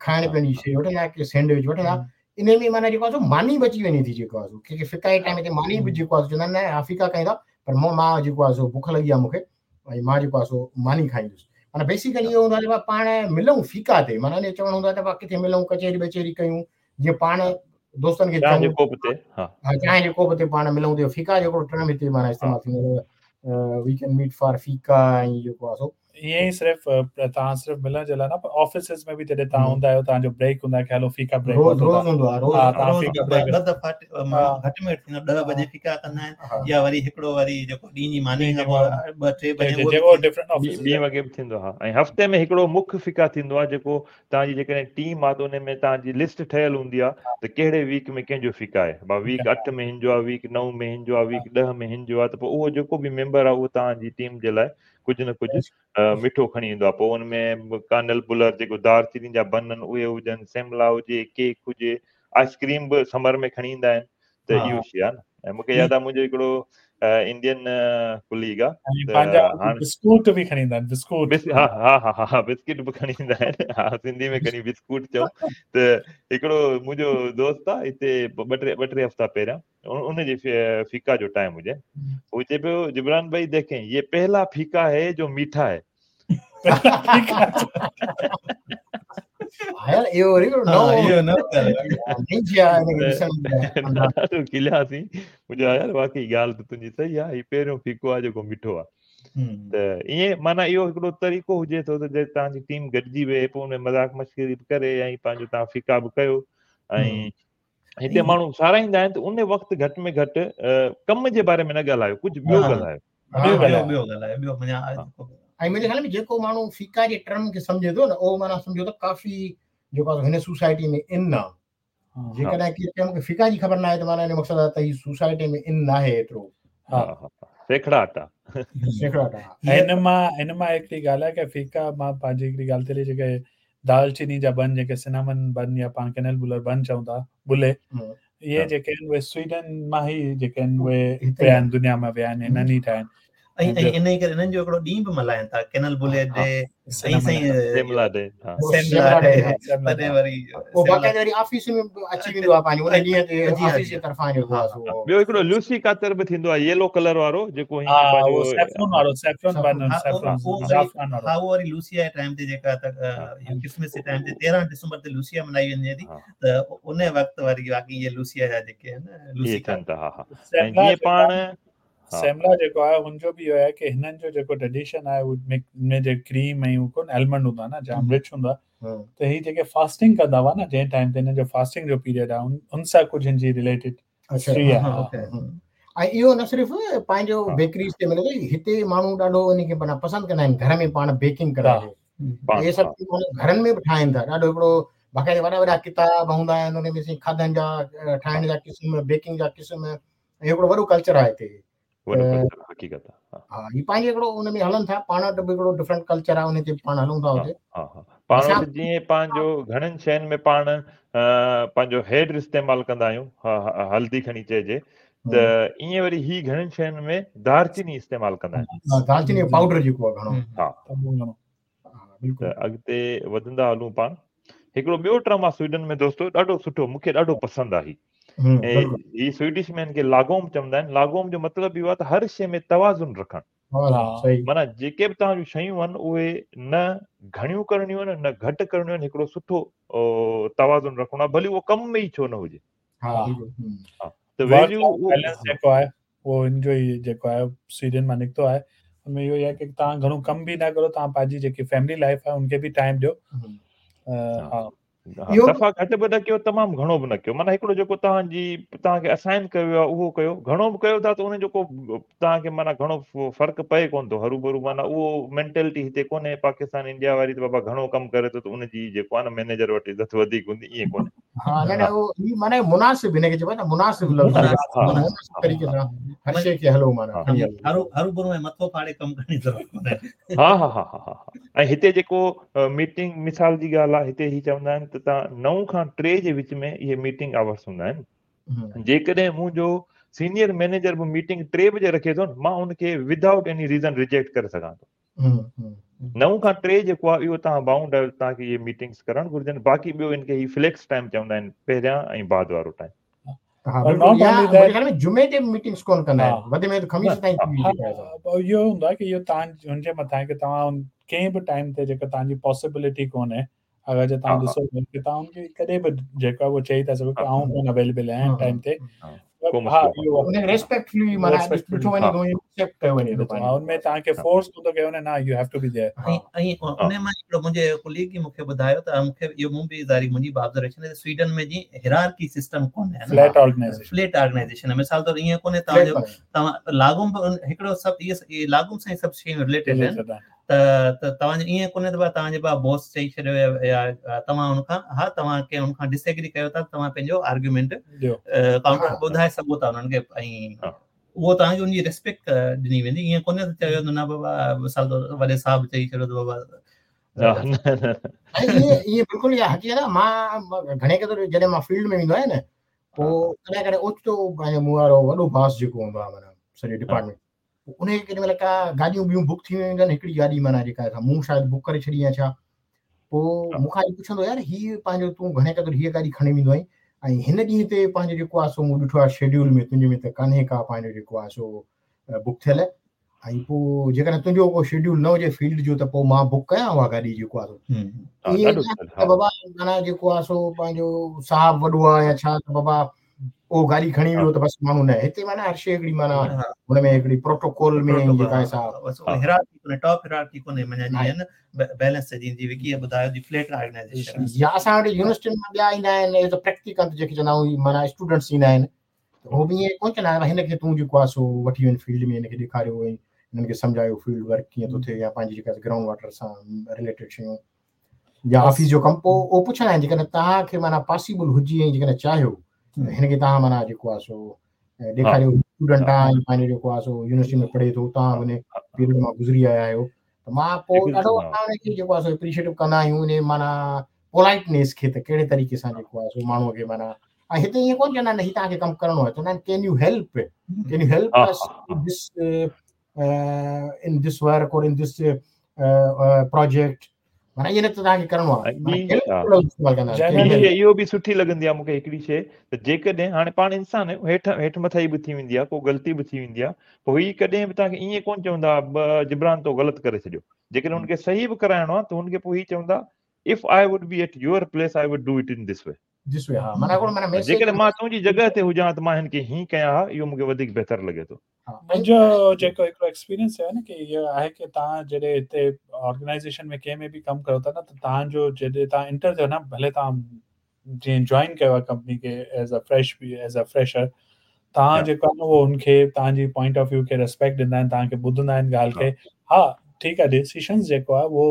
کائڻ پيئڻ جي شيء وٺندا ڪي سينڊوچ وٺندا ان ۾ معنيٰ جيڪو آهي سو ماني بچي وڃي ٿي جيڪو آهي سو ڪي فيڪا جي ٽائيم تي ماني به جيڪو آهي چوندا آهن نه ها فيڪا کائيندا پر مون مان جيڪو آهي سو بک لڳي آهي مون کي ۽ مان جيڪو آهي سو ماني کائيندس معنيٰ بيسيڪلي اهو هوندو آهي ته پاڻ ملون فيڪا تي معنيٰ ان جو چوڻ هوندو آهي ته ڪٿي ملون ڪچهري ٻچهري ڪيون جيئن پاڻ دوستن کي چانهه جي ڪوپ تي ها چانهه جي ڪوپ تي پاڻ ملون ته فيڪا جو هڪڙو ٽرم هتي معنيٰ استعمال ٿيندو آهي we can meet for fika ۽ جيڪو آهي سو ائين ئي صرف توهان صرف ملڻ جي لاءِ نه پر آفيسز ۾ به جڏهن توهان هوندا آهيو توهان جو بريڪ هوندو آهي ڪه هلو فيڪا بريڪ روز روز هوندو آهي روز ها توهان فيڪا بريڪ ٻه دفعا گهٽ ۾ گهٽ ٿيندو ڏهه بجي فيڪا ڪندا آهن يا وري هڪڙو وري جيڪو ڏينهن جي ماني کان پوءِ ٻه ٽي بجي جيڪو ڊفرنٽ آفيس ٻين وڳي به ٿيندو آهي ۽ هفتي ۾ هڪڙو مک فيڪا ٿيندو آهي جيڪو توهان جي جيڪڏهن ٽيم آهي ته ان ۾ توهان جي لسٽ ٺهيل هوندي آهي ته ڪهڙي ويڪ ۾ ڪنهن جو فيڪا آهي ڀا ويڪ اٺ ۾ هن جو آهي ويڪ نو ۾ هن جو آهي ويڪ ڏهه ۾ هن جو آهي ته پوءِ اهو جيڪو به ميمبر آهي اهو توهان جي ٽيم جي لاءِ ڪجهه نه ڪجهه مٺو کڻي ايندو آهي. پوءِ ان ۾ ڪانل بلر جيڪو دارچيني جا بن آهن اهي هجن، سيملا هجي، ڪيڪ هجي، آئسڪريم به سمر ۾ کڻي ايندا آهن ته اهو شيءِ آهي نه. ۽ مون کي ياد آهي منهنجو هڪڙو انڊين ڪليگ آهي ته هاڻي بسڪوٽ به کڻي ايندا آهن، بسڪوٽ ها ها ها ها بسڪيٽ به کڻي ايندا آهن، ها سنڌي ۾ کڻي بسڪوٽ چئون ته هڪڙو منهنجو دوست آهي هتي ٻه ٽي ٻه ٽي هفتا پهريان ان جي فيڪا جو ٽائيم هجي هو چئي پيو جبران ڀائي ديکين يي پهلا فيڪا هي جو ميٺا هي. ها يار اهو وري نئون ڏاڍو کلياسين. مون چيو يار واقعي ڳالهه ته تنهنجي صحيح آهي، هي پهريون فيڪو آهي جيڪو مٺو آهي. ته ائين معنيٰ اهو هڪڙو طريقو هجي ٿو ته جي توهان جي ٽيم گڏجي ويهي پوءِ ان ۾ مذاق مشڪري به ڪري ۽ پنهنجو توهان فيڪا به ڪيو ۽ هتي ماڻهو ساراهيندا آهن ته ان وقت گهٽ ۾ گهٽ ڪم جي باري ۾ نه ڳالهايو، ڪجهه ٻيو ڳالهايو. ٻيو ڳالهايو ٻيو ڳالهايو ٻيو معنيٰ ۽ منهنجي خيال ۾ جيڪو ماڻهو فيڪا جي ٽرم کي سمجهي ٿو نه اهو معنيٰ سمجهو ته ڪافي جيڪو آهي هن سوسائٽي ۾ ان آهي. جيڪڏهن ڪير چئي مون کي فيڪا جي خبر نه آهي ته معنيٰ ان جو مقصد آهي ته هي سوسائٽي ۾ ان نه آهي ايترو. ها ها سيکڙاٽ آهي. سيکڙاٽ آهي. هن مان هن مان هڪڙي ڳالهه آهي ڪه فيڪا مان پنهنجي هڪڙي ڳالهه ٿي هلي جيڪي دالچيني جا بن جيڪي سنامن بن يا پاڻ ڪينل بلر بن چئون ٿا بلي اهي جيڪي آهن اهي سوئيڊن مان ئي جيڪي آهن اهي ويا آهن دنيا ۾ ويا آهن هنن ئي ٺاهيا آهن. ۽ ۽ ان ئي ڪري انهن جو هڪڙو ڏينهن به ملهائن ٿا ڪينل بلي ڊي ۽ سائين سيملا ڊي سيملا ڊي تڏهن وري پوءِ باقاعده وري آفيس ۾ به اچي ويندو آهي پنهنجو ان ڏينهن تي آفيس جي طرفان جيڪو آهي سو ٻيو هڪڙو لوسي ڪاتر به ٿيندو آهي ييلو ڪلر وارو جيڪو هي پنهنجو سيفرون وارو سيفرون بن سيفرون زعفران وارو ها اهو وري لوسيا جي ٽائيم تي جيڪا ته ڪرسمس جي ٽائيم تي تيرهن ڊسمبر تي لوسيا ملهائي وڃي ٿي ته ان وقت وري باقي اهي لوسيا جا جيڪي آهن لوسي ٿين ٿا. ها ها جيئن پاڻ سيملا جيڪو آهي هن جو به اهو آهي ڪه هنن جو جيڪو ٽريڊيشن آهي اهو ۾ جي ڪريم ۽ ڪونه آلمنڊ هوندا نه جام رچ هوندا ته هي جيڪي فاسٽنگ ڪندا هئا نه جنهن ٽائيم تي هنن جو فاسٽنگ جو پيريڊ آهي ان سان ڪجهه هن جي رليٽيڊ هسٽري آهي. ۽ اهو نه صرف پنهنجو بيڪريز تي ملي ٿو، هتي ماڻهو ڏاڍو ان کي معنيٰ پسند ڪندا آهن گهر ۾ پاڻ بيڪنگ ڪرائي اهي سڀ گهرن ۾ به ٺاهين ٿا. ڏاڍو هڪڙو باقاعده وڏا وڏا ڪتاب هوندا آهن ان ۾ کاڌن جا ٺاهڻ جا قسم بيڪنگ جا قسم ۽ هڪڙو وڏو ڪلچر آهي هتي. وڏو ڪلچر حقيقت آهي. ها هي پنهنجو هڪڙو ان ۾ هلن ٿا پاڻ وٽ به هڪڙو ڊفرنٽ ڪلچر آهي ان تي پاڻ هلون ٿا هتي. ها ها پاڻ وٽ جيئن پنهنجو گهڻن شين ۾ پاڻ پنهنجو هيڊ استعمال ڪندا آهيون هلدي کڻي چئجي ته ائين وري هي گهڻن شين ۾ دارچيني استعمال ڪندا آهن. دارچيني جو پائوڊر جيڪو آهي گهڻو. ها ته اڳتي وڌندا هلون پاڻ. هڪڙو ٻيو ٽرم آهي سوئيڊن ۾ دوستو ڏاڍو سٺو مون کي ڏاڍو پسند آهي. هي سوئيڊش ۾ هن کي لاگوم چوندا آهن. لاگوم جو مطلب اهو آهي ته هر شيءِ ۾ توازن رکڻ، معنيٰ جيڪي به توهان جون شيون آهن اهي نه گهڻيون ڪرڻيون آهن نه گهٽ ڪرڻيون آهن، هڪڙو سٺو توازن رکڻو آهي ڀلي اهو ڪم ۾ ئي ڇو نه هجي. ته ويليو بيلنس جيڪو آهي اهو هن جو ئي جيڪو آهي سوئيڊن مان نڪتو آهي. هن ۾ اهو ئي آهي ڪه توهان گهڻو ڪم به نه ڪرو، توهان پنهنجي جيڪي فيملي لائيف آهي ان کي به ٽائيم ڏيو. ها دفعا گهٽ به نه ڪيو تمام گهڻو به نه ڪيو، معنيٰ هڪڙو جيڪو توهان جي توهان کي اسائن ڪيو ويو آهي اهو ڪيو، گهڻو به ڪيو ٿا ته ان جو ڪو توهان کي معنيٰ گهڻو فرق پئي ڪونه ٿو هرو ڀرو، معنيٰ اهو مينٽلٽي هتي ڪونهي پاڪستان انڊيا واري ته بابا گهڻو ڪم ڪري ٿو ته ان جي جيڪو آهي نه مئنيجر وٽ عزت وڌيڪ هوندي، ائين ڪونهي. ها نه نه اهو هي معنيٰ مناسب هن کي چئبو آهي نه مناسب لفظ مناسب طريقي سان هر شيءِ کي هلو معنيٰ هرو هرو ڀرو ۽ مٿو ڦاڙي ڪم ڪرڻ جي ضرورت ڪونهي. ها ها ها ها ۽ هتي جيڪو ميٽنگ مثال جي ڳالهه آهي هتي هي چوندا آهن ته توهان نو کان ٽي جي وچ ۾ اهي ميٽنگ آورس هوندا آهن. جيڪڏهن منهنجو سينيئر مئنيجر به ميٽنگ ٽي بجي رکي ٿو نه مان ان کي ودائوٽ ايني ريزن ريجيڪٽ ڪري سگهان ٿو. نو کان ٽي جيڪو آهي اهو توهان بائونڊ آهيو توهان کي اهي ميٽنگس ڪرڻ گهرجن. باقي ٻيو ان کي هي فليڪس ٽائيم چوندا آهن پهريان ۽ بعد وارو ٽائيم. جمعي تي ميٽنگس ڪونه ڪندا آهن وڌ ۾ وڌ خميس تائين. اهو هوندو آهي ڪه اهو توهان هن جي مٿان آهي ڪه توهان ڪنهن به ٽائيم تي جيڪا توهان جي پاسيبلٽي ڪونهي اگر جي توهان ڏسو ڪه توهان هن کي ڪڏهن به جيڪو آهي اهو چئي ٿا سگهو ڪه آئون ڪونه اويليبل آهيان ٽائيم تي، ڪو مسئلو ڪونهي. ان ريسپيڪٽفلي معنيٰ ڏٺو وڃي ٿو ايڪسيپٽ ڪيو وڃي ٿو. ها ان ۾ توهان کي فورس ڪونه ٿو ڪيو وڃي نه you have to be there. ۽ ۽ ان مان هڪڙو منهنجي ڪليگ ئي مون کي ٻڌايو ته مون کي اهو مون به ظاهري منهنجي به آبزرويشن آهي سوئيڊن ۾ جي هيرارڪي سسٽم ڪونهي فليٽ آرگنائيزيشن فليٽ آرگنائيزيشن مثال طور ائين ڪونهي توهان جو توهان لاگوم به هڪڙو سڀ اهي لاگوم سان سڀ شيون رليٽيڊ آهن ته ته توهان جو ائين ڪونهي ته توهان جي با باس چئي ڇڏيو يا توهان هن کان ها توهان ڪنهن هن کان ڊس ايگري ڪيو ٿا توهان پنهنجو آرگيومينٽ ڪائونٽر ٻڌائي سگهو ٿا انهن کي ۽ اهو توهان کي ان جي ريسپيڪٽ ڏني ويندي. ائين ڪونهي ته چيو نه بابا مثال طور وڏي صاحب چئي ڇڏيو ته بابا ائين ائين بلڪل اها حقيقت آهي. مان گهڻي قدر جڏهن مان فيلڊ ۾ ويندو آهيان نه پوءِ ڪڏهن ڪڏهن اوچتو پنهنجو مون وارو وڏو باس جيڪو هوندو آهي معنيٰ سڄي ڊپارٽمينٽ ان کي ڪيڏي مهل ڪا گاڏيون ٻيون بڪ ٿي ويون آهن هڪڙي گاڏي معنيٰ جيڪا مون شايد بڪ ڪري ڇڏي آهي ڇا پوءِ مون کان پڇندو يار هيءَ پنهنجو تون گهڻي قدر هيءَ گاڏي کڻي ويندو آهين ۽ هن ڏينهن تي پنهنجو جيڪو آهي سو مون ڏٺو آهي شيڊول ۾ تنهنجي ۾ ته ڪانهي ڪا پنهنجو جيڪو آهي سو بڪ ٿيل ۽ پوءِ جيڪڏهن تنهنجو ڪو شيڊول نه هجي فيلڊ جو ته پوءِ مان بڪ ڪيان اها گاڏي جيڪو آهي سو بابا معنيٰ جيڪو آهي سو پنهنجو صاحب وڏو آهي يا ڇا ته بابا اهو گاڏي کڻي ويو ته بس ماڻهو نه هتي معنيٰ هر شيءِ هڪڙي معنيٰ هن ۾ هڪڙي پروٽوڪول ۾ جيڪا آهي سا هيرارڪي ڪونهي ٽاپ هيرارڪي ڪونهي معنيٰ جيئن نه بيلنس جيئن جي وڪي ٻڌايو جي فليٽ آرگنائيزيشن يا اسان وٽ يونيورسٽين مان ٻيا ايندا آهن ايز ا پريڪٽيڪل جيڪي چوندا آهيون معنيٰ اسٽوڊنٽس ايندا آهن اهو به ائين ڪونه چوندا آهن هن کي تون جيڪو آهي سو وٺي وڃ فيلڊ ۾ هن کي ڏيکاريو ۽ هنن کي سمجهايو فيلڊ ورڪ ڪيئن ٿو ٿئي يا پنهنجي جيڪا گرائونڊ واٽر سان رليٽيڊ شيون يا آفيس جو ڪم. پوءِ اهو پڇندا آهن جيڪڏهن توهان کي معنيٰ پاسيبل هجي ۽ جيڪڏهن چاهيو هن کي توهان معنيٰ جيڪو آهي سو ڏيکاريو اسٽوڊنٽ آهي پنهنجو جيڪو آهي سو يونيورسٽي ۾ پڙهي ٿو توهان هن پيريڊ مان گذري آيا آهيو ته مان پوءِ ڏاڍو اسان هن کي جيڪو آهي سو ايپريشيئيٽ ڪندا آهيون ان معنيٰ پولائيٽنيس کي ته ڪهڙي طريقي سان جيڪو آهي سو ماڻهوءَ کي معنيٰ ۽ هتي ائين ڪونه چوندا آهن هيءَ توهان کي ڪم ڪرڻو آهي چوندا آهن can you help can you help this in this work اور ان this project معنيٰ ائين نه ته توهان کي ڪرڻو آهي. اهو به سٺي لڳندي آهي مون کي هڪڙي شيءِ ته جيڪڏهن هاڻي پاڻ انسان آهيون هيٺ هيٺ مٿان به ٿي ويندي آهي ڪو غلطي به ٿي ويندي آهي پوءِ هيءَ ڪڏهن به توهان کي ائين ڪونه چوندا جبران تو غلط ڪري ڇڏيو. جيڪڏهن هن کي صحيح به ڪرائڻو آهي ته هن کي پوءِ هيءَ چوندا if I would be at your place I would do it in this way. جيڪڏهن مان تنهنجي جڳهه تي هجان ته مان هن کي هيئن ڪيان ها اهو مون کي وڌيڪ بهتر لڳي ٿو. منهنجو جيڪو هڪڙو ايڪسپيرينس آهي نه ڪه اهو آهي ڪه توهان جڏهن هتي آرگنائيزيشن ۾ ڪنهن ۾ به ڪم ڪيو ٿا نه ته توهان جو جڏهن توهان انٽر ٿيو نه ڀلي توهان جيئن جوائن ڪيو آهي ڪمپني کي as a fresh as a fresher توهان جيڪو آهي نه اهو هن کي توهان جي پوائنٽ آف ويو کي ريسپيڪٽ ڏيندا آهن توهان کي ٻڌندا آهن ڳالهه کي. ها ٺيڪ آهي ڊسيشنس جيڪو آهي اهو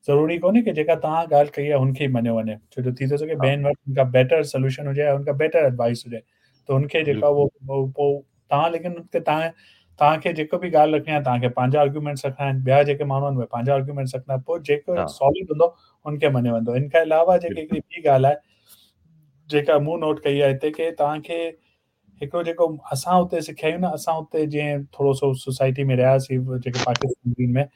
ضروري ڪونهي ڪه جيڪا توهان ڳالهه ڪئي آهي هن کي ئي مڃيو وڃي ڇو جو ٿي ٿو سگهي ٻين وٽ هن کان بيٽر سوليوشن هجي يا هن کان بيٽر ايڊوائيس هجي ته هن کي جيڪو آهي اهو پوءِ توهان ليڪن توهان توهان کي جيڪو به ڳالهه رکڻي آهي توهان کي پنهنجا آرگيومينٽس رکڻا آهن ٻيا جيڪي ماڻهو آهن اهي پنهنجا آرگيومينٽس رکندا پوءِ جيڪو سالڊ هوندو هن کي مڃيو ويندو. هن کان علاوه جيڪي هڪڙي ٻي ڳالهه آهي جيڪا مون نوٽ ڪئي آهي هتي ڪه توهان کي هڪڙو جيڪو اسان هتي سکيا آهيون نه اسان هتي جيئن ٿورو سو سوسائٽي ۾ رهياسين جيڪي پاڪستان ۾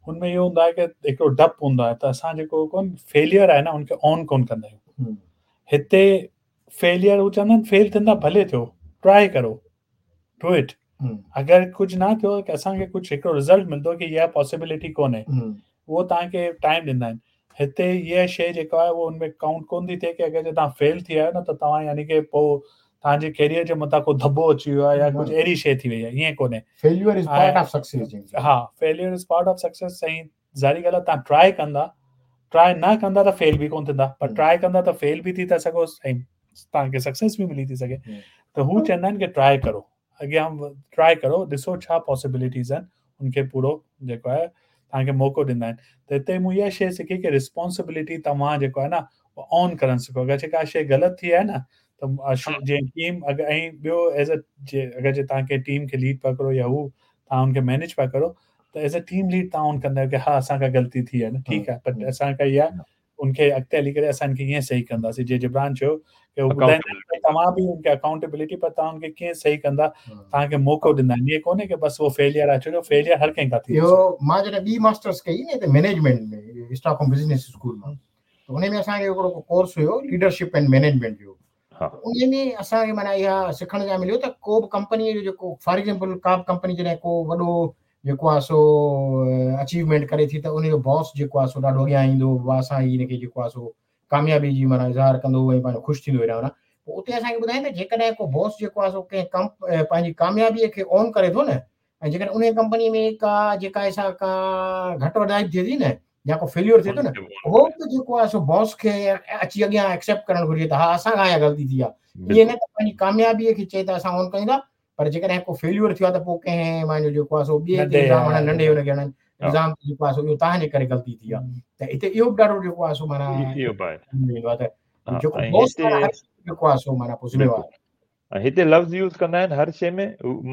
هن ۾ اهو هوندو آهي ڪه هڪڙو ڊپ هوندو آهي ته اسان جيڪو ڪونه فيليئر آهي نه هن کي اون ڪونه ڪندا آهيون. هتي فيليئر هو چوندا آهن فيل ٿيندا ڀلي ٿيو ٽرائي ڪرو do it. اگر ڪجهه نه ٿيو ڪه اسان کي ڪجهه هڪڙو رزلٽ ملندو ڪه اها پاسيبلٽي ڪونهي اهو توهان کي ٽائيم ڏيندا آهن. هتي اها شيءِ جيڪا آهي اهو هن ۾ ڪائونٽ ڪونه ٿي ٿئي ڪه اگر جي توهان فيل ٿي ويا آهيو نه ته توهان يعني ڪه پوءِ توهان جي ڪيريئر جي مٿان ڪو ڌٻو اچي ويو آهي يا ڪجهه اهڙي شيءِ ٿي وئي آهي ائين ڪونهي. Failure is part of success. ها failure is part of success. ۽ ظاهري ڳالهه آهي توهان ٽرائي ڪندا ٽرائي نه ڪندا ته فيل به ڪونه ٿيندا پر ٽرائي ڪندا ته فيل به ٿي ٿا سگهو ۽ توهان کي سڪسيس به ملي ٿي سگهي. ته هو چوندا آهن ڪه ٽرائي ڪرو اڳيان ٽرائي ڪرو ڏسو ڇا پاسيبلٽيز آهن هن کي پورو جيڪو آهي توهان کي موقعو ڏيندا آهن. ته هتي مون اها شيءِ سکي ڪه ريسپانسبلٽي توهان جيڪو آهي نه اهو اون ڪرڻ سکو. اگر جيڪا شيءِ غلط ٿي آهي نه ته جيئن ٽيم اگر ۽ ٻيو ايز ا اگر جي توهان ڪنهن ٽيم کي ليڊ پيا ڪرو يا هو توهان هن کي مئنيج پيا ڪرو ته ايز ا ٽيم ليڊ توهان اون ڪندا آهيو ڪه ها اسان کان غلطي ٿي آهي نه ٺيڪ آهي پر اسان کان اها ان کي اڳتي هلي ڪري اسان کي ائين صحيح ڪنداسين. جيئن جبران چيو ڪه هو ٻڌائيندا آهن توهان به هن کي اڪائونٽيبلٽي پر توهان هن کي ڪيئن صحيح ڪندا توهان کي موقعو ڏيندا آهن. ائين ڪونهي ڪه بس اهو فيليئر آهي ڇو جو فيليئر هر ڪنهن کان ٿي. اهو مان جڏهن ٻي ماسٽرس ڪئي نه هتي مئنيجمينٽ ۾ اسٽاڪهوم بزنس اسڪول مان ته ان ۾ اسان کي هڪڙو course have leadership and management جو. ان ۾ اسان کي معنيٰ اها سکڻ جا مليو ته ڪو به ڪمپنيءَ جو جيڪو فار ايگزامپل ڪا به ڪمپني جڏهن ڪو وڏو جيڪو آهي سو اچيومينٽ ڪري ٿي ته ان جو باس جيڪو آهي سو ڏاڍو اڳيان ايندو اسان هن کي جيڪو آهي سو ڪاميابي جي معنيٰ اظهار ڪندو ۽ پنهنجو خوش ٿيندو هيڏانهن. پوءِ اتي اسان کي ٻڌائين ته جيڪڏهن ڪو باس جيڪو آهي سو ڪنهن ڪم پنهنجي ڪاميابيءَ کي اون ڪري ٿو نه، ۽ جيڪڏهن ان ڪمپنيءَ ۾ ڪا جيڪا آهي سا ڪا گهٽ وڌائي به ٿئي ٿي نه يا ڪو فيليئر ٿئي ٿو نه، اهو به جيڪو آهي سو باس کي اچي اڳيان ايڪسيپٽ ڪرڻ گهرجي ته ها اسان کان اها غلطي ٿي آهي. ائين نه ته پنهنجي ڪاميابيءَ کي چئي ته اسان اون ڪيون ٿا، پر جيڪڏهن ڪو فيليئر ٿيو آهي ته پوءِ ڪنهن پنهنجو جيڪو آهي سو ٻئي تي الزام هڻن، ننڍي هن کي هڻن الزام جيڪو آهي سو اهو توهان جي ڪري غلطي ٿي آهي. ته هتي اهو به ڏاڍو جيڪو آهي سو معنيٰ اهو به آهي ويندو آهي ته جيڪو باس جيڪو آهي سو معنيٰ پوءِ ذميوار. ۽ هتي لفظ يوز ڪندا آهن هر شيءِ ۾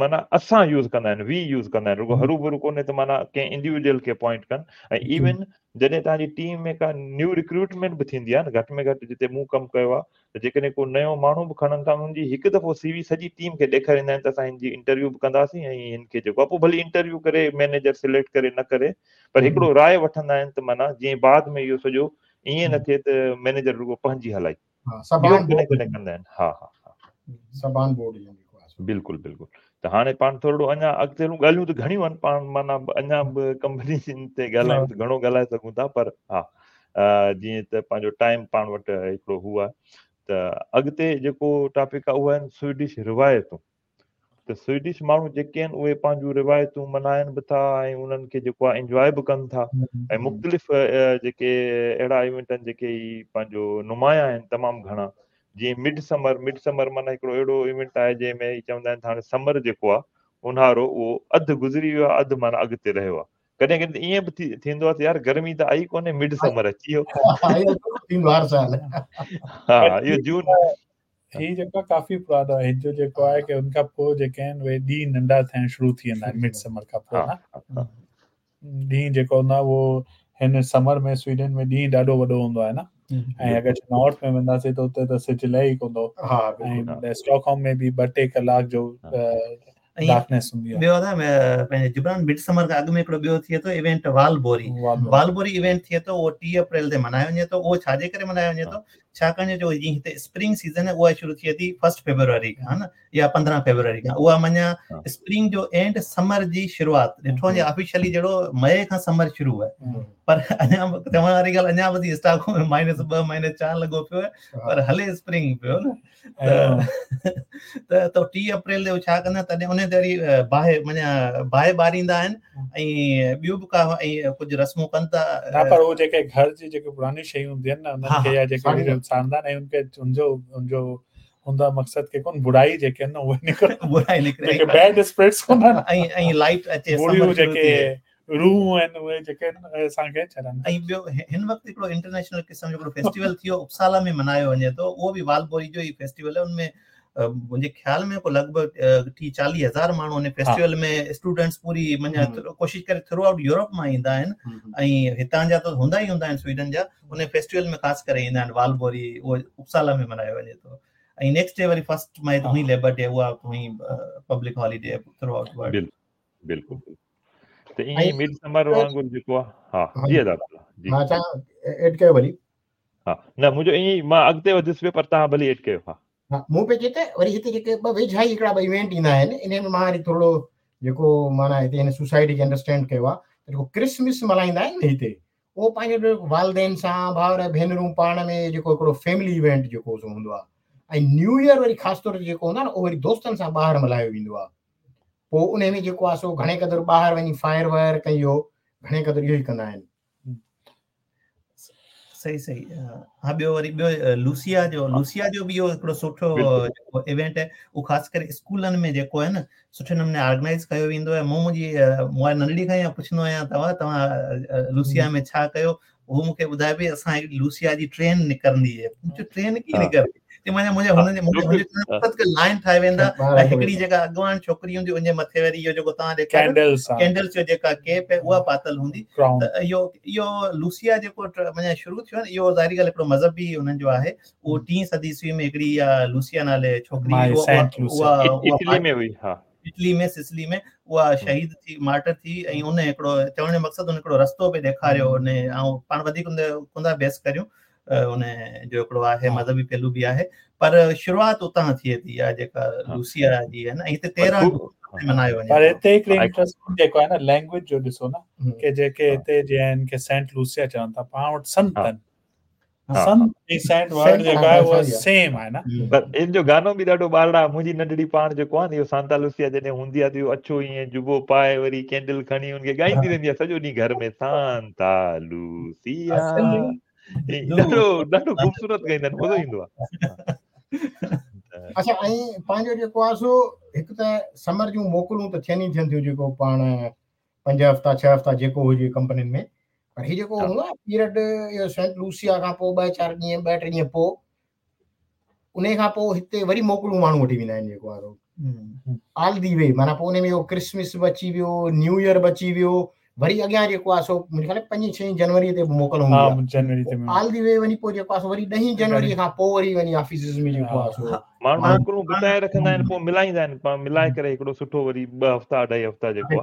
معنيٰ اسان يوز ڪندا آهن، وي يوز ڪندا آهن، رڳو هرو ڀرو ڪونهي ته معنيٰ ڪنهن انڊيويجوئل کي اپائنٽ ڪن. ۽ ايون جڏهن توهان جي ٽيم ۾ ڪا نيو رڪروٽمينٽ به ٿيندي آهي نه، گهٽ ۾ گهٽ جتي مون ڪم ڪيو آهي ته جيڪڏهن ڪو نيو ماڻهو به کڻن ٿا هن جي هڪ دفعو سي وي سڄي ٽيم کي ڏيکاريندا آهن ته اسان هن جي انٽرويو به ڪنداسين ۽ هن کي جيڪو آهي پوءِ ڀلي انٽرويو ڪري مئنيجر سليڪٽ ڪري نه ڪري، پر هڪڙو راءِ وٺندا آهن ته معنيٰ جيئن بعد ۾ اهو سڄو ائين نه ٿئي ته مئنيجر رڳو پنهنجي هلائي، اهو ڪڏهن ڪڏهن ڪندا آهن. ها ها سڀ آن بورڊ بلڪل بلڪل. ته هاڻي پاڻ ٿورو اڃا اڳتي هلون، ڳالهيون ته گهڻيون آهن، پاڻ معنيٰ اڃا به ڪمپني تي ڳالهايون ته گهڻو ڳالهائي سگهون ٿا، پر ها جيئن ته پنهنجو ٽائيم پاڻ وٽ هڪڙو هو آهي ته اڳتي جيڪو ٽاپڪ آهي اهو آهن سوئيڊش روايتون. ته سوئيڊش ماڻهو جيڪي آهن اهي پنهنجون روايتون ملهائن به ٿا ۽ انهن کي جيڪو آهي انجواءِ به ڪن ٿا، ۽ مختلف جيڪي اهڙا ايونٽ آهن جيڪي پنهنجو نمايان آهن تمام گهڻا، جيئن مڊ سمر. مڊ سمر معنيٰ هڪڙو اهڙو ايونٽ آهي جنهن ۾ چوندا آهن ته هاڻي سمر جيڪو آهي اونهارو اهو اڌ گذري ويو آهي، اڌ معنيٰ اڳتي رهيو آهي. ڪڏهن ڪڏهن ائين به ٿيندو آهي ته يار گرمي ته آئي ڪونهي، مڊ سمر اچي ويو. ها اهو جون هي جيڪو ڪافي پراڻو آهي، هن جو جيڪو آهي ڪه هن کان پوءِ جيڪي آهن اهي ڏينهن ننڍا ٿيڻ شروع ٿي ويندا آهن مڊ سمر کان پوءِ نه. ڏينهن جيڪو هوندو آهي اهو هن سمر ۾ سوئيڊن ۾ ڏينهن ڏاڍو وڏو هوندو آهي نه، ۽ اگر نارٿ ۾ وينداسين ته اتي ته سج لهي ئي ڪونه ٿو. ۽ اسٽاڪهوم ۾ به ٻه ٽي ڪلاڪ جو ڊارڪنيس هوندي آهي. ٻيو ادا پنهنجي جبران مڊ سمر کان اڳ ۾ هڪڙو ٻيو ٿئي ٿو ايونٽ والبوري. والبوري ايونٽ ٿئي ٿو اهو ٽيهه اپريل تي ملهايو وڃي ٿو. اهو ڇا جي ڪري ملهايو وڃي ٿو؟ ڇاڪاڻ جو جيئن هتي اسپرنگ سيزن آهي اها شروع ٿئي ٿي فرسٽ فيبروري کان نه يا پندرهن فيبروري کان، اها معنيٰ اسپرنگ جو اينڊ سمر جي شروعات. ڏٺو وڃي آفيشلي جهڙو مئي کان سمر شروع آهي، پر اڃا چوڻ واري ڳالهه اڃا به اسٽاڪهوم ۾ مائنس ٻه مائنس چار لڳو پيو آهي، پر هلي اسپرنگ پيو نه. ته ٽيهه اپريل تي ڇا ڪندا تڏهن ان تي وري باهه معنيٰ باهه ٻاريندا آهن ۽ ٻيون به ڪا ۽ ڪجهه رسمون ڪن ٿا. نه پر اهو جيڪي گهر جي جيڪي پراڻيون شيون هونديون آهن نه انهن کي يا جيڪي ساڙندا آهن ۽ ان کي ان جو ان جو هوندو آهي مقصد ڪه ڪونه برائي جيڪي آهن نه اهي نڪرن، برائي نڪري، جيڪي بيڊ اسپرٽس ڪونه آهن ۽ ۽ لائيٽ اچي، بريون جيڪي روح آهن اهي جيڪي اسان کي ڇڏن. ۽ ٻيو هن وقت هڪڙو انٽرنيشنل قسم جو هڪڙو فيسٽيول ٿيو اپسالا ۾ ملهايو وڃي ٿو، اهو به والبوري جو ئي فيسٽيول آهي. ان ۾ منهنجي خيال ۾ ڪو لڳ ڀڳ ٽيهه چاليهه هزار ماڻهو ان فيسٽيول ۾ اسٽوڊنٽس پوري معنيٰ ڪوشش ڪري ٿرو آئوٽ يورپ مان ايندا آهن ۽ هتان جا ته هوندا ئي هوندا آهن سوئيڊن جا، ان فيسٽيول ۾ خاص ڪري ايندا آهن. والبوري اهو اپسالا ۾ ملهايو وڃي ٿو. ۽ نيڪسٽ ڊي وري فرسٽ مئي ته هئي ليبر ڊي، اها هئي public holiday through out world. بلڪل ته ائين مڊ سمر وانگر جيڪو آهي. ها جي ادا جي ها ايڊ ڪيو ڀلي. ها نه منهنجو ائين ئي مان اڳتي وڌيس پيو، پر توهان ڀلي ايڊ ڪيو. ها ها مون پئي چئي ته وري هتي جيڪي ٻه ويجها ئي هڪڙا ٻه ايونٽ ايندا آهن، ان ۾ مان وري ٿورو جيڪو معنيٰ هتي هن سوسائٽي کي انڊرسٽينڊ ڪيو آهي ته جيڪو ڪرسمس ملهائيندا آهن نه هتي، اهو پنهنجو والدين سان ڀائر ڀينرون پاڻ ۾ جيڪو هڪڙو فيملي ايونٽ جيڪو هوندو آهي. ۽ نيو ايئر وري خاص طور تي جيڪو هوندو آهي نه اهو وري دوستن سان ٻاهر ملهايو ويندو آهي. پوءِ ان ۾ جيڪو آهي سو گهڻي قدر ٻاهر وڃي فائر وائر ڪئي اهو گهڻي قدر اهو ئي ڪندا آهن. صحيح صحيح. ها ٻيو وري ٻيو لوسيا جو لوسيا جو به اهو هڪڙو سٺو جيڪو ايونٽ آهي اهو خاص ڪري اسڪولن ۾ جيڪو آهي نه سٺي نموني آرگنائيز ڪيو ويندو آهي. مون منهنجي مون ننڍڙي کان ئي پڇندو آهيان توهان توهان لوسيا ۾ ڇا ڪيو، هو مون کي ٻڌائي پئي اسان هڪڙي لوسيا جي ٽرين نڪرندي آهي. مون چيو ٽرين ڪيئن نڪرندي؟ معنيٰ منهنجي هن جي منهنجي لائن ٺاهي ويندا ۽ هڪڙي جيڪا اڳواڻ ڇوڪري هوندي ان جي مٿي وري اهو جيڪو توهان ڏيکاريو ڪينڊلس جو جيڪا ڪيپ آهي اها پاتل هوندي. ته اهو اهو لوسيا جيڪو معنيٰ شروع ٿيو آهي نه اهو ظاهري ڳالهه هڪڙو مذهبي انهن جو آهي. اهو ٽين صدي عيسوي ۾ هڪڙي اها لوسيا نالي ڇوڪري اها اٽلي ۾ هئي، ها اٽلي ۾ سسلي ۾ اها شهيد ٿي مارٽر ٿي ۽ ان هڪڙو چوڻ جو مقصد ان هڪڙو رستو پئي ڏيکاريو. ان ۽ پاڻ وڌيڪ ڪونه ٿا بحث ڪريون، ان جو هڪڙو آهي مذهبي پهلو به آهي، پر شروعات اتان ٿئي ٿي اها جيڪا لوسيا جي آهي نه. ۽ هتي تيرهن ملهايو وڃي. پر هتي هڪڙي انٽريسٽنگ جيڪو آهي نه لينگويج جو ڏسو نه ڪه جيڪي هتي جيئن هن کي سينٽ لوسيا چون ٿا، پاڻ وٽ سنت آهن. سنت ۽ سينٽ ورڊ جيڪو آهي اهو سيم آهي نه پر ان جو گانو به ڏاڍو ٻارڙا منهنجي ننڍڙي پاڻ جيڪو آهي نه اهو سانتا لوسيا جڏهن هوندي آهي ته اهو اڇو ائين جبو پائي وري ڪينڊل کڻي ان کي ڳائيندي رهندي آهي سڄو ڏينهن گهر ۾ سانتا لوسيا ڏاڍو ڏاڍو خوبصورت ڳائيندا آهن مزو ايندو آهي اڇا ۽ پنهنجو جيڪو آهي سو هڪ ته سمر جون موڪلون ته ٿين ئي ٿين ٿيون جيڪو پاڻ پنج هفتا ڇهه هفتا جيڪو هجي ڪمپنين ۾ پر هي جيڪو هوندو آهي پيريڊ اهو سينٽ لوسيا کان پوء ٻه چار ڏينهن ٻه ٽي ڏينهن پوء ان کان پوء هتي وري موڪلون ماڻهو وٺي ويندا آهن جيڪو آهي آل the V معنيٰ پوء ان ۾ اهو ڪرسمس به اچي ويو نيو ايئر به اچي ويو وري اڳيان جيڪو آهي سو منهنجي خيال ۾ پنجين ڇهين جنوري تي به موڪل هوندي آهي جنوري تي آل the V وڃي پوء جيڪو آهي سو وري ڏهين جنوري کان پوء وري وڃي آفيسز ۾ جيڪو آهي سو ماڻهو موڪلون بچائي رکندا آهن پوء ملائيندا آهن پاڻ ملائي ڪري هڪڙو سٺو وري ٻه هفتا اڍائي هفتا جيڪو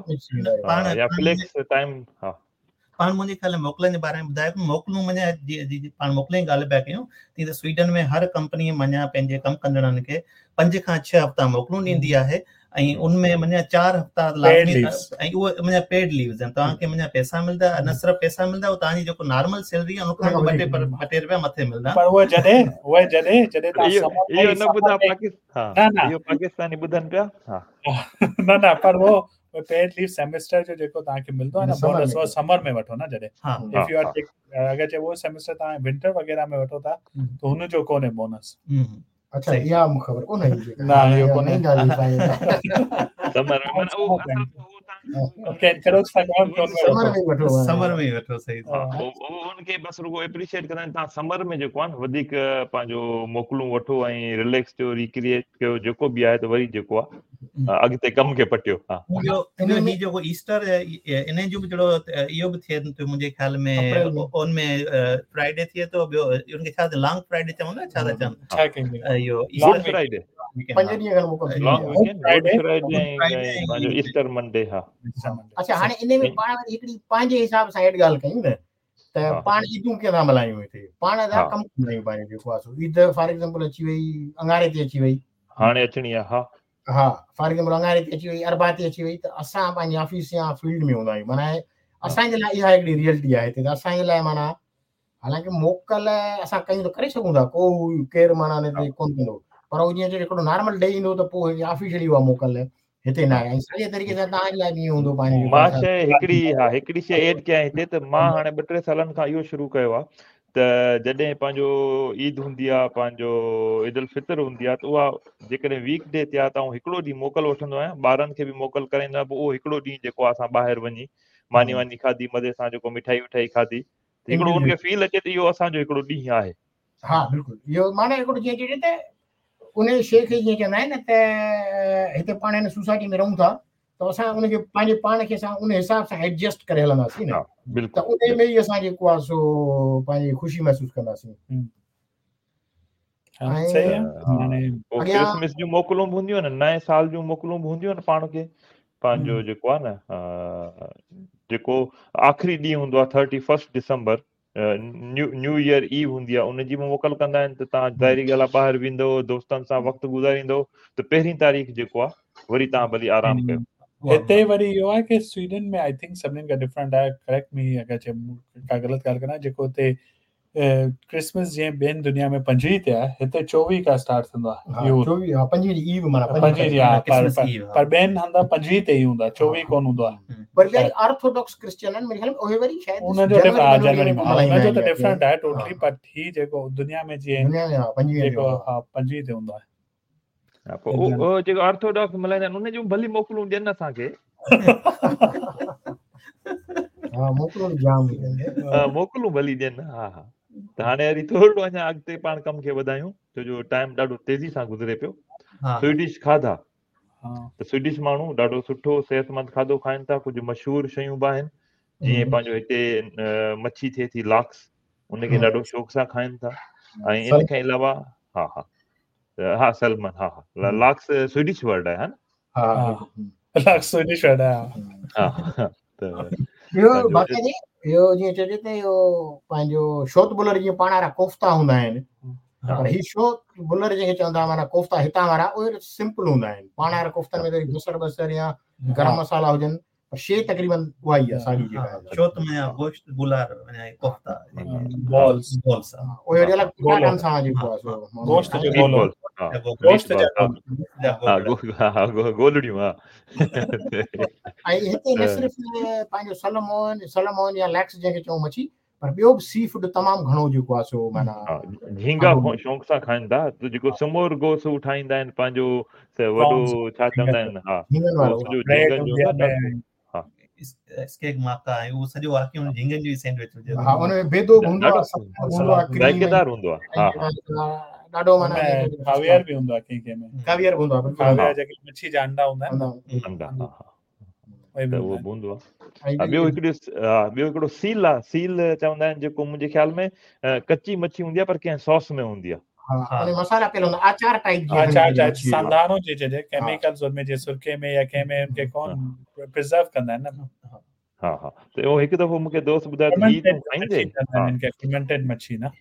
آهي يا فليڪس ٽائيم ها پاڻ منهنجي خيال ۾ موڪلن جي باري ۾ ٻڌايو موڪلون معنيٰ پاڻ موڪلن جي ڳالهه پيا ڪيون تيئن ته سوئيڊن ۾ هر ڪمپني معنيٰ پنهنجي ڪم ڪندڙن کي پنج کان ڇهه هفتا موڪلون ڏيندي آهي ۽ ان ۾ معنيٰ چار هفتا لازمي ۽ اهي معنيٰ پيڊ ليوز آهن توهان کي معنيٰ پئسا ملندا نه صرف پئسا ملندا اهو توهان جي جيڪو نارمل سيلري آهي ان کان به ٻه ٽي ٻه ٽي رپيا مٿي ملندا پر اهي جڏهن اهي جڏهن جڏهن توهان اهو نه ٻڌا پاڪستان ها اهو پاڪستاني ٻڌن پيا ها نه نه پر اهو پيڊ ليو سيمسٽر جو جيڪو توهان کي ملندو آهي نه بونس اهو سمر ۾ وٺو نه جڏهن if you are اگر چئبو سيمسٽر توهان ونٽر وغيره ۾ وٺو ٿا ته هن جو ڪونهي بونس اڇا اها مون خبر ڪونه هئي جيڪا نه اهو ڪونهي سمر ۾ معنيٰ اهو اوڪي انڪريج ٿا ڪيون سمر ۾ وٺو سمر ۾ وٺو صحيح اهو ان کي بس رڳو اپريشيئيٽ ڪندا آهن توهان سمر ۾ جيڪو آهي نه وڌيڪ پنهنجو موڪلون وٺو ۽ رليڪس ٿيو ريڪريئيٽ ڪيو جيڪو به آهي ته وري جيڪو آهي اڳتي ڪم کي پٽيو ها ٻيو هي جيڪو ايسٽر ان جو به جهڙو اهو به ٿئي ٿو منهنجي خيال ۾ ان ۾ فرائيڊي ٿئي ٿو ٻيو ان کي ڇا لانگ فرائيڊي چوندا ڇا ٿا چون اهو گڊ فرائيڊي پنج ڏينهن کن موڪل ٿي لانگ ويڪينڊ گڊ فرائيڊي ۽ پنهنجو ايسٽر منڊي ها اڇا هاڻي ان ۾ پاڻ وري هڪڙي پنهنجي حساب سان ايڊ ڳالهه ڪيون نه ته پاڻ عيدون ڪيئن ٿا ملهايون هتي پاڻ ٿا ڪم ڪندا آهيون پنهنجو جيڪو آهي سو عيد فار ايگزامپل اچي وئي اڱاري تي اچي وئي هاڻي اچڻي آهي ها ها فار ايگزامپل اڱاري تي اچي وئي اربع تي اچي وئي ته اسان پنهنجي آفيس يا فيلڊ ۾ هوندا آهيون معنيٰ اسان جي لاء اها هڪڙي ريئلٽي آهي هتي ته اسان جي لاء معنيٰ حالانڪه موڪل اسان ڪيون ته ڪري سگهون ٿا ڪو ڪير معنيٰ ان تي ڪونه ڪندو پر هو جيئن هڪڙو نارمل ڊي ايندو ته پوء آفيشلي اها موڪل هتي نه آهي ۽ ساڳي طريقي سان توهان جي لاء به ائين هوندو پنهنجو مان شيء هڪڙي ها هڪڙي شيء ايڊ ڪيان هتي ته مان هاڻي ٻه ٽي سالن کان اهو شروع ڪيو آهي ته جڏهن پنهنجو عيد هوندي آهي پنهنجو عيد الفطر هوندي آهي ته اها جيڪڏهن ويڪ ڊي تي آهي ته آئون هڪڙو ڏينهن موڪل وٺندو آهيان ٻارن کي به موڪل ڪرائيندو آهيان پوء اهو هڪڙو ڏينهن جيڪو آهي اسان ٻاهر وڃي ماني واني کاڌي مزي سان جيڪو مٺائي وٺائي کاڌي هڪڙو ان کي فيل اچي ته اهو اسان جو هڪڙو ڏينهن آهي ها بلڪل اهو معنيٰ هڪڙو جيئن چئجي ته ان شيء کي جيئن چوندا آهن نه ته هتي پاڻ هن سوسائٽي ۾ رهون ٿا ته اسان ان کي پنهنجي پاڻ کي اسان ان حساب سان ايڊجسٽ ڪري هلنداسين نه بلڪل ته ان ۾ ئي اسان جيڪو آهي سو پنهنجي خوشي محسوس ڪنداسين ڪرسمس جون موڪلون به هونديون آهن نئين سال جون موڪلون به هونديون آهن پاڻ کي پنهنجو جيڪو آهي نه جيڪو آخري ڏينهن هوندو آهي thirty first December new new year eve هوندي آهي ان جي به موڪل ڪندا آهن ته توهان ظاهري ڳالهه آهي ٻاهر ويندو دوستن سان وقت گذاريندو ته پهرين تاريخ جيڪو آهي وري توهان ڀلي آرام ڪيو هتي وري اهو آهي ڪي سوئيڊن ۾ I think سڀني کان ڊفرنٽ آهي ڪريڪٽ مي اگر چي ڪا غلط ڳالهه ڪران جيڪو هتي ڪرسمس جيئن ٻين دنيا ۾ پنجويهه تي آهي هتي چوويهه کان اسٽارٽ ٿيندو آهي اهو چوويهه ها پنجويهه جي ايو معنيٰ پنجويهه جي ها پر پر ٻين هنڌ پنجويهه تي ئي هوندو آهي چوويهه ڪونه هوندو آهي پر وري آرٿوڊاڪس ڪرسچن آهن ميري خيال ۾ اهي وري شايد ان جو جنوري ۾ ان جو ته ڊفرنٽ آهي ٽوٽلي پر هي جيڪو دنيا ۾ جيئن دنيا ۾ ها پنجويهه جيڪو ها پنجويهه تي هوندو آهي ها پوء اهو جيڪو آرٿوڊاڪس ملهائيندا آهن ان جون ڀلي موڪلون ڏين اسان کي ها موڪلون جام ها موڪلون ڀلي ڏين ها ها ته هاڻي وري ٿورو اڃا اڳتي پاڻ ڪم کي وڌايون ڇو جو ٽائيم ڏاڍو تيزي سان گذري پيو سوئيڊش کاڌا ته سوئيڊش ماڻهو ڏاڍو سٺو صحتمند کاڌو کائن ٿا ڪجهه مشهور شيون به آهن جيئن پنهنجو هتي مڇي ٿئي ٿي لاڪس ان کي ڏاڍو شوق سان کائن ٿا ۽ ان کان علاوه ها ها ها سلمن ها ها لاڪس سوئيڊش ورڊ آهي ها نه ها لاڪس سوئيڊش ورڊ آهي ها ته اهو باقي جي اهو جيئن چئجي ته اهو پنهنجو شوت بلر جيئن پاڻ وارا ڪوفتا هوندا آهن پر هي شوت بلر جنهن کي چوندا معنيٰ ڪوفتا هتان وارا اهي سمپل هوندا آهن پاڻ وارا ڪوفتن ۾ ته بصر بصر يا گرم مصالحا هجن پر شي تقريبن اها ئي آهي ساڳي جيڪا آهي شوت ۾ گوشت بلر ڪوفتا بالز بالز اهي وري الڳ پٽاٽن سان جيڪو آهي سو گوشت جو گولو گوشت جا ها گولڙيون ها ۽ هتي نه صرف پنهنجو سلمون سلمون يا ليڪس جنهن کي چئون مڇي پر ٻيو به سي فوڊ تمام گهڻو جيڪو آهي سو معنيٰ جهينگا شوق سان کائن ٿا ته جيڪو سمور گوس هو ٺاهيندا آهن پنهنجو وڏو ڇا چوندا آهن ها جهينگن وارو سڄو جهينگن جو ها اسڪيڪ ماڪا آهي اهو سڄو واقعي ان جهينگن جو ئي سينڊوچ هجي ها ان ۾ بيدو به هوندو آهي هوندو آهي ڪريم ذائقيدار هوندو آهي ها ها ڏاڍو معنيٰ ڪاويئر به هوندو آهي ڪنهن ڪنهن ۾ ڪاويئر به هوندو آهي بلڪل ڪاويئر جيڪي مڇي جا انڊا هوندا آهن انڊا ها ها ته اهو به هوندو آهي ٻيو هڪڙو ٻيو هڪڙو سيل آهي سيل چوندا آهن جيڪو منهنجي خيال ۾ ڪچي مڇي هوندي آهي پر ڪنهن ساس ۾ هوندي آهي ها ان مصالحا پيل هوندا آچار ٽائپ جي آچار ٽائپ سانڌاڻو جي چئجي ڪيميڪلز ان ۾ جي سرڪي ۾ يا ڪنهن ۾ ان کي ڪون پريزرو ڪندا آهن نه ها ها ته اهو هڪ دفعو مون کي دوست ٻڌايو ته هي تون کائيندي ها ان کي فرمينٽيڊ مڇي نه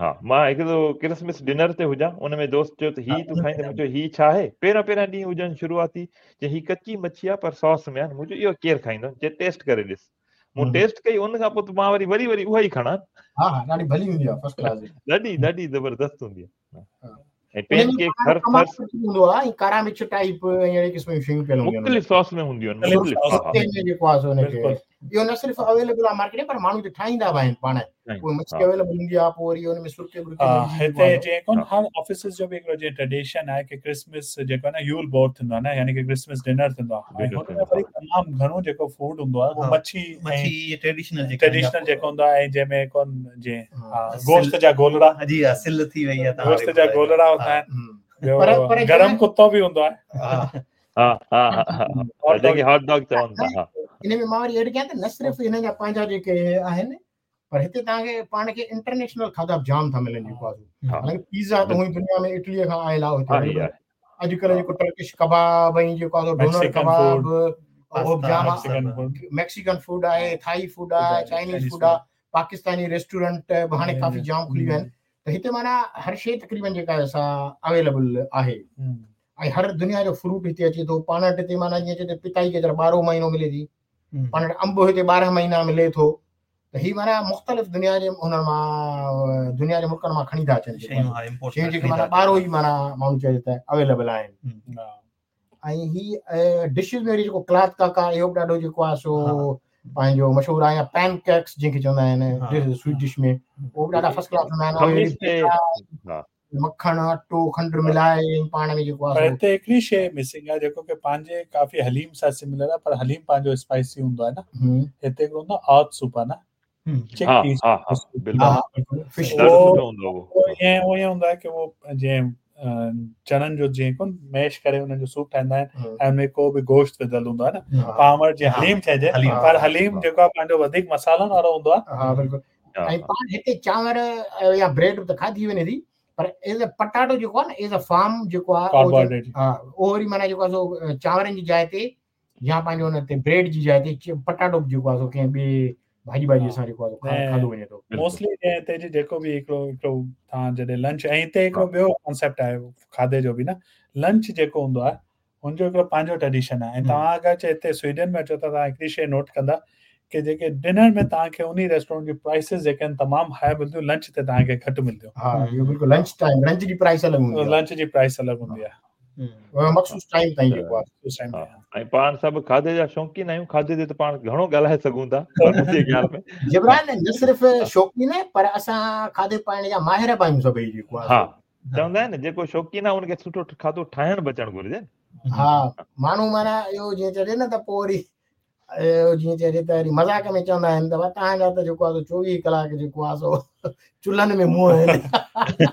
ها مان هڪ دفعو ڪرسمس ڊنر تي هجان ان ۾ دوست چيو ته هي تون کائيندي مون چيو هي ڇا آهي پهريان پهريان ڏينهن هجن شروعاتي چي هي ڪچي مڇي آهي پر ساس ۾ آهي مون چيو اهو ڪير کائيندو چي ٽيسٽ ڪري ڏس مون ٽيسٽ ڪئي ان کان پوء ته مان وري وري وري اها ئي کڻان ها ها ڏاڍي ڀلي هوندي آهي فرسٽ ڪلاس ڏاڍي ڏاڍي زبردست هوندي آهي ۽ پين ڪيڪ هر هر هوندو آهي ۽ ڪارا مرچ ٽائپ ۽ اهڙي قسم جون شيون پيل هونديون آهن مختلف ساس ۾ هونديون آهن مختلف جيڪو آهي سو ان کي اهو نه صرف اويليبل آهي مارڪيٽ ۾ پر ماڻهو ٺاهيندا به آهن پاڻ پوء مڇي اويليبل هوندي آهي پوء وري ان ۾ سرڪي برڪي هتي جيئن ڪون هر آفيسز جو به هڪڙو جيئن ٽريڊيشن آهي ڪي ڪرسمس جيڪو آهي نه يول بورڊ ٿيندو آهي نه يعني ڪي ڪرسمس ڊنر ٿيندو آهي ۽ هن ۾ وري تمام گهڻو جيڪو فوڊ هوندو آهي اهو مڇي مڇي ٽريڊيشنل جيڪو ٽريڊيشنل جيڪو هوندو آهي ۽ جنهن ۾ ڪون جيئن گوشت جا گولڙا جي ها سل ٿي وئي آهي گوشت جا گولڙا هوندا آهن گرم ڪتو به هوندو آهي ها ها ها جيڪي هاٽ ڊاگ چون ٿا ها ان ۾ مان وري ايڊ ڪيان ته نه صرف هنن جا پنهنجا جيڪي آهن پر هتي توهان کي پاڻ کي انٽرنيشنل کاڌا به جام ٿا ملن جيڪو آهي حالانڪه پيزا ته هونئن دنيا ۾ اٽليء کان آيل آهي هتي اڄڪلهه جيڪو ٽرڪش ڪباب ۽ جيڪو آهي ڊونر ڪباب اهو به جام ميڪسيڪن فوڊ آهي ٿائي فوڊ آهي چائنيز فوڊ آهي پاڪستاني ريسٽورنٽ به هاڻي ڪافي جام کلي ويا آهن ته هتي معنيٰ هر شيء تقريبن جيڪا آهي سا اويليبل آهي ۽ هر دنيا جو فروٽ هتي اچي ٿو پاڻ وٽ هتي معنيٰ جيئن چئجي پتائي ڪي ٻارهون مهينو ملي ٿي پاڻ وٽ انب هتي ٻارهن مهينا ملي ٿو ته هي معنيٰ مختلف دنيا جي انهن مان دنيا جي ملڪن مان کڻي ٿا اچن شيون جيڪي معنيٰ ٻارهو ئي معنيٰ ماڻهو چئجي ته اويليبل آهن ۽ هي ڊشز ۾ وري جيڪو ڪلات ڪاڪا اهو به ڏاڍو جيڪو آهي سو پنهنجو مشهور آهي يا پين ڪيڪس جنهن کي چوندا آهن سويٽ ڊش ۾ اهو به ڏاڍا فرسٽ ڪلاس هوندا آهن مکڻ اٽو کنڊ ملائي پاڻ ۾ جيڪو آهي هتي هڪڙي شيء مسنگ آهي جيڪو ڪي پنهنجي ڪافي حليم سان سميلر آهي پر حليم پنهنجو اسپائسي هوندو آهي نه هتي هڪڙو هوندو آهي آت سوپ آهي نه ها ها ها بلڪل فش ڏاڍو سٺو هوندو اهو ائين اهو ائين هوندو آهي ڪي اهو جيئن چڻن جو جيئن ڪون ميش ڪري انهن جو سوپ ٺاهيندا آهن ۽ ان ۾ ڪو به گوشت وڌل هوندو آهي نه پاڻ وٽ جيئن حليم چئجي پر حليم جيڪو آهي پنهنجو وڌيڪ مصالحن وارو هوندو آهي ها بلڪل ۽ پاڻ هتي چانور يا بريڊ به ته کاڌي وڃي ٿي پر ايز ا پٽاٽو جيڪو آهي نه ايز ا فارم جيڪو آهي ها اهو وري معنيٰ جيڪو آهي سو چانورن جي جاء تي يا پنهنجو ان تي بريڊ جي جاء تي پٽاٽو به جيڪو آهي سو ڪنهن ٻي ڀاڄي ٻاڄي سان جيڪو آهي کاڌو وڃي ٿو موسٽلي جنهن هتي جي جيڪو به هڪڙو هڪڙو توهان جڏهن لنچ ۽ هتي هڪڙو ٻيو ڪانسيپٽ آهي کاڌي جو به نه لنچ جيڪو هوندو آهي ان جو هڪڙو پنهنجو ٽريڊيشن آهي ۽ توهان اگر چي هتي سوئيڊن ۾ اچو ته توهان هڪڙي شيء نوٽ ڪندا ڪي جيڪي ڊنر ۾ توهان کي انهي ريسٽورنٽ جي پرائسز جيڪي آهن تمام هاء ملنديون لنچ تي توهان کي گهٽ ملنديون ها اهو بلڪل لنچ ٽائيم لنچ جي پرائس الڳ هوندي آهي لنچ جي پرائس الڳ هوندي آهي مخصوص ٽائيم تائين جيڪو آهي مخصوص ٽائيم ۽ پاڻ سڀ کاڌي جا شوقين آهيون کاڌي تي ته پاڻ گهڻو ڳالهائي سگهون ٿا منهنجي خيال ۾ جبران نه صرف شوقين پر اسان کاڌي پائڻ جا ماهر به آهيون سڀئي جيڪو آهي ها چوندا آهن جيڪو شوقين آهي ان کي سٺو کاڌو ٺاهڻ به اچڻ گهرجي ها ماڻهو معنيٰ اهو جيئن چئجي نه ته پوء وري اهو جيئن چئجي ته وري مذاق ۾ چوندا آهن ته توهان جا ته جيڪو آهي سو چوويهه ڪلاڪ جيڪو آهي سو چلهن ۾ منهن آهن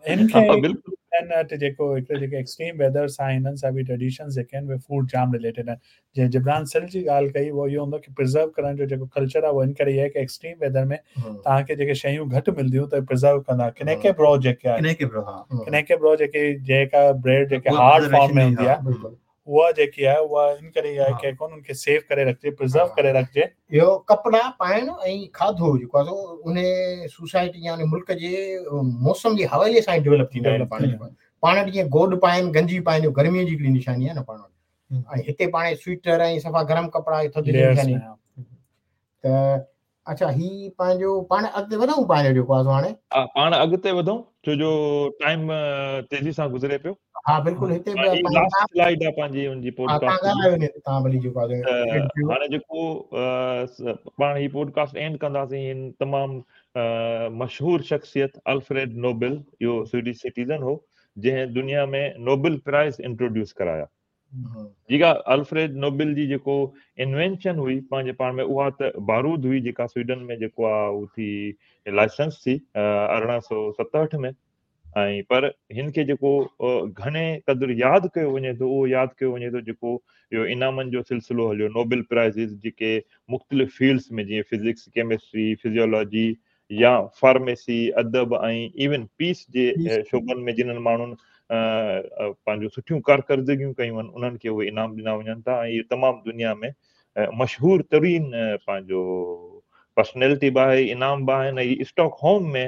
هن کي وٽ جيڪو هڪڙو جيڪي ايڪسٽريم ويدر سان هنن سان به ٽريڊيشنز جيڪي آهن اهي فوڊ جام رليٽيڊ آهن جيئن جبران سل جي ڳالهه ڪئي اهو اهو هوندو ڪي پرزرو ڪرڻ جو جيڪو ڪلچر آهي اهو ان ڪري آهي ڪي ايڪسٽريم ويدر ۾ توهان کي جيڪي شيون گهٽ ملنديون ته پرزرو ڪندا ڪنيڪي برو جيڪي آهي ڪنيڪي برو ها ڪنيڪي برو جيڪي جيڪا بريڊ جيڪي هارڊ فارم ۾ هوندي آهي اها جيڪي آهي اها ان ڪري آهي ڪي ڪون ان کي سيو ڪري رکجي پرزرو ڪري رکجي اهو ڪپڙا پائڻ ۽ کاڌو جيڪو آهي سو ان سوسائٽي يا ان ملڪ جي موسم جي حوالي سان ڊيولپ ٿيندا آهن پاڻ پاڻ وٽ جيئن گوڏ پائن گنجي پائن اهو گرمي جي هڪڙي نشاني آهي نه پاڻ وٽ ۽ هتي پاڻ سوئيٽر ۽ صفا گرم ڪپڙا ٿڌ جي نشاني ته اڇا هي پنهنجو پاڻ اڳتي وڌون پنهنجو جيڪو آهي هاڻي ها پاڻ اڳتي وڌون ڇو جو ٽائيم تيزي سان گذري پيو. ها بلڪل هتي به لاسٽ سلائيڊ آ پنهنجي ان جي پوڊڪاسٽ جي توهان ڀلي جيڪو آهي هاڻي جيڪو پاڻ هي پوڊڪاسٽ اينڊ ڪنداسين هن تمام مشهور شخصيت الفريڊ نوبل اهو سوئيڊش سٽيزن هو جنهن دنيا ۾ نوبل پرائز انٽروڊيوس ڪرايا. جيڪا الفريڊ نوبل جي جيڪو انوينشن هئي پنهنجي پاڻ ۾ اها ته بارود هئي جيڪا سوئيڊن ۾ جيڪو آهي اهو ٿي لائسنس ٿي ارڙهن سؤ ستهٺ ۾ ۽ پر هن کي جيڪو گهڻي قدر ياد ڪيو وڃي ٿو اهو ياد ڪيو وڃي ٿو جيڪو اهو انعامن جو سلسلو هليو نوبل پرائزز جيڪي مختلف فيلڊس ۾ جيئن فزڪس ڪيمسٽري فزيولاجي يا فارميسي، ادب ۽ ايون پيس جي شعبن ۾ جنھن ماڻهن پنهنجون سٺيون ڪارڪردگيون ڪيون آهن انهن کي اهي انعام ڏنا وڃن ٿا ۽ اهو تمام دنيا ۾ مشهور ترين پنهنجو پرسنالٽي به آهي انعام به آهن ۽ اسٽاڪ هوم ۾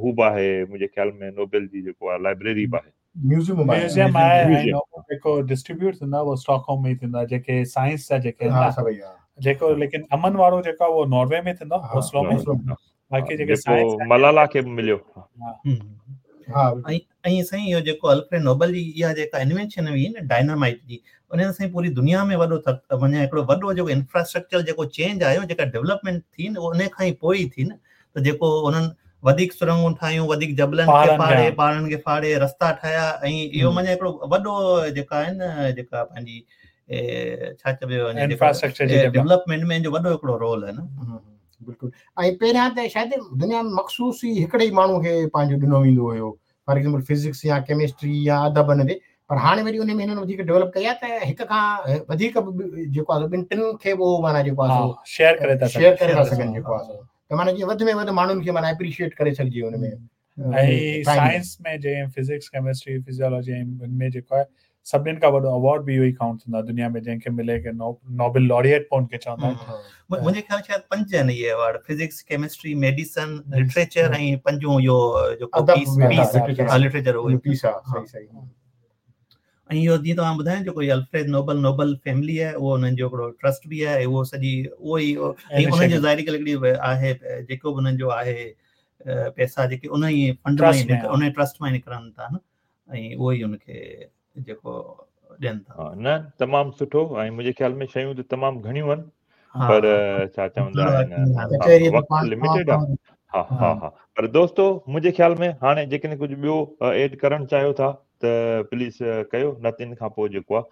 هو به آهي منهنجي خيال ۾ نوبل جي جيڪو آهي لائبريري به آهي ميوزيم ميوزيم آهي ۽ نوبل جيڪو ڊسٽريبيوٽ ٿيندو آهي اهو اسٽاڪ هوم ۾ ٿيندو آهي جيڪي سائنس جا جيڪي آهن جيڪو ليڪن امن وارو جيڪو اهو ناروي ۾ ٿيندو آهي اوسلو ۾ باقي جيڪي سائنس ملالا کي به مليو ها ۽ ۽ سائين اهو جيڪو الفريڊ نوبل جي اها جيڪا انوينشن هئي نه ڊائنامائيٽ جي ان سان پوري دنيا ۾ وڏو معنيٰ هڪڙو وڏو جيڪو انفراسٽرڪچر جيڪو چينج آيو جيڪا ڊولپمينٽ ٿي نه ان کان ئي پوء ئي ٿي نه ته جيڪو انهن وڌيڪ سرنگون ٺاهيون وڌيڪ جبلن کي ڦاڙي پهاڙن کي ڦاڙي رستا ٺاهيا ۽ اهو معنيٰ هڪڙو وڏو جيڪا آهي نه جيڪا پنهنجي ڇا چئبو انفراسٽرڪچر جي ڊولپمينٽ ۾ ان جو وڏو هڪڙو رول آهي نه. بلڪل ۽ پهريان ته شايد دنيا ۾ مخصوص ئي هڪڙي ئي ماڻهو کي پنهنجو ڏنو ويندو هيو فار ايگزامپل فزڪس يا ڪيمسٽري يا ادب ان تي پر هاڻي وري ان ۾ هنن وڌيڪ ڊولپ ڪئي آهي ته هڪ کان وڌيڪ جيڪو آهي ٻن ٽن کي به اهو معنيٰ جيڪو آهي شيئر ڪري ٿا شيئر ڪري ٿا سگهن جيڪو آهي ته معنيٰ جيئن وڌ ۾ وڌ ماڻهن کي معنيٰ اپريشيئيٽ ڪري سگهجي ان ۾ ۽ سائنس ۾ جيئن فزڪس ڪيمسٽري فزيولاجي ۽ ان ۾ جيڪو آهي سڀني کان وڏو ايوارڊ به اهو ئي ڪائونٽ ٿيندو آهي دنيا ۾ جنهن کي ملي ڪي نوبل لاريئيٽ پوء ان کي چوندا آهن. منهنجي خيال شايد پنج آهن اهي award physics chemistry medicine literature ۽ پنجون اهو جيڪو پيس پيس لٽريچر اهو پيس آهي صحيح صحيح ۽ اهو جيئن توهان ٻڌايو جيڪو الفريڊ نوبل نوبل فيملي آهي اهو انهن جو هڪڙو ٽرسٽ به آهي اهو سڄي اهو ئي ۽ انهن جو ظاهري ڳالهه هڪڙي آهي جيڪو به انهن جو آهي پئسا جيڪي ان ئي فنڊ مان ان ٽرسٽ مان نڪرن ٿا نه ۽ اهو ئي ان کي جيڪو ڏين ٿا. نه تمام سٺو ۽ منهنجي خيال ۾ شيون ته تمام گهڻيون آهن پر ڇا چوندا آهن وقت لميٽيڊ آهي. ها ها ها پر دوستو منهنجي خيال ۾ هاڻي جيڪڏهن ڪجهه ٻيو ايڊ ڪرڻ چاهيو ٿا ته پليز ڪيو نه ته ان کان پوء جيڪو آهي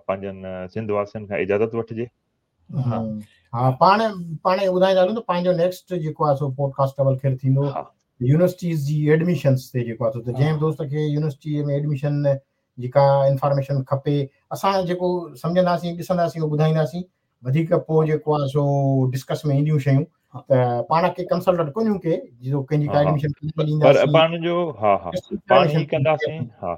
پنهنجن سنڌ واسين کان اجازت وٺجي. ها ها پاڻ پاڻ ٻڌائيندا هلون ته پنهنجو نيڪسٽ جيڪو آهي سو پوڊڪاسٽ اول خير ٿيندو يونيورسٽيز جي ايڊميشنس تي جيڪو آهي ته جنهن دوست کي يونيورسٽي ۾ ايڊميشن جي ڪا انفارميشن کپي اسان جيڪو سمجهنداسين ڏسنداسين اهو ٻڌائينداسين وڌيڪ پوء جيڪو آهي سو ڊسڪس ۾ اينديون شيون ته پاڻ کي ڪنسلٽنٽ ڪونهيون ڪي جو ڪنهن جي ڪا ايڊميشن پر پاڻ جو ها ها پاڻ هي ڪنداسين ها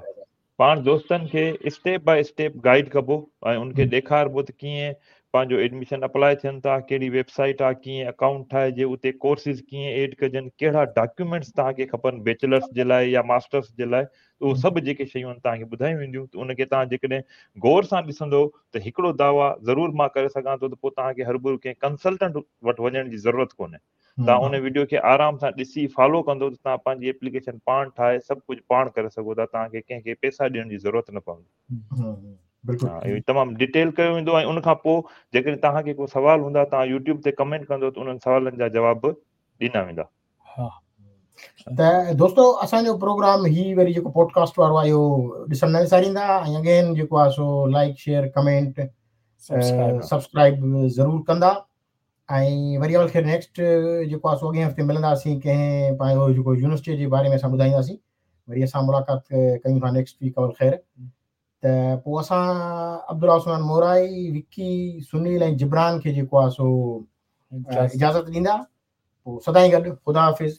پاڻ دوستن کي اسٽيپ باء اسٽيپ گائيڊ ڪبو ۽ ان کي ڏيکاربو ته ڪيئن پنهنجو ايڊميشن اپلاء ٿين ٿا ڪهڙي ويب سائيٽ آهي ڪيئن اڪائونٽ ٺاهجي اتي ڪورسز ڪيئن ايڊ ڪجن ڪهڙا ڊاڪيومينٽس توهان کي کپن بيچلرس جي لاء يا ماسٽرس جي لاء اهو سڀ جيڪي شيون آهن توهان کي ٻڌايون وينديون ته ان کي توهان جيڪڏهن غور سان ڏسندو ته هڪڙو دعويٰ ضرور مان ڪري سگهان ٿو ته پوء توهان کي هربرو ڪنهن ڪنسلٽنٽ وٽ وڃڻ جي ضرورت ڪونهي توهان ان ويڊيو کي آرام سان ڏسي فالو ڪندو ته توهان پنهنجي ايپليڪيشن پاڻ ٺاهي سڀ ڪجهه پاڻ ڪري سگهو ٿا توهان کي ڪنهن کي پئسا ڏيڻ جي ضرورت نه پوندي. بلڪل اهو تمام ڊيٽيل ڪيو ويندو ۽ ان کان پوء جيڪڏهن توهان کي ڪو سوال هوندا توهان يوٽيوب تي ڪمينٽ ڪندو ته انهن سوالن جا جواب به ڏنا ويندا. ها ته دوستو اسان جو پروگرام هي وري جيڪو پوڊڪاسٽ وارو آهي اهو ڏسڻ نه وساريندا ۽ اگين جيڪو آهي سو لائڪ شيئر ڪمينٽ سبسڪرائب ضرور ڪندا ۽ وري اول خير نيڪسٽ جيڪو آهي سو اڳئين هفتي ملنداسين ڪنهن پنهنجو جيڪو يونيورسٽي جي باري ۾ اسان ٻڌائينداسين وري اسان ملاقات ڪيون ٿا نيڪسٽ ويڪ اول خير ته پوء اسان عبدالله عثمان مورائي وڪي سنيل ۽ جبران کي جيڪو آهي سو اجازت ڏيندا پوء سدائين گڏ خدا حافظ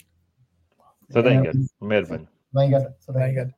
سدائين گڏ مهرباني سدائين گڏ سدائين گڏ.